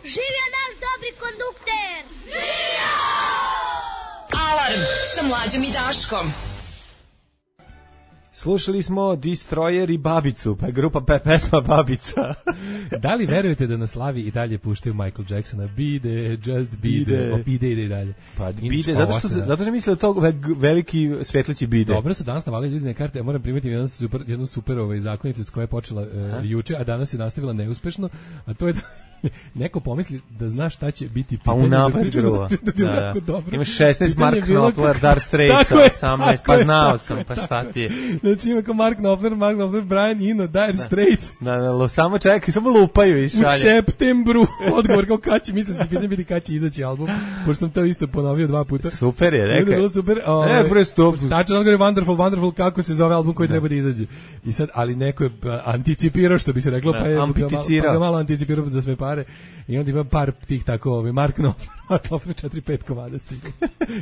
Živio naš dobri kondukter! Alarm sa Mlađom i Daškom. Slušali smo Destroyer i Babicu, pa je grupa pe, pesma Babica. Da li verujete da na slavi i dalje puštaju Michael Jacksona? Bide, just bide, Bide. o, bide ide i dalje. Pa Inače, bide, zato ovo što, se- se- zato što misle da to ve- veliki svetleći bide. Dobro su danas navali ljudi na karte, ja moram primetiti jednu super, jednu super ovaj, zakonitost koja je počela uh, juče, a danas je nastavila neuspešno, a to je da neko pomisli da zna šta će biti Pa pitanje. unapred priča gruva. da bi Da, da. jako dobro. Imaš šesnaest Pitanje Mark je bilo Knopfler, kako- Dark Straits, Tako je, osamnaest, tako pa je, znao tako sam, je, pa tako šta je. ti je. Znači ima kao Mark Knopfler, Mark Knopfler, Brian Eno, Dire Straits. Da, da, lo- samo čekaj, samo lupaju i U šalje. septembru, odgovor kao kad će, mislim da će pitanje biti kad će izaći album, pošto sam to isto ponovio dva puta. Super je, Bilo je rekao. bilo super. E, ovaj, bre, stop. Tačno odgovor je Wonderful, Wonderful, kako se zove album koji treba da izađe. I sad, ali neko je a, anticipirao, što bi se reklo, Da, pa je ga malo, ampiticirao. pa ga malo anticipirao za sve pare. pare i onda ima par tih tako ovaj Mark Knopfler, Mark Knopfler četiri pet komada stiga.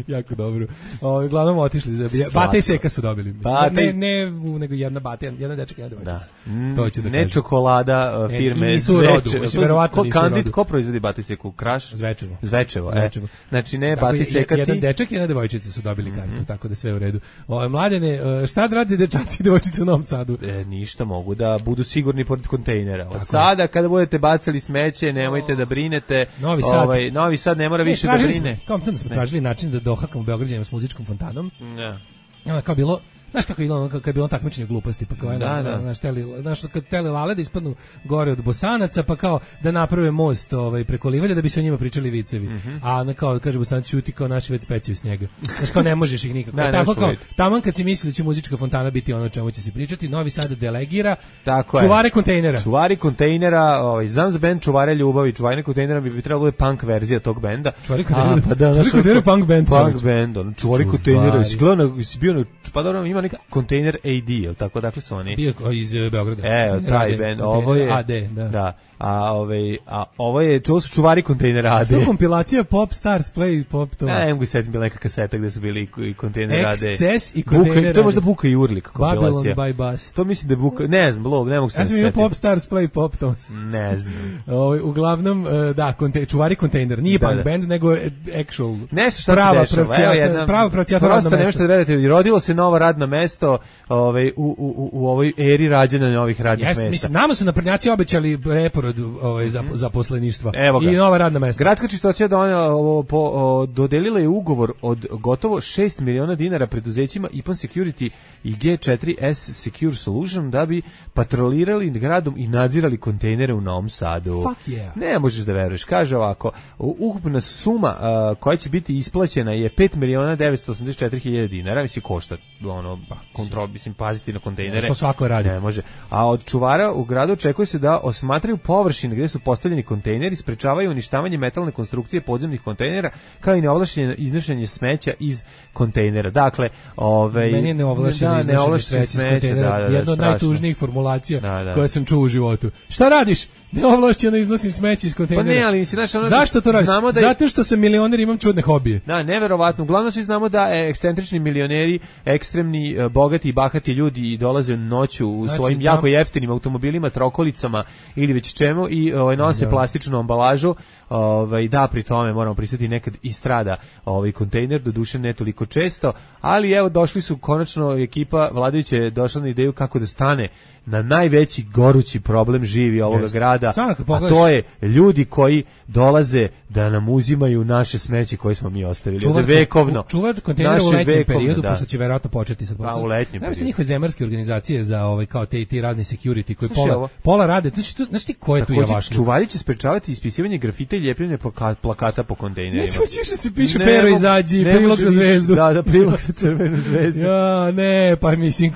Jako dobro. Ovaj uglavnom otišli da Bata i Seka su dobili. Ne ne nego jedna Bata, jedna dečak, jedna devojčica. Da. To će da ne čokolada uh, firme Zveče. Verovatno ko kandid ko proizvodi Bata i Seku? Kraš? Zvečevo. Zvečevo, e. Znači ne Bata i Seka ti. Jedan dečak i jedna devojčica su dobili kartu, mm-hmm. tako da sve u redu. Ovaj Mladene, šta da rade dečaci i devojčice u Novom Sadu? E, ništa, mogu da budu sigurni pored kontejnera. Od tako sada kada budete bacali smeće, nemojte da brinete. Novi Sad, ovaj, Novi Sad ne mora ne, više da brine. Kao tamo smo tražili način da dohakamo Beograđanima s muzičkom fontanom. Ne. Ja, kao bilo Znaš kako je bilo, kako je bilo takmičenje gluposti, pa kao da, na, da. Naš teli, naš kad tele lale da ispadnu gore od Bosanaca, pa kao da naprave most ovaj preko Livlja da bi se o njima pričali vicevi. Mm-hmm. A na kao kaže Bosanac ćuti kao naši već spećaju s njega. Znaš kao ne možeš ih nikako. Da, tako kao taman kad si mislili da će muzička fontana biti ono o čemu će se pričati, Novi Sad delegira tako čuvare je. kontejnera. Čuvari kontejnera, ovaj znam za bend Čuvare ljubavi, čuvanje kontejnera bi, bi trebalo bude punk verzija tog benda. Čuvari kontejnera, pa da, čuvari kontejnera punk band. Punk band, on čuvari kontejnera, si gledao, si bio na, pa dobro, ima neki kontejner A D, jel tako, dakle su oni? Bio iz Beograda. E, taj band, ovo je A D, da. Da. A ovaj a ovo je to su čuvari kontejnera A D. To kompilacija Pop Stars Play Pop to. Ne, mogu setim bila neka kaseta gde su bili i kontejner A D. Exces i kontejner. To je možda Buka i Urlik kompilacija. Babylon by Bus. To mislim da je Buka, ne znam, blog, ne mogu se setiti. Ja sam Pop Stars Play Pop to. Ne znam. Ovaj uglavnom da, konte, čuvari kontejner, nije da, punk da. band nego actual. Nešto šta prava se dešava. Evo jedna prava pravcijata radna mesta. Nešto da verujete, rodilo se novo radno mesto, ovaj u u u ovoj eri rađanja novih radnih mesta. Mislim, nama su naprednjaci obećali preporod ovaj za zaposleništva i nova radna mesta. Gradska čistoća donela po o, dodelila je ugovor od gotovo šest miliona dinara preduzećima I P O N Security i G četiri S Secure Solution da bi patrolirali gradom i nadzirali kontejnere u Novom Sadu. Fuck yeah. Ne možeš da veruješ. Kaže ovako, ukupna suma a, koja će biti isplaćena je pet miliona devetsto osamdeset četiri hiljade dinara, mislim košta ono kontrol, mislim paziti na kontejnere. Što svako radi. Ne može. A od čuvara u gradu očekuje se da osmatraju površine gde su postavljeni kontejneri, sprečavaju uništavanje metalne konstrukcije podzemnih kontejnera, kao i neovlašćeno iznošenje smeća iz kontejnera. Dakle, ovaj meni je neovlašćeno da, iznošenje smeća iz kontejnera, da, da, jedno od najtužnijih formulacija da, da. koje sam čuo u životu. Šta radiš? Neovlašćeno iznosim smeće iz kontejnera. Pa ne, ali mislim, znaš, ono zašto to radiš? Da je... Zato što sam milioner, imam čudne hobije. Da, neverovatno. Uglavnom svi znamo da ekscentrični milioneri, ekstremni, bogati i bahati ljudi dolaze noću u znači, svojim tam... jako jeftinim automobilima, trokolicama ili već čemu i ovaj, nose da. plastičnu ambalažu. Ovaj, da, pri tome moramo pristati nekad i strada ovaj kontejner, doduše ne toliko često, ali evo došli su konačno, ekipa vladajuće je došla na ideju kako da stane na najveći gorući problem živi ovoga yes. grada, a to je ljudi koji dolaze da nam uzimaju naše smeće koje smo mi ostavili. Čuvar, vekovno. Čuvar kontejnera u letnjem vekovno, periodu, da. pošto će verovatno početi sad. Pa, u letnjem periodu. Njihove zemarske organizacije za ovaj, kao te, ti razni security koji pola, pola rade. Znači, tu, znaš ti ko je tu javašluk? Čuvari će sprečavati ispisivanje grafita i ljepljenje plakata po kontejnerima. Nećemo ćeš da se piše pero izađi, prilog za zvezdu. Da, da, prilog za crvenu zvezdu. Ja, ne, pa mislim...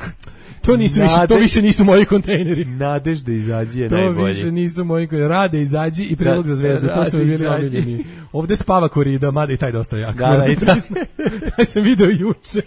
To nisu više, to više nisu moji kontejneri. Nadežda izađi je najbolji. To više nisu moji kontejneri. Rade izađi i prilog za zvezdu. To su mi bili omiljeni. Ovde spava korida, mada i taj dosta jak. Da, da, i taj. Taj sam video juče.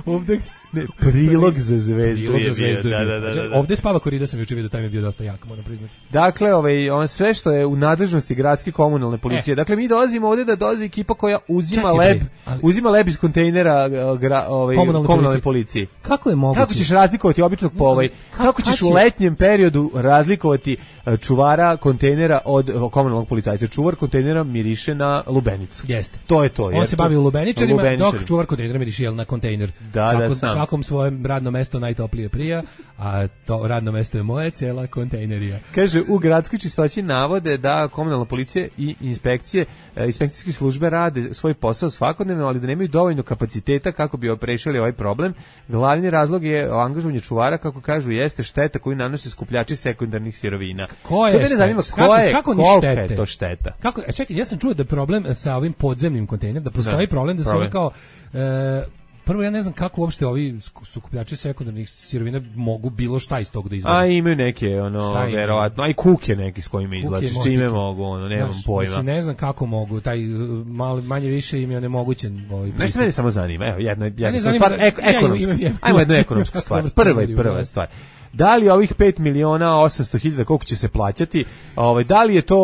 Ovde ne, prilog za zvezdu. Prilog za zvezdu. Da, da, da, da, da. Ovde spava korida sam juče video, taj mi je bio dosta jak, moram priznati. Dakle, ovaj on sve što je u nadležnosti gradske komunalne policije. E. Dakle mi dolazimo ovde da dolazi ekipa koja uzima Čekaj, leb, ali... uzima leb iz kontejnera gra, ovaj komunalne, komunalne policije. Kako je moguće? Kako ćeš razlikovati običnog po ovaj? Kako, kako ćeš u letnjem periodu razlikovati čuvara kontejnera od komunalnog policajca? Čuvar kontejnera miriše na lubenicu. Jeste. To je to. On se bavi lubeničarima, dok čuvar kontejnera miriše na kontejner. Da, Svako, da, sam. Svakom svojem radno mesto najtoplije prija, a to radno mesto je moje, cela kontejnerija. Kaže, u gradskoj čistoći navode da komunalna policija i inspekcije, inspekcijske službe rade svoj posao svakodnevno, ali da nemaju dovoljno kapaciteta kako bi prešili ovaj problem. Glavni razlog je angažovanje čuvara, kako kažu, jeste šteta koju nanose skupljači sekundarnih sirovina. Ko je šteta? Zanima, ko kako, je, kako kolika štete? je to šteta? Kako, čekaj, ja sam čuo da je problem sa ovim podzemnim kontejnerom, da postoji da, problem da se oni kao... E, prvo, ja ne znam kako uopšte ovi sukupljači sekundarnih sirovina mogu bilo šta iz tog da izvode. A imaju neke, ono, verovatno, a i kuke neki s kojima izlače, s čime mogu, ono, nemam Znaš, pojma. Mislim, ne znam kako mogu, taj malo, manje više im je onemogućen. Ovaj Nešto mene samo zanima, evo, jedna, jedna stvar, da, ek, ekonomska, ja, imam, imam, ajmo jednu ekonomsku stvar, prva i prva stvar. Da li ovih pet miliona osamsto hiljada koliko će se plaćati, ovaj, da li je to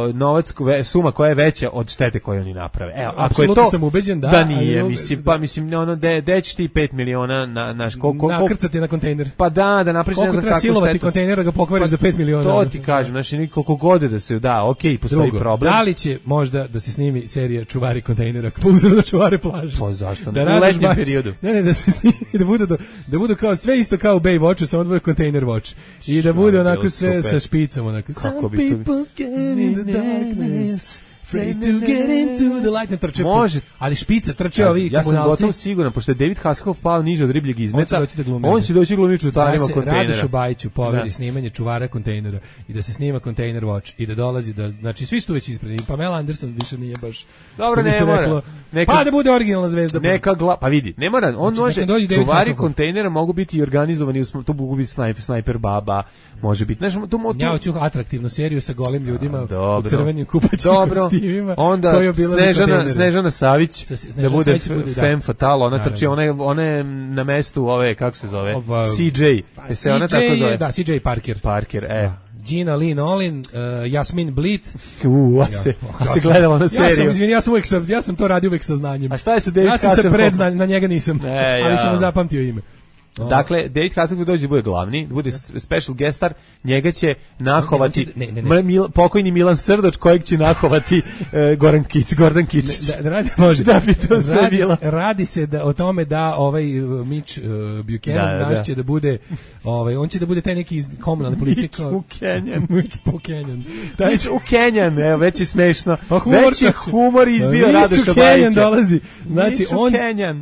uh, novac, suma koja je veća od štete koju oni naprave? Evo, ako je to, sam ubeđen da, da nije, ali, mislim, da. pa mislim, ono, de, de će ti pet miliona na, na koliko... Nakrcati na kontejner. Pa da, da napriš ne znam kako štetu. Koliko treba silovati kontejner da ga pokvariš pa, za pet miliona? To ti kažem, znači, koliko god da se, da, okej, okay, postoji Drugo, problem. Da li će možda da se snimi serija Čuvari kontejnera, po uzoru na čuvare plaže? Pa zašto? Da u letnjem periodu. Ne, ne, da se snimi, da budu, do, da budu kao, sve isto kao u Baywatchu, samo da bude kontejner watch. I da bude onako sve super. Sa špicom, onako. Some people's get in the darkness. Afraid to get into the light. Trče, može. Ali špica trče ovi ja komunalci. Ja sam gotovo siguran, pošto je David Hasselhoff pao niže od ribljeg izmeta, on će doći da glumi. On će doći glumi čuvarima da kontejnera. Radošu Bajiću poveri snimanje čuvara kontejnera i da se snima kontejner watch i da dolazi da, znači svi su već ispredi. Pamela Anderson više nije baš. Dobro, ne mora. Reklo, neka, pa da bude originalna zvezda. Neka gla, pa vidi, ne mora, on znači, može, čuvari kontejnera mogu biti i organizovani, tu mogu biti snajper, snajper baba, može biti, znači, tu, tu, ja hoću atraktivnu seriju sa golim ljudima a, dobro, u crvenim kupaćim kostimima. Onda Snežana, Snežana Savić, Snježana da bude femme fatale, ona trči, ona je, ona je na mestu ove, kako se zove, Oba, C J, pa, se ona tako zove? Da, C J Parker. Parker, e. Da. Gina Lee Nolin, uh, Jasmin Blit. U, a se, a se gledala na seriju. Ja sam, izvini, ja sam uvijek, ja sam to radio uvijek sa znanjem. A šta je sa David Ja sam se predznanjem, na njega nisam, e, ja. ali sam zapamtio ime. Oh. Dakle, David Hasselhoff dođe da bude glavni, da bude special guest star, njega će nahovati ne, ne, ne, ne. Mil, pokojni Milan Srdoč, kojeg će nahovati uh, Goran Kić, Gordon Kičić. Da, da radi, može. Da bi to sve radi, bilo. Radi se da, o tome da ovaj uh, Mitch uh, Buchanan da, naš da. će da bude, ovaj, on će da bude taj neki iz komunalne policije. Mitch Buchanan. Mitch Buchanan. Mitch Buchanan, evo, već je smešno. Pa humor, već je humor izbio Radoša Bajića. Buchanan dolazi. Znači, on,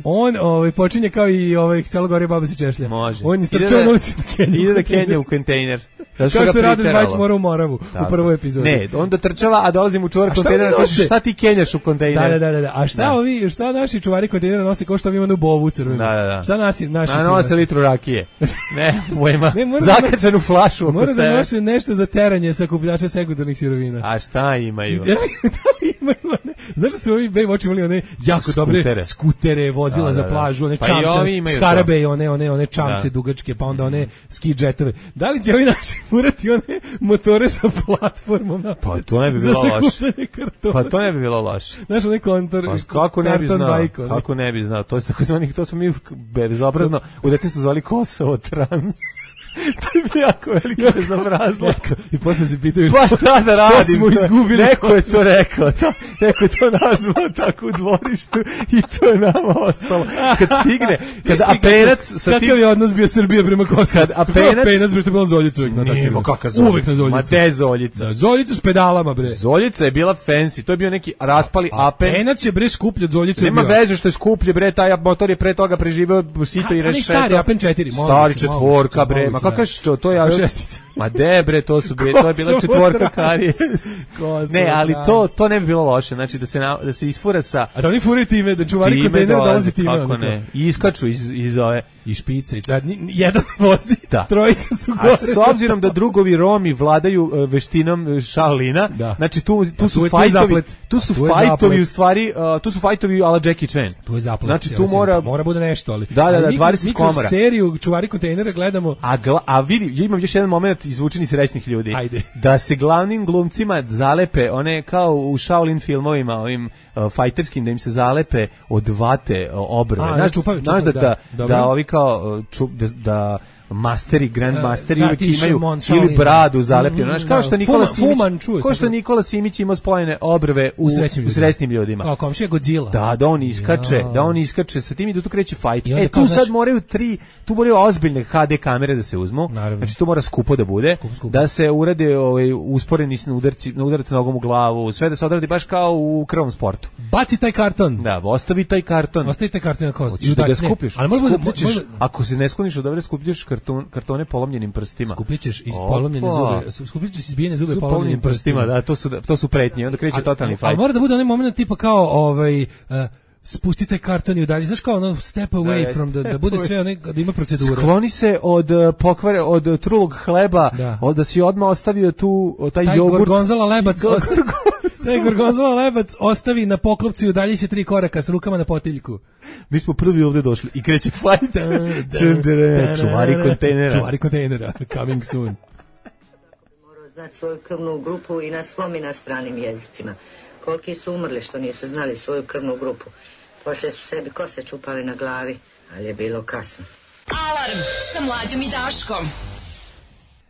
on ovaj, počinje kao i ovaj, Selo Gore Baba se češlja. Može. On je strčao na ulici Kenja. Ide da Kenja u kontejner. Kao što je Radoš Bajić mora u Moravu u prvoj epizodi. Ne, onda trčava, a dolazim u čuvar kontejnera, kaže šta ti kenjaš u kontejner? Da, da, da, a šta da. ovi, šta naši čuvari kontejnera nose kao što ovi imaju bovu crvenu? Da, da, da. Šta nasi, naši? A nose litru rakije. Ne, pojma. Zakačenu flašu oko sebe. Mora da nose nešto za teranje sakupljača sekundarnih sirovina. A šta imaju? Da li imaju? Znaš da su ovi Baywatch imali one jako dobre skutere, vozila za plažu, one čamce, skarabe, one, one, one čamce dugačke, pa onda one ski džetove. Da li će ovi naši urati one motore sa platformom? Pa to ne bi bilo loše. Pa to ne bi bilo loše. Znaš, onaj kontor, pa, kako ne bi znao? Bajko, kako ne bi znao? To, je tako zvani, to smo mi bezobrazno u detinjstvu zvali Kosovo trans. To je bi jako veliki bezobrazlak. I posle se pitaju šta, pa šta da radim? Što smo izgubili? Neko je to rekao. To, neko je to nazvao tako u dvorištu i to je nama ostalo. Kad stigne, kad apenac... Sa kakav je odnos bio Srbije prema Kosovu? Kad apenac... Apenac, bre, što je bilo Zoljica uvijek. Nije, ma kakav Zoljica? Uvijek na Zoljicu. Ma te Zoljica? Da, Zoljicu s pedalama, bre. Zoljica je bila fancy. To je bio neki raspali apen. Apenac je, bre, skuplje od Zoljice. Nema veze što je skuplje, bre, taj motor je pre toga preživeo sito i rešeto. Stari apen četiri. Stari četvorka, bre. Ma kakav što, to je... Ma debre, to su bile, to je bila četvorka karije. Ne, ali to to ne bi bilo loše, znači da se na, da se isfura sa. A da oni furaju time, da čuvari kontejner dolazi time. Kako ne? I iskaču iz iz ove i špice, da jedan vozi, da. Trojica su gore. A s obzirom da drugovi Romi vladaju uh, veštinom Shaolina, da. Znači tu tu su fajtovi, tu su fajtovi u stvari, uh, tu su fajtovi ala Jackie Chan. Tu je zaplet. Znači tu mora mora bude nešto, ali. Da, da, da, dvadeset komora. Seriju čuvari kontejnera gledamo. A gla, a vidi, imam još jedan momenat izvučeni srećnih ljudi. Ajde. Da se glavnim glumcima zalepe one kao u Shaolin filmovima, ovim uh, fajterskim, da im se zalepe od vate uh, obrve. A, znaš, čupaju, znaš da, da, da, da ovi kao uh, čup, da, da masteri, grand masteri da, uvijek imaju ili bradu zalepljenu. Znaš, kao što Nikola Fuma, Simić, Fuman, čuj, kao što Nikola Simić ima spojene obrve u, u srećnim ljudima. Kao komšija Godzilla. Da, da on iskače, ja. da on iskače sa tim i da tu kreće fight. E, tu sad moraju tri, tu moraju ozbiljne ha de kamere da se uzmu. Naravno. Znači, tu mora skupo da bude, skup, skup. Da se urade ovaj, usporeni na udarci, na udarci nogom u glavu, sve da se odradi baš kao u krvnom sportu. Baci taj karton. Da, ostavi taj karton. Ostavi taj karton na kost. Da ga skupiš. Ali možda, možda, ako se ne skloniš od dobre, skupljaš karton, kartone polomljenim prstima. Skupljaćeš iz polomljene zube, skupljaćeš izbijene zube polomljenim prstima. prstima. Da, to su to su pretnje, onda kreće totalni fight. Ali mora da bude onaj momenat tipa kao ovaj uh, spustite karton i udalji, znaš kao ono step away da, from, da, da bude sve onaj, da ima procedura. Skloni se od pokvare, od trulog hleba, da, od da si odmah ostavio tu taj, taj jogurt. Gorgonzola lebac. Da gorgonzola lebac ostavi na poklopcu i udalji će tri koraka s rukama na potiljku. Mi smo prvi ovde došli i kreće fight. Čuvari kontejnera. Čuvari kontejnera. Coming soon. Morao znati svoju krvnu grupu i na svom i na stranim jezicima. Koliki su umrli što nisu znali svoju krvnu grupu. Poslije su sebi kose čupali na glavi, ali je bilo kasno. Alarm sa Mlađom i Daškom.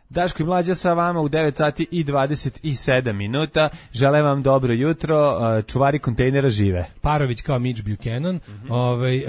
Daško i Mlađa sa vama u devet sati i dvadeset sedam minuta. Želim vam dobro jutro. Čuvari kontejnera žive. Parović kao Mitch Buchanan. Mm-hmm. Ovaj, uh,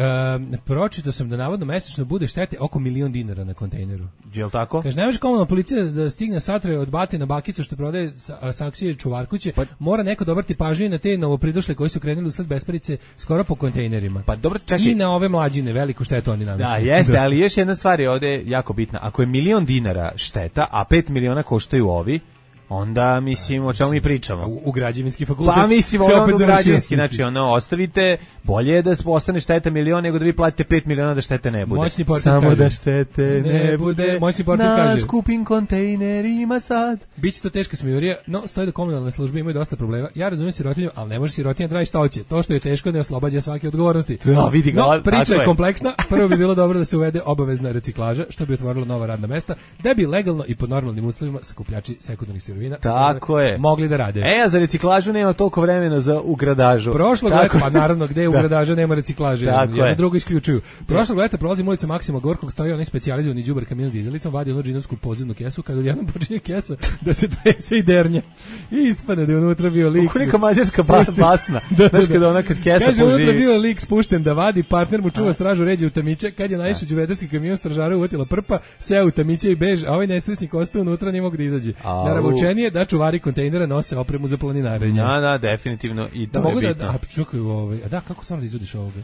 pročitao sam da navodno mesečno bude štete oko milion dinara na kontejneru. Je li tako? Kaže, ne može komunalna policija da stigne satre od bate na bakicu što prodaje saksije čuvarkuće. Pa, mora neko dobrati pažnju na te novopridošle koji su krenuli usled besparice skoro po kontejnerima. Pa dobro, čekaj. I na ove mlađine, veliku štetu oni nanose. Da, jeste, ali još jedna stvar je ovde jako bitna. Ako je milion dinara šteta, a pet miliona koštaju ovi, onda mislim o čemu mi pričamo. U, u građevinski fakultet. Pa mislim ono u građevinski, znači ono ostavite, bolje je da ostane šteta milion nego da vi platite pet miliona da štete ne bude. Moćni portir Samo kaže, da štete ne, ne bude. Moćni portir kaže. Na skupim kontejnerima sad. Biće to teška smijurija, no stoji da komunalne službe imaju dosta problema. Ja razumijem sirotinju, ali ne može sirotinja da radi šta hoće. To što je teško ne oslobađa svake odgovornosti. Da, vidi ga. No, priča je kompleksna. Prvo bi bilo dobro da se uvede obavezna reciklaža, što bi otvorilo nova radna mesta, da bi legalno i pod normalnim uslovima sakupljači sekundarnih sirovina tako je mogli da rade. E, a za reciklažu nema toliko vremena za ugradažu. Prošlog leta, pa naravno, gde je ugradaža nema reciklaže, jedno drugo isključuju. Prošlog leta prolazim ulicom Maksima Gorkog, stoji onaj specijalizovani đubar kamion s dizelicom, vadi onu džinovsku podzemnu kesu, kad odjednom počinje kesa da se trese i dernja. I ispane da je unutra bio lik. Kako neka mađarska bas, basna. da, Znaš kada ona kad kesa kaže, poživi. Kaže, unutra bio lik spušten da vadi, partner mu čuva stražu, ređe u tamiće, kad je naišao đuvedarski kamion, stražara uvotila prpa, seo u tamiće i bež, a ovaj nesrećnik ostao unutra, nije mogu da izađe. Naravučenije da čuvari kontejnera nose opremu za planinarenje. Da, da, definitivno i to da, je mogu bitno. Da, a čekaj, ovaj, a da, kako stvarno da izvadiš ovoga?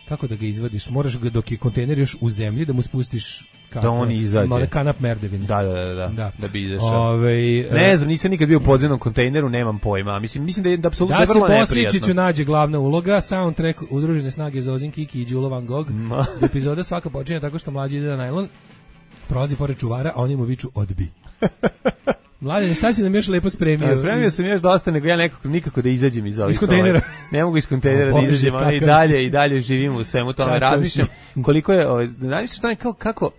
Kako da ga izvadiš? Moraš ga dok je kontejner još u zemlji da mu spustiš kako, da on izađe. Male kanap merdevine. Da, da, da, da, da, da bi izašao. Ove, ne znam, nisam nikad bio u podzemnom kontejneru, nemam pojma. Mislim, mislim da je da apsolutno da vrlo neprijatno. Da se Posječiću nađe glavna uloga, soundtrack Udružene snage Zozin Kiki i Đulo Van Gogh. Epizoda svaka počinje tako što mlađi ide na najlon, prolazi pored čuvara, a oni mu viču odbi. Mladen, šta si nam još lepo spremio? A spremio sam još dosta, nego ja nekako, nikako da izađem iz ovih. Iz kontejnera. Ne mogu iz kontejnera da izađem, ali i dalje, i dalje živimo u svemu tome. Razmišljam koliko je, razmišljam tome kako, kako,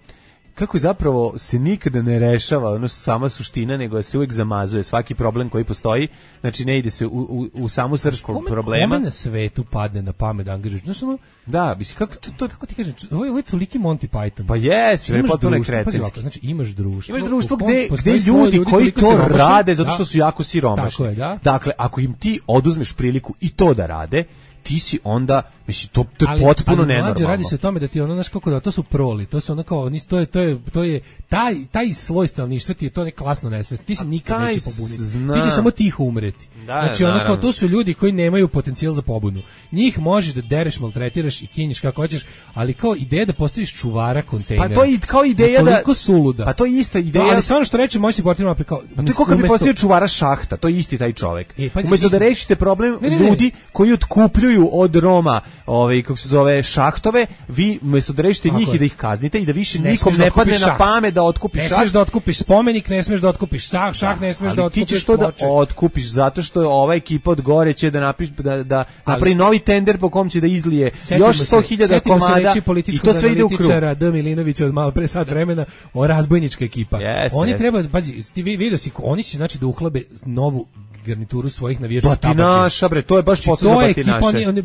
kako zapravo se nikada ne rešava ono sama suština, nego se uvijek zamazuje svaki problem koji postoji, znači ne ide se u, u, u samu srž problema. Kome na svetu padne na pamet da angažuješ? Znaš ono, da, mislim, kako, to, to, kako ti kažem, ovo je, ovo je toliki Monty Python. Pa jes, je potpuno kretenski. Znači imaš društvo. Imaš društvo gde, gde ljudi koji to rade zato što su jako siromašni. Tako je, da. Dakle, ako im ti oduzmeš priliku i to da rade, ti si onda, mislim, to, to je ali, potpuno ali nenormalno. Ali radi se o tome da ti ono, znaš kako da, to su proli, to su ono kao, to je, to je, to je, taj, taj sloj stanovništva ti je to ne klasno nesvest, ti se nikad neće pobuniti, zna. Ti će samo tiho umreti. Da, znači ono kao, to su ljudi koji nemaju potencijal za pobunu. Njih možeš da dereš, maltretiraš i kinješ kako hoćeš, ali kao ideja da postaviš čuvara kontejnera. Pa to je kao ideja da... Koliko suluda. Pa to je ista ideja. Da, ali stvarno što reče, možeš ti portirima kao... Pa to je kao kad bi postavio čuvara šahta, to je isti taj čovek. E, pa, umjesto da rešite problem ne, ne, ne. ljudi koji otkupljuju od Roma, ovaj kako se zove šahtove, vi umjesto da rešite njih i da ih kaznite i da više ne nikom ne padne na pamet da otkupiš šah. Ne smeš da otkupiš spomenik, ne smeš da otkupiš šah, šah ne smeš da otkupiš. Ali ti ćeš to da otkupiš zato što je ova ekipa od gore će da napiše da da napravi novi tender po kom će da izlije još sto hiljada komada i to sve ide u krug. D. Milinovića od malo pre sat vremena, o razbojnička ekipa. Oni treba, pazi, ti vidio si, oni će znači da uhlabe novu garnituru svojih navijača tabačina. Batinaša, bre, to je baš posao za batinaše. Oni, oni,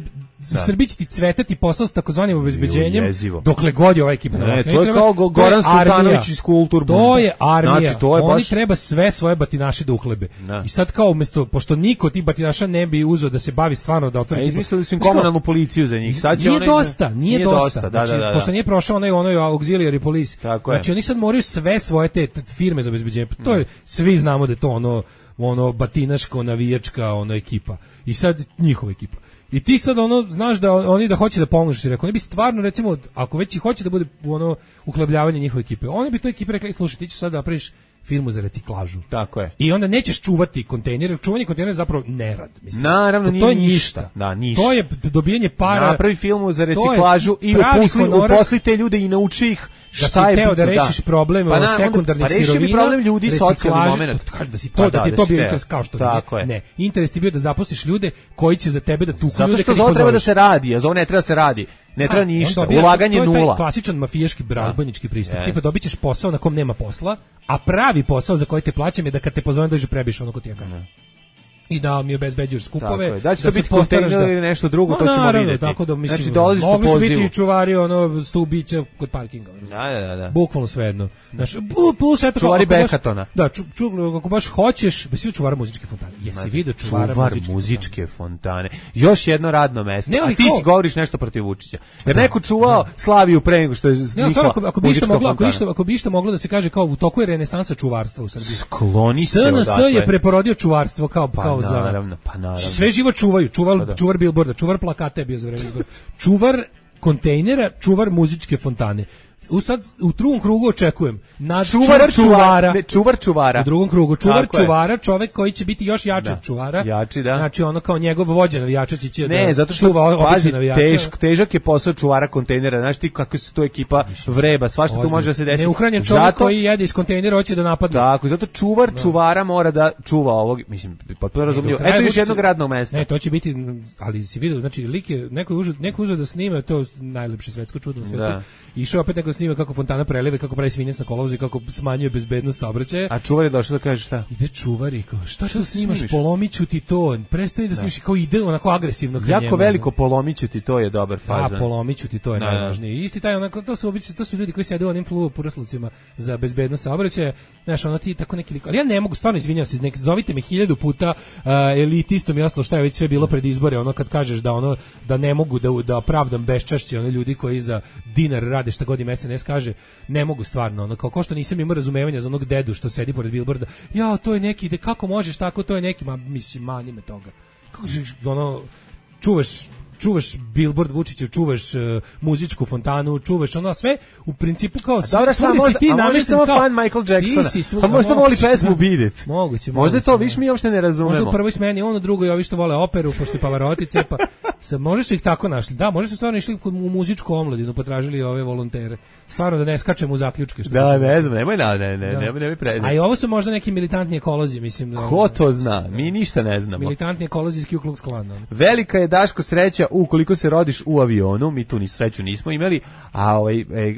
Srbi će ti cvetati posao s takozvanim obezbeđenjem, dokle god je ova ekipa. Ne, to je treba, kao Goran Sultanović iz Kultur. To je armija. Znači, to je oni baš... treba sve svoje batinaše da uhlebe. Da. I sad kao umjesto, pošto niko ti batinaša ne bi uzeo da se bavi stvarno da otvori... A izmislili su im komunalnu policiju za njih. Sad nije onaj... dosta, nije, nije dosta. dosta. Da, znači, da, da, da. Pošto nije prošao onaj, onaj auxiliary police. Tako znači, je. oni sad moraju sve svoje te firme za obezbeđenje. To je, svi znamo da je to ono... ono batinaško navijačka ono ekipa i sad njihova ekipa i ti sad ono znaš da oni da hoće da pomožu si rekao oni bi stvarno recimo ako već i hoće da bude ono uhlebljavanje njihove ekipe oni bi to ekipe rekli slušaj ti ćeš sad da napraviš firmu za reciklažu. Tako je. I onda nećeš čuvati kontejner, čuvanje kontejnera je zapravo nerad, mislim. Naravno, to nije je ništa. Da, ništa. To je dobijanje para. Napravi filmu za reciklažu i uposli, uposli te ljude i nauči ih da šta je teo bitno, da rešiš da. probleme pa o na, sekundarnih pa sirovina, problem ljudi socijalni moment. Kaže da si to, pa da, da ti da to bio teo. interes kao što Tako nije. je. Ne, interes ti bio da zaposliš ljude koji će za tebe da tuku Zato ljude što kad ih za ovo treba da pozoveš. se radi, a za ovo ne treba da se radi. Ne treba ništa, dobija, ulaganje to je taj nula. klasičan mafijaški razbojnički pristup. Yes. Tipa dobićeš posao na kom nema posla, a pravi posao za koji te plaćam je da kad te pozovem dođe prebiš ono ko ti ja kažem. I da mi obezbeđuješ skupove. Tako je. Da će da to biti kontejner ili nešto drugo, no, to ćemo naravno, vidjeti. Tako da, mislim, znači dolaziš po mogli su pozivu. biti čuvari ono stubića kod parkinga. Da, da, da. Bukvalno svejedno. Znači, bu, bu, sve to čuvari ako baš- Bekatona. Da, ču, ču, ako baš hoćeš, ba si čuvara muzičke fontane. Jesi vidio čuvara Čuvar muzičke, muzičke fontane. Još jedno radno mesto. Ne, ali a ti kao- si govoriš nešto protiv Vučića. Jer neko čuvao Slaviju pre nego što je Ne, nikla stvarno, ako, ako bi muzička išta moglo, ako bi fontana. išta, ako bi išta moglo da se kaže kao u toku je renesansa čuvarstva u Srbiji. Skloni se S N S odatle. je preporodio čuvarstvo kao Pa kao zanat. naravno, pa naravno. Sve živo čuvaju, čuvar, Pa da. čuvar billboarda, čuvar plakata je bio za vreme izbora. Čuvar kontejnera, čuvar muzičke fontane. U sad u drugom krugu očekujem nad Čuvar čuvar, čuvara, čuvara. ne, čuvar čuvara. U drugom krugu čuvar Tako je. čuvara, čovjek koji će biti još jači Da. od čuvara. Jači, da. Znači ono kao njegov vođa navijača će Ne, da zato što čuva obične pazi, navijače. težak, težak je posao čuvara kontejnera. Znaš ti kako se to ekipa vreba, svašta tu Ozbiljno. može da se desi. Neuhranjen čovjek Zato- koji jede iz kontejnera hoće da napadne. Tako, zato čuvar čuvara mora da čuva ovog, mislim, potpuno razumljivo. Do kraja Eto još Vučić- jednog radnog mesta. Ne, to će biti, ali si vidio, znači lik je, neko je uzeo, neko je uzeo da snima, to je najlepše svetsko čudo na svetu. Da. Išao opet neko da snima kako fontana preliva, kako pravi svinjac na kolovozu i kako smanjuje bezbednost saobraćaja. A čuvar je došao da kaže šta? Ide čuvar i kao, šta Šta to snimaš, snimiš? polomiću ti to, prestani da snimiš, kao ide onako agresivno ka Jako njemu, veliko ono. polomiće ti, to je dobar A, fazan. polomiću ti, to je Da, da. najvažnije. Isti taj, onako, to su obično, to su ljudi koji sede u onim fluopuraslucima za bezbednost saobraćaja. Znaš, ono ti tako neki lik. Ali ja ne mogu, stvarno izvinjavam se, nek, zovite me hiljadu puta uh, elitistom i ostalo šta je već sve bilo pred izbore, ono kad kažeš da ono da ne mogu da da opravdam beščašće one ljudi koji za dinar rade šta god im S N S kaže, ne mogu stvarno, ono kao ko što nisam imao razumevanja za onog dedu što sedi pored bilborda. Ja, to je neki, de, kako možeš tako, to je neki, ma mislim, mani me toga. Kako ćeš, ono, čuvaš čuvaš billboard Vučiću, čuvaš uh, muzičku fontanu, čuvaš ono sve u principu kao A dobro, šta, svugdje si možda, ti a možda namešten samo kao fan Michael Jacksona. ti si svu- Pa možda a voli moguće, pesmu da. Beat It. Moguće, Možda je to, moguće, viš mi uopšte ne Možda razumemo. u prvoj smeni on, u drugoj ovi što vole operu, pošto je Pavarotti cepa. Sa, možda su ih tako našli. Da, možda su stvarno išli u muzičku omladinu, potražili ove volontere. Stvarno da ne skačemo u zaključke. Što Da, mislim. ne znam, nemoj na, ne, ne, Da. nemoj, nemoj pre... A i ovo su možda neki militantni ekolozi, mislim. Da, Ko to zna? Mi ništa ne znamo. Militantni ekolozi iz Ku Klux Klana. Velika je, Daško, sreća ukoliko se rodiš u avionu, mi tu ni sreću nismo imali, a ovaj, e,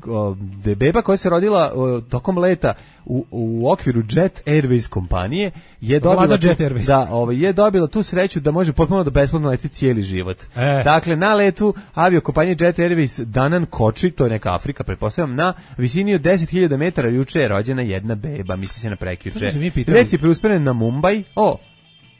o, de beba koja se rodila o, tokom leta u, u okviru Jet Airways kompanije je dobila, Vlada tu, Jet Airways. da, ovaj, je dobila tu sreću da može potpuno da besplatno leti cijeli život. E. Dakle, na letu aviokompanije Jet Airways Danan Koči, to je neka Afrika, pretpostavljam, na visini od deset hiljada metara juče je rođena jedna beba, misli se na To prekjuče. smo se mi pitali. Let je preusperen na Mumbai, o,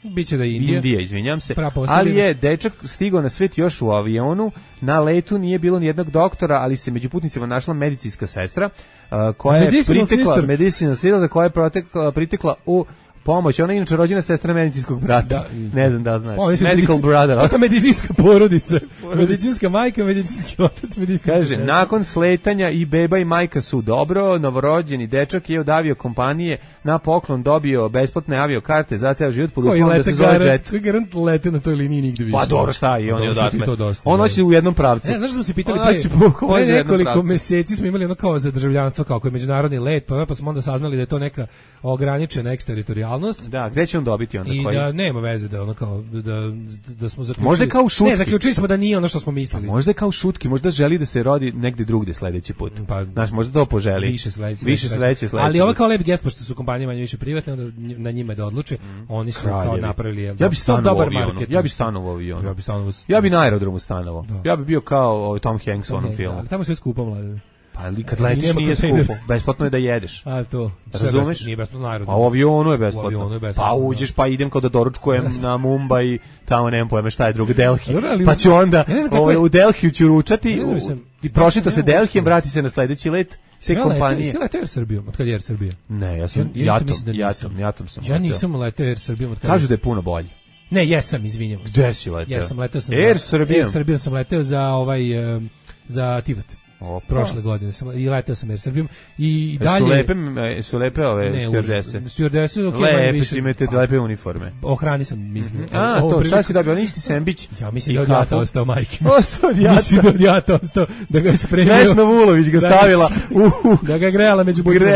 Biće da je Indija. Indija, izvinjam se. Prava posljedina. Ali je dečak stigao na svet još u avionu. Na letu nije bilo ni jednog doktora, ali se među putnicima našla medicinska sestra uh, koja je Medicinal pritekla, sister. medicinska sestra koja je protekla, pritekla u pomoć. Ona je inače rođena sestra medicinskog brata. Da. Ne znam da znaš. O, mislim, Medical medicin- brother. To je medicinska porodica. Medicinska majka, medicinski otac, medicinska Kaže, sestra. nakon sletanja i beba i majka su dobro, novorođeni dečak je od avio kompanije na poklon dobio besplatne avio karte za ceo život pod Koji uslovom da lete se zove garant, Jet. koji garant lete na toj liniji nigde više. Pa dobro, šta je, on je Dobro, što ti odatle. to dosta, On da. hoće u jednom pravcu. Ne, znaš da smo se pitali On pre, hoće bukvalno pre u jednom nekoliko pravcu. meseci smo imali ono kao za državljanstvo, kao koji je međunarodni let, pa, pa smo onda saznali da je to neka ograničena eksteritorijalnost. Da, gde će on dobiti onda I koji? da nema veze da ono kao da da smo zaključili. Možda kao u šutki. Ne, zaključili smo da nije ono što smo mislili. Možda je kao šutki, možda želi da se rodi negde drugde sledeći put. Pa, Znaš, možda to poželi. Više sledeće. Više sledeće, sledeće. Ali ovo kao lep gest, pošto su kompanije manje više privatne, onda na njima je da odluče. Oni su kao Kraljevi. napravili jel, Ja bi stanovao u dobar avionu. marketing. Ja bi stanovao u avionu. Ja bi stanovao. Ja bi na aerodromu stanovao. Da. Ja bi bio kao ovaj Tom Hanks u Tom onom Hanks, filmu. ali tamo je sve skupo, mlade. Pa ali kad I letiš nema nije kontejner. skupo. Besplatno je da jedeš. A to. Sve Razumeš? besplatno, nije besplatno na A aerodromu. u avionu je U besplatno. avionu je besplatno, Pa da. uđeš pa idem kao da doručkujem na Mumbai, tamo nemam pojma šta je drugo, Delhi. Dobro, ali- Pa ću onda Ja ne znam kako ovaj, je- u Delhiju ću ručati, Ne znam, u- mislim, i prošita ja se ne mogu Delhijem, što- vrati se na sledeći let te Sve kompanije. Ste leteo Air Srbijom, od kad je Air Srbija? Ne, ja sam Ja isto jatom, mislim da nisam. jatom, jatom sam. Ja leteo. nisam leteo Air Srbijom od kad. Kažu da je puno bolje. Ne, jesam, izvinjavam. se. Gde si leteo? Jesam leteo sam. Air za- Srbijom? Air Srbijom sam leteo za ovaj em, za Tivat. Opa. Prošle godine sam i letao sam Air Srbijom i dalje su lepe su lepe ove stewardese. Stewardese ok, lepe su, imate lepe uniforme. Ohrani sam mislim. Mm-hmm. A, to šta si dobio, isti sendvič? Ja mislim da je odjata ostao majke. Ostao odjata. Mislim da je odjata ostao da ga je spremio. Vesna Vulović ga stavila u da ga grejala među budima.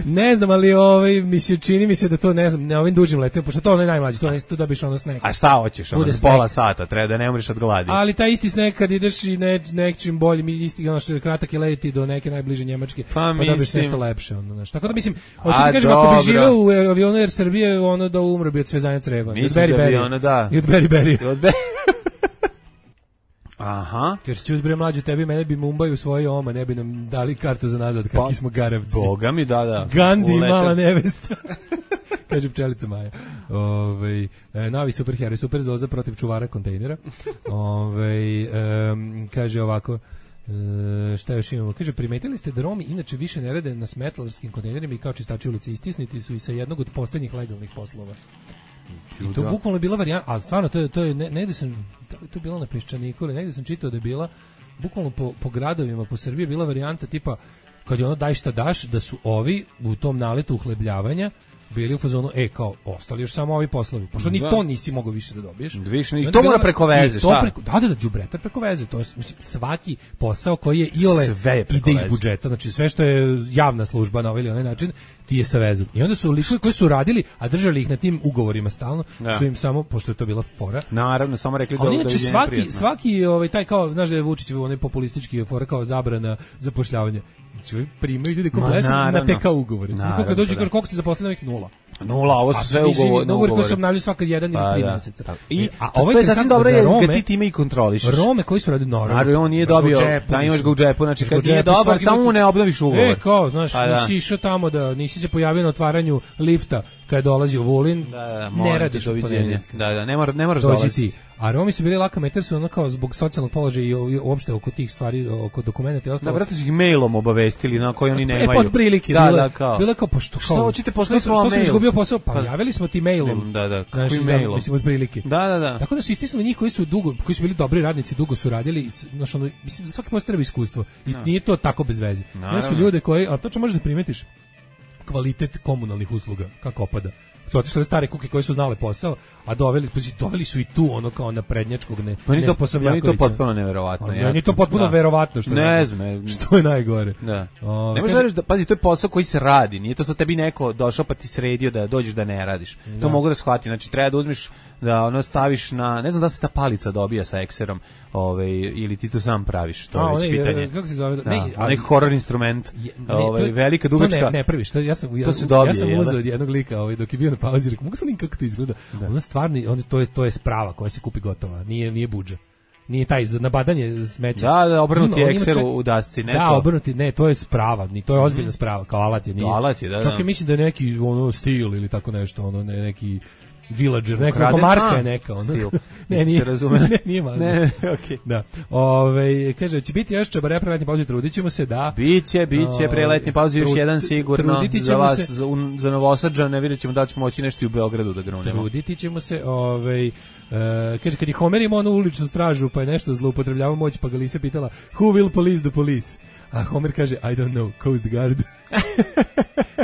Ne znam, ali ovaj mi se čini mi se da to ne znam, na ovim dužim letovima, pošto to je najmlađi, to ne tu dobiš ono sneg. A šta hoćeš, ono pola sata, treba da ne umreš od gladi. Ali taj isti sneg kad ideš i ne nečim boljim, isti ono što kratak je leti do neke najbliže Njemačke, pa, pa da biš nešto lepše ono, znači. Tako da mislim, hoću ti kažem, ako bi živeo u avionu Air Srbije, ono da umre bi od svezanja creva. Od Beriberi. Da. I od Beriberi. Aha. Jer ću bre mlađe tebi, mene bi Mumbai u svoje oma, ne bi nam dali kartu za nazad, kakvi smo garavci. Boga mi, da, da. Gandhi i mala nevesta. Kaže pčelica Maja. Ovaj e, novi superheroj, super Zoza protiv čuvara kontejnera. Ovaj e, kaže ovako, e, šta još imamo? Kaže, primetili ste da Romi inače više ne rade na smetlarskim kontejnerima i kao čistači ulice, istisniti su i sa jednog od poslednjih legalnih poslova. I to bukvalno bila varijanta, a stvarno to je to je ne, negde sam to je bilo na Peščaniku, ili negde sam čitao da je bila bukvalno po, po gradovima po Srbiji bila varijanta tipa kad je ono daj šta daš, da su ovi u tom naletu uhlebljavanja bili u fazonu, e, kao, ostali još samo ovi poslovi. Pošto ni to nisi mogao više da dobiješ. Više ni to mora preko veze, šta? Preko, da, da, da, đubretar preko veze. To je, mislim, svaki posao koji je iole ide iz budžeta. Znači, sve što je javna služba na ovaj ili onaj način, ti je sa vezom. I onda su likovi koji su radili, a držali ih na tim ugovorima stalno, da. Su im samo, pošto je to bila fora. Naravno, samo rekli da da je svaki, prijetno. Svaki, ovaj, taj kao, znaš da je Vučić, onaj populistički fora kao zabrana zapošljavanja. Znači, primaju ljudi ko blesu na te kao ugovore. Niko kad dođe kaže koliko ste zaposlili, ovih nula. Nula, ovo su sve ugovori. Ugovori koji se obnavljaju svaka jedan ili tri meseca. I, a ovo je sasvim dobro je kad ti time i kontrolišeš. Rome koji su radili normalno. Ali on nije dobio, da imaš ga u džepu, znači kad nije dobar, samo mu ne obnoviš ugovor. E, kao, znaš, nisi išao tamo da, nisi se pojavio na otvaranju lifta kad dolazi u Vulin, ne radiš u ponedjeljak. Da, da, ne, mora, ne moraš dolaziti. A Romi su bili laka meter, su ono kao zbog socijalnog položaja i uopšte oko tih stvari, oko dokumenta i ostalo. Da, vratno su ih mailom obavestili na koji oni nemaju. E, pod prilike. Da, bilo, da, kao. Bilo kao, pa što, što hoćete poslati svoj mail? Što sam izgubio posao? Pa, pa javili smo ti mailom. Da, da, kako i mailom? Mislim, od prilike. Da, da, da. Tako da su istisnuli njih koji su dugo, koji su bili dobri radnici, dugo su radili, znaš, ono, mislim, za svaki posao treba iskustvo. I no. Nije to tako bez veze. Ne su ljude koji, a to što možeš da primetiš, kvalitet komunalnih usluga, kako opada. Su otišle stare kuke koje su znale posao, a doveli, doveli su i tu ono kao na prednjačkog ne, nesposobnjakovića. Meni to potpuno neverovatno. Meni ja, to potpuno da. verovatno što, ne znam, što je najgore. Da. O, ne možeš da, pazi, to je posao koji se radi, nije to sa tebi neko došao pa ti sredio da dođeš da ne radiš. Da. To mogu da shvatim, znači treba da uzmeš da ono staviš na, ne znam da se ta palica dobija sa ekserom, ovaj ili ti to sam praviš, to je već pitanje. Kako se zove? Da, ne, ali neki horror instrument, je, ne, ovaj je, velika dugačka. To ne, ne prvi, što ja sam ja, dobije, ja sam uzeo od jednog lika, ovaj dok je bio na pauzi, rekao, mogu sam nikako to izgleda. Da. Ono stvarni, on to je to je sprava koja se kupi gotova, nije nije budžet. Nije taj za nabadanje smeća. Da, da, obrnuti ekser čak, u dasci, ne da, to. Da, obrnuti, ne, to je sprava, ni to je ozbiljna mm. sprava, kao alat je, nije. Alat je, da, čak da. mislim da je neki ono stil ili tako nešto, ono ne, neki villager, neka marka je neka, ono. Ne, nije, ne, nije malo. Ne, okej. Da. Ove, kaže, će biti još čabare preletnje pauze, trudit ćemo se da... Biće, biće preletnje pauze, još jedan sigurno za vas, se, za, un, za Novosadžane, vidjet ćemo da ćemo moći nešto u Beogradu da grunemo. Truditi ćemo se, ovaj... Uh, kaže, kad je Homer imao onu uličnu stražu, pa je nešto zloupotrebljavao moć, pa ga Lisa pitala, who will police the police? A Homer kaže, I don't know, Coast Guard.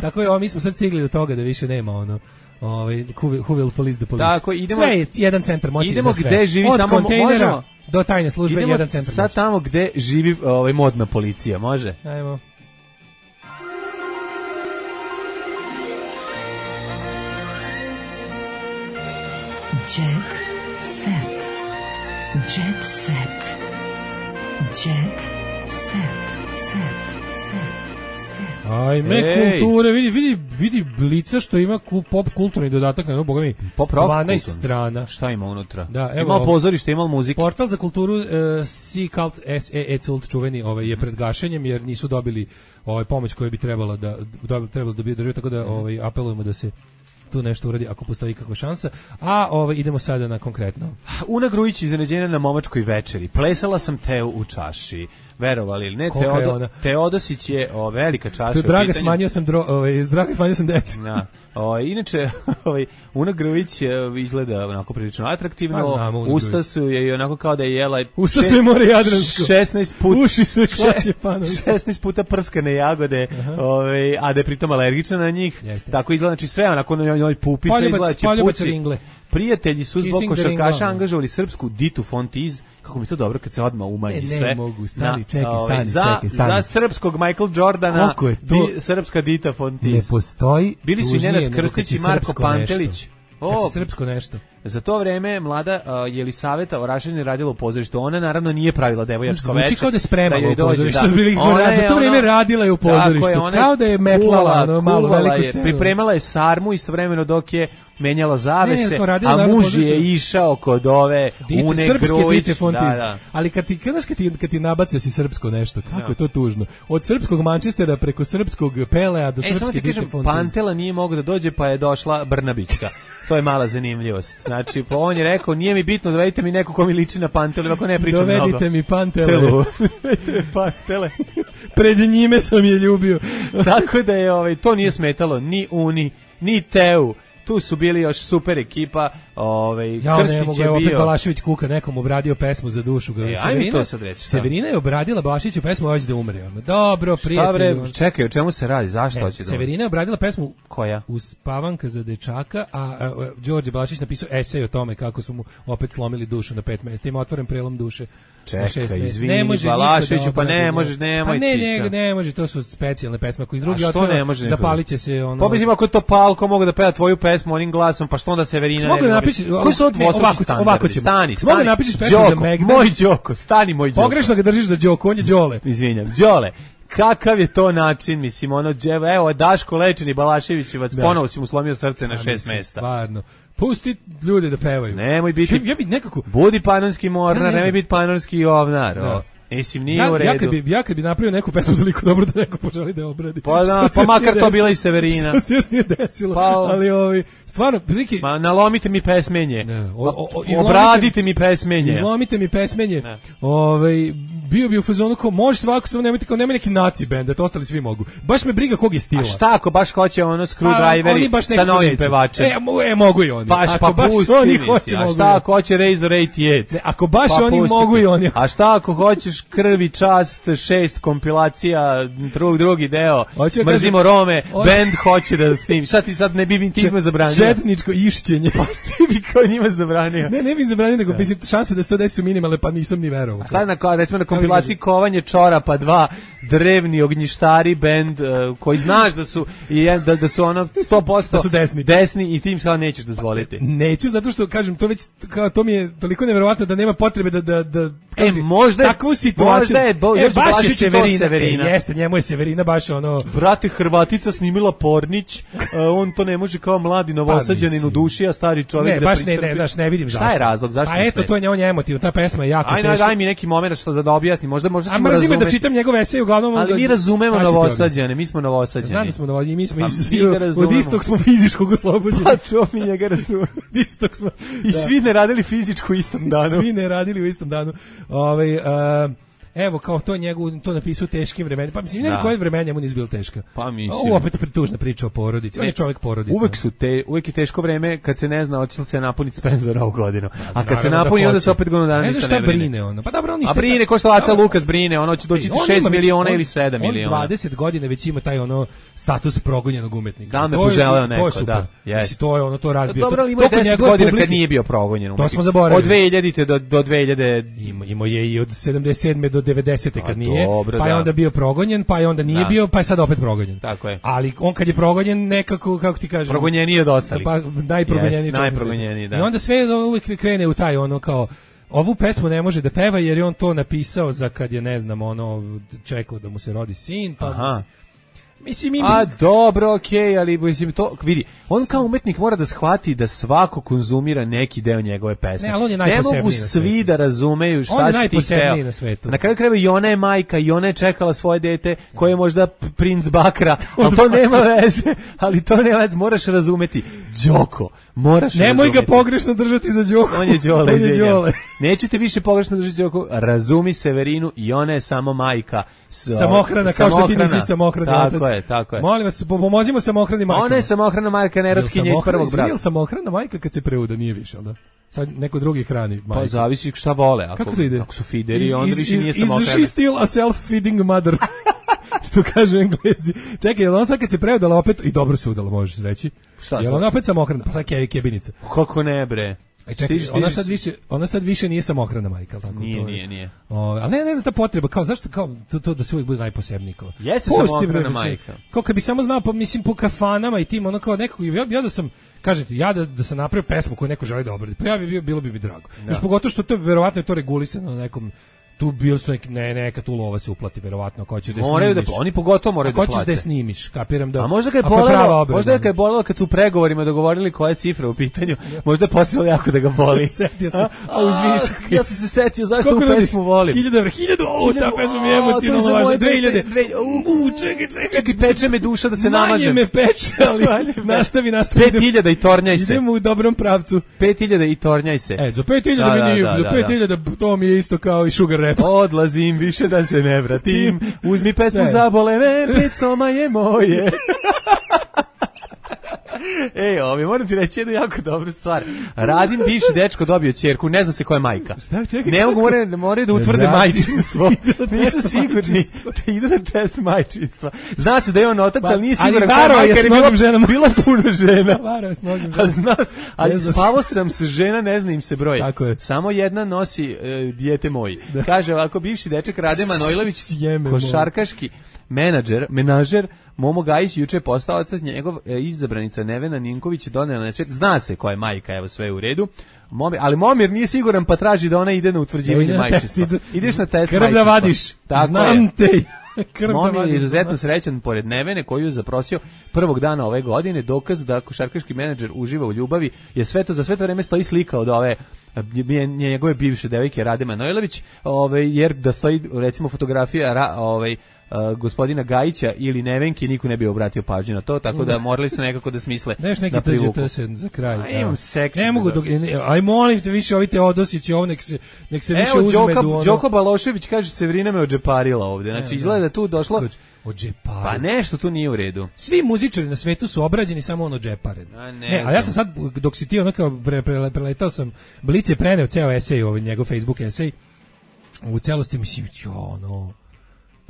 Tako je, o, mi smo sad stigli do toga da više nema ono... Ovaj who will police the police. Tako, idemo, sve je jedan centar moći idemo za sve. Gde živi od samo kontejnera do tajne službe idemo jedan centar. Sad tamo gde živi ovaj modna policija, može? Ajmo. Jet set. Jet set. Jet set. Set. Ajme, Ej. kulture, vidi, vidi, vidi Blica što ima pop kulturni dodatak na, no, boga mi, dvanaest strana. Šta ima unutra? Da, evo, ima pozorište, ima muzike. Portal za kulturu uh, C-Cult S E E Cult čuveni ovaj, je pred gašenjem jer nisu dobili ovaj, pomoć koju bi trebala da, da, trebalo da bi državi, tako da ovaj, apelujemo da se tu nešto uradi ako postoji kakva šansa. A ovaj, idemo sada na konkretno. Una Grujić iznenađenja na momačkoj večeri. Plesala sam teo u čaši. verovali ili ne, Kolika je Teodo, ona? Teodosić je o, velika čast. To je Draga, smanjio sam dro, ovaj, Draga, smanjio sam decu. Da. O, inače, ovaj, Una Grvić izgleda onako prilično atraktivno, Pa znamo, Una usta Grvić. su je i onako kao da je jela... Usta su je more Jadransko. šesnaest puta... Uši su je Klaće Panović. šesnaest puta prskane jagode, ovaj, a da je pritom alergična na njih. Jeste. Tako izgleda, znači sve onako na njoj pupi, sve Poljubac, izgleda će poljubac puci. ringle. Prijatelji su zbog Kissing the košarkaša ring, angažovali srpsku Ditu Fontiz, kako mi je to dobro kad se odmah umanji E, ne sve. mogu, stani, Na, čekaj, ovaj, stani, za, čekaj, stani. Za srpskog Michael Jordana, Koliko je to- di, srpska Dita Fontiz. Ne postoji Bili su i tužnije Nenad nego kad Krstić si i Marko srpsko Pantelić. nešto. Kad O, si srpsko nešto. za to vreme mlada uh, Jelisaveta Orašanin radila u pozorištu. Ona naravno nije pravila devojačko veče. Zvuči kao da je spremala u pozorištu. Ona Za to vreme radila je u pozorištu. Tako je, ona Kao da je metlala ono malo kuvala veliku je, scenu. pripremala je sarmu istovremeno dok je menjala zavese, Ne, to radila a naravno muž pozorištu. je išao kod ove Dite, Une srpske Grujić. Dite Fontiz. Da, da. Ali kad ti, kad, kad ti, kad ti nabace si srpsko nešto, kako je to tužno. Od srpskog Manchestera preko srpskog Pelea do E, samo srpske ti Dite kažem, Fontiz. Pantela nije mogla da dođe, pa je došla Brnabićka. To je mala zanimljivost. Znači, pa on je rekao, nije mi bitno, dovedite mi neko ko mi liči na Pantelu, ako ne pričam mnogo. Dovedite mi Pantele. Telu. Dovedite mi Pantele. Pred njime sam je ljubio. Tako da je, ovaj, to nije smetalo ni Uni, ni Teu. Tu su bili još super ekipa, ovaj, Ja Krstić ne mogu, je evo opet bio... Balašević Kuka nekom obradio pesmu za dušu. Ga. E, ajme to sad reći, šta? Severina je obradila Balaševiću pesmu hoće da umre. Ono. Dobro, Šta prijatelj. bre, ono. čekaj, o čemu se radi, zašto Ne, hoće da... Severina je obradila pesmu Koja? Uspavanka za dečaka, a, a, a Đorđe Balašić napisao esej o tome kako su mu opet slomili dušu na pet mesta. Ima otvoren prelom duše. na šest Čekaj, mesta. izvini, Ne može Balaševiću, niko da pa ne obradi, možeš, nemoj Pa ne, ti ne, to. ne može, to su specijalne pesme. Ako ih drugi A što otvara, ne može niko? zapalit će se ono... Pa mislim, ako je to Palko mogu da peva tvoju pesmu onim glasom, pa što onda Severina... Mogu ne da bi napišeš- mogla- Koji su ovo ne, ovako dvostruki ću- standardi? ovako ćemo. Stani, Mogu stani. da napišeš pesmu za Đoko, Megdan? moj Đoko, stani moj Đoko. Pogrešno ga držiš za Đoko, on je Đole. Izvinjam, Đole. Kakav je to način, mislim, ono, evo, Daško Lečeni, Balaševićevac, Da. ponovo si mu slomio srce na A, šest mislim, mesta. Stvarno. Pusti ljude da pevaju. Nemoj biti, Ja bi nekako... budi panonski mornar, Ja ne znam. nemoj biti panonski ovnar. Da. o. Mislim, nije Ja, u redu. ja, kad bi, ja kad bi napravio neku pesmu toliko dobro da neko poželi da je obradi. Pa da, Što se pa još makar nije to bila desilo. i Severina. Što se još nije desilo. Pa- ali ovi, stvarno, prilike... Ma nalomite mi pesmenje. Ne, o- o- o- izlomite- Obradite mi pesmenje. Izlomite mi pesmenje. Ne. Ovaj bio bi u fazonu kao može svako, samo nemojte kao nema neki naci bend, da to ostali svi mogu. Baš me briga kog je stila. A šta ako baš hoće ono A, oni screwdriveri baš sa nekako novim neće. pevačem? E, mo- e, mogu i oni. Baš Ako pa baš pusti oni mi hoće, si. A mogu i šta oni. ako hoće Razor osamdeset osam? Ne, ako baš Pa oni pusti mogu te. i oni. A šta ako hoćeš Krvi čast šest kompilacija, drug, drugi deo, Hoću da Mrzimo kažem- Rome, Hoću- bend hoće da snimi. Šta ti sad ne bi mi ti njima zabranio? Četničko išćenje. Ti bi kao njima zabranio. Ne, ne bih zabranio, nego mislim šanse da se to desi su minimalne, pa nisam ni verovao. Šta je na, kao, recimo na kompilaciji Kovanje čorapa dva, drevni ognjištari bend uh, koji znaš da su i jedan- da, da su ono sto posto Da su desni. desni i tim sad nećeš dozvoliti. Neću, zato što kažem to već kao to mi je toliko neverovatno da nema potrebe da da da E, kako ti- možda je- takvu situaciju. možda je Bo- e, Jože baš je Blažić je to Severina. Severina. E, jeste, njemu je Severina baš ono Brate, Hrvatica snimila Pornić, uh, on to ne može kao mladi novosađanin mislim. u duši, a stari čovjek ne, da baš ne, pristrpi. ne, baš ne vidim zašto. Šta je razlog, zašto A ne eto, smeta? to je njemu emotivno, ta pesma je jako Ajde, teška. daj mi neki moment što da, da objasni, možda, možda A ćemo mrzim me da razumeti. čitam njegove eseje, uglavnom... Ali da- mi razumemo sad ću ti novosađane, mi smo novosađani. Znam da smo novosađani, mi smo Pa iz, mi ga od razumemo. istog smo fizičkog oslobođeni. Pa to mi njega razumemo. Od istog smo. I Da. svi ne radili fizičku u istom danu. Svi ne radili u istom danu. Ovaj a, evo kao to njegu to napisao teškim vremenima. Pa mislim ne znam Da. koje vreme njemu nije bilo teško. Pa mislim. Ovo opet pretužna priča o porodici. On je čovjek porodice. Uvek su te, uvek je teško vreme kad se ne zna hoće li se napuniti Spencer ovu godinu. A kad se Naravno da napuni onda hoće. se opet godinu dana Ne ništa znam ne šta brine. brine ono. Pa dobro, on A isto- brine ko što Aca Lukas brine, ono će doći On šest ima već- miliona on- ili sedam on miliona. dvadeset godina već ima taj ono status progonjenog umetnika. Da, me To je- poželeo to neko, je super. da, jest. Mislim, to je ono, to razbija. Dobro, ali ima to je kod deset njegove godina publike- kad nije bio progonjen. To smo zaboravili. Od dve hiljadite do, do dve hiljade... Ima, imao je i od sedamdeset sedme do devedesete kad A, nije, dobro, pa je da. onda bio progonjen, pa je onda nije Da. bio, pa je sad opet progonjen. Tako je. Ali on kad je progonjen nekako, kako ti kažem... Progonjeniji od ostalih. Pa najprogonjeniji. Jest, čovjek na najprogonjeniji, svijetu. da. I onda sve uvijek krene u taj ono kao ovu pesmu ne može da peva jer je on to napisao za kad je ne znam ono čekao da mu se rodi sin, pa Aha. mislim mi A dobro, okej, ali mislim to vidi, on kao umetnik mora da shvati da svako konzumira neki deo njegove pesme. Ne, ali on je ne najposebniji mogu na svi svetu. da razumeju šta On je si ti najposebniji hteo. na svetu. Na kraju krajeva i ona je majka i ona je čekala svoje dete koje je možda p- princ Bakra, ali to nema veze, ali to nema veze, moraš razumeti. Đoko, Moraš Nemoj razumjeti. ga pogrešno držati za Đoku. On je Đole, On je Đole. Neću te više pogrešno držati za Đoku. Razumi Severinu i ona je samo majka. S, Samohrana, kao što ti nisi samohrani otac. Tako je, tako je. Molim vas, pomozimo samohrani majkama. Ona je samohrana majka, nerotkinja iz prvog braka. Je li samohrana majka kad se preuda? Nije više, ali da? Sad neko drugi hrani majku. Pa zavisi šta vole. Ako, kako to ide? Ako su fideri, onda više nije samohrana. Is she still a self-feeding mother? Što kažu Englezi. Čekaj, jel ona sad kad se preudala opet, i dobro se udala, možeš reći. Šta jel ona opet samohrana? Pa sad kevi kebinica. Kako ne, bre? Aj čekaj, stiž, ona sad više, ona sad više nije samohrana majka, tako nije, to. Nije, nije. O, ali ne, ne znam ta potreba, kao zašto kao to, to da se uvijek bude najposebniji kao. Jeste samohrana majka. Kao kad bi samo znao, pa mislim po kafanama i tim, ono kao nekog, ja, ja da sam kažete, ja da, da sam napravio pesmu koju neko želi da obradi, pa ja bi bio, bilo bi mi drago. Još pogotovo što to verovatno je to regulisano na nekom tu bil su neki, ne, neka tu lova se uplati verovatno, ako hoćeš da moraju snimiš. Da, oni pogotovo moraju da plate. Ako hoćeš da je snimiš, kapiram da. A možda kad je bolelo, možda je kad je bolelo kad su u pregovorima dogovorili koje cifre u pitanju, možda je počelo jako da ga boli. Setio se. A uzvičak. Ja sam se setio zašto u pesmu volim. hiljadu evra, hiljadu, o, ta pesma mi je emocionalno važna. dve hiljade. U, čekaj, čekaj. Čekaj, peče me duša da se namažem. Manje me peče, ali nastavi, nastavi. pet hiljada i tornjaj se. Idemo u dobrom pravcu. pet hiljada i tornjaj se. E, za pet hiljada mi nije, za pet hiljada to mi je isto kao i Sugar Rap. Odlazi više da se ne vratim. Uzmi pesmu Zabole me, pecoma je moje. Ej, ovi, moram ti reći jednu jako dobru stvar. Radin bivši dečko dobio ćerku, ne zna se koja je majka. Šta, čekaj, ne mogu, moraju, moraju da utvrde majčinstvo. Nisu sigurni da idu na test majčinstva. Zna se da je on otac, ali nije siguran koja je majka, jer je bila, bila puno žena. Varao je s mnogim ženama. Zna, ali spavao sam s žena, ne zna im se broj. Tako je. Samo jedna nosi uh, dijete moji. Da. Kaže ovako, bivši dečak Rade Manojlović, košarkaški menadžer, menažer, Momo Gajić juče je postao otac, njegov e, izabranica Nevena Ninković donela na svijet. Zna se koja je majka, evo sve je u redu. Momir, ali Momir nije siguran pa traži da ona ide na utvrđivanje majčinstva. Ideš na test majčinstva. Krv da vadiš. Tako znam je. te. Momir je izuzetno srećan pored Nevene koju je zaprosio prvog dana ove godine. Dokaz da košarkaški menadžer uživa u ljubavi je sve to, za sve to vreme stoji slika od ove njegove bivše devojke Rade Manojlović, ovaj, jer da stoji recimo fotografija ra, ovaj, Uh, gospodina Gajića ili Nevenke, niko ne bi obratio pažnju na to, tako da morali su nekako da smisle Neš neki da privuku. za kraj. A, imam seksi. Ne mogu, dok, ne, aj molim te više, ovi te odosići, ovo nek se, nek se više Evo, uzme. Evo, ono... Đoko Balošević kaže, Severina me odžeparila ovde. Znači, izgleda da tu došlo... Odžeparila. Pa nešto tu nije u redu. Svi muzičari na svetu su obrađeni, samo on odžeparen. A ne, ne, a ja sam sad, dok si ti ono kao pre, pre, preletao sam, Blic je preneo ceo esej, ovaj njegov Facebook esej, u celosti mislim, jo, ono...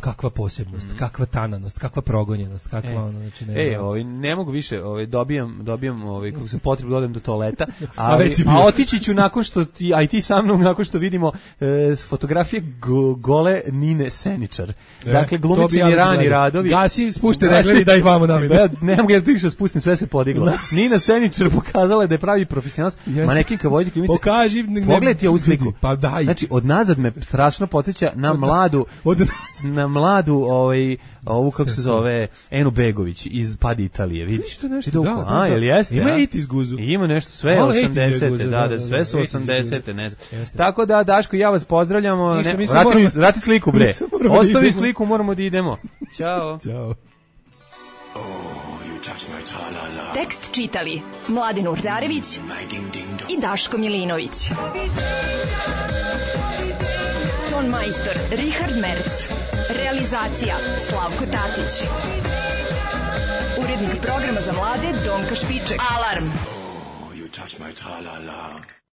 kakva posebnost, mm. kakva tananost, kakva progonjenost, kakva e, ono, znači ne. Ej, ovaj ne mogu više, ovaj dobijam, dobijam ovaj kako se potrebu da odem do toaleta, ali, a, a otići ću nakon što ti, a i ti sa mnom nakon što vidimo e, fotografije go, gole Nine Seničar. E, dakle glumice Mirani Radovi. Gasi, spušte regled i daj ih vamo nami. Ja ne mogu ja da više spustim, sve se podiglo. Nina Seničar pokazala da je pravi profesionalac, manekinka Vojdik Ljubica. Pokaži, pogledaj ovu sliku. Pa daj. Znači od nazad me strašno podsjeća na mladu od na mladu, ovaj, ovu kako se zove, Enu Begović iz Padi Italije, vidiš? Što nešto, da, da, a, jel jeste? Ima it iz guzu. Ima nešto, sve osamdesete, da, da, sve su osamdesete, ne znam. Tako da, Daško, ja vas pozdravljamo. Ne, vrati, vrati sliku, bre. Ostavi sliku, moramo da idemo. Ćao. Ćao. Tekst čitali Mladen Urdarević i Daško Milinović. Ton majstor Richard Merc. Realizacija Slavko Tatić. Urednik programa za mlade Donka Špiček. Alarm! Oh, you touch my tra-la-la.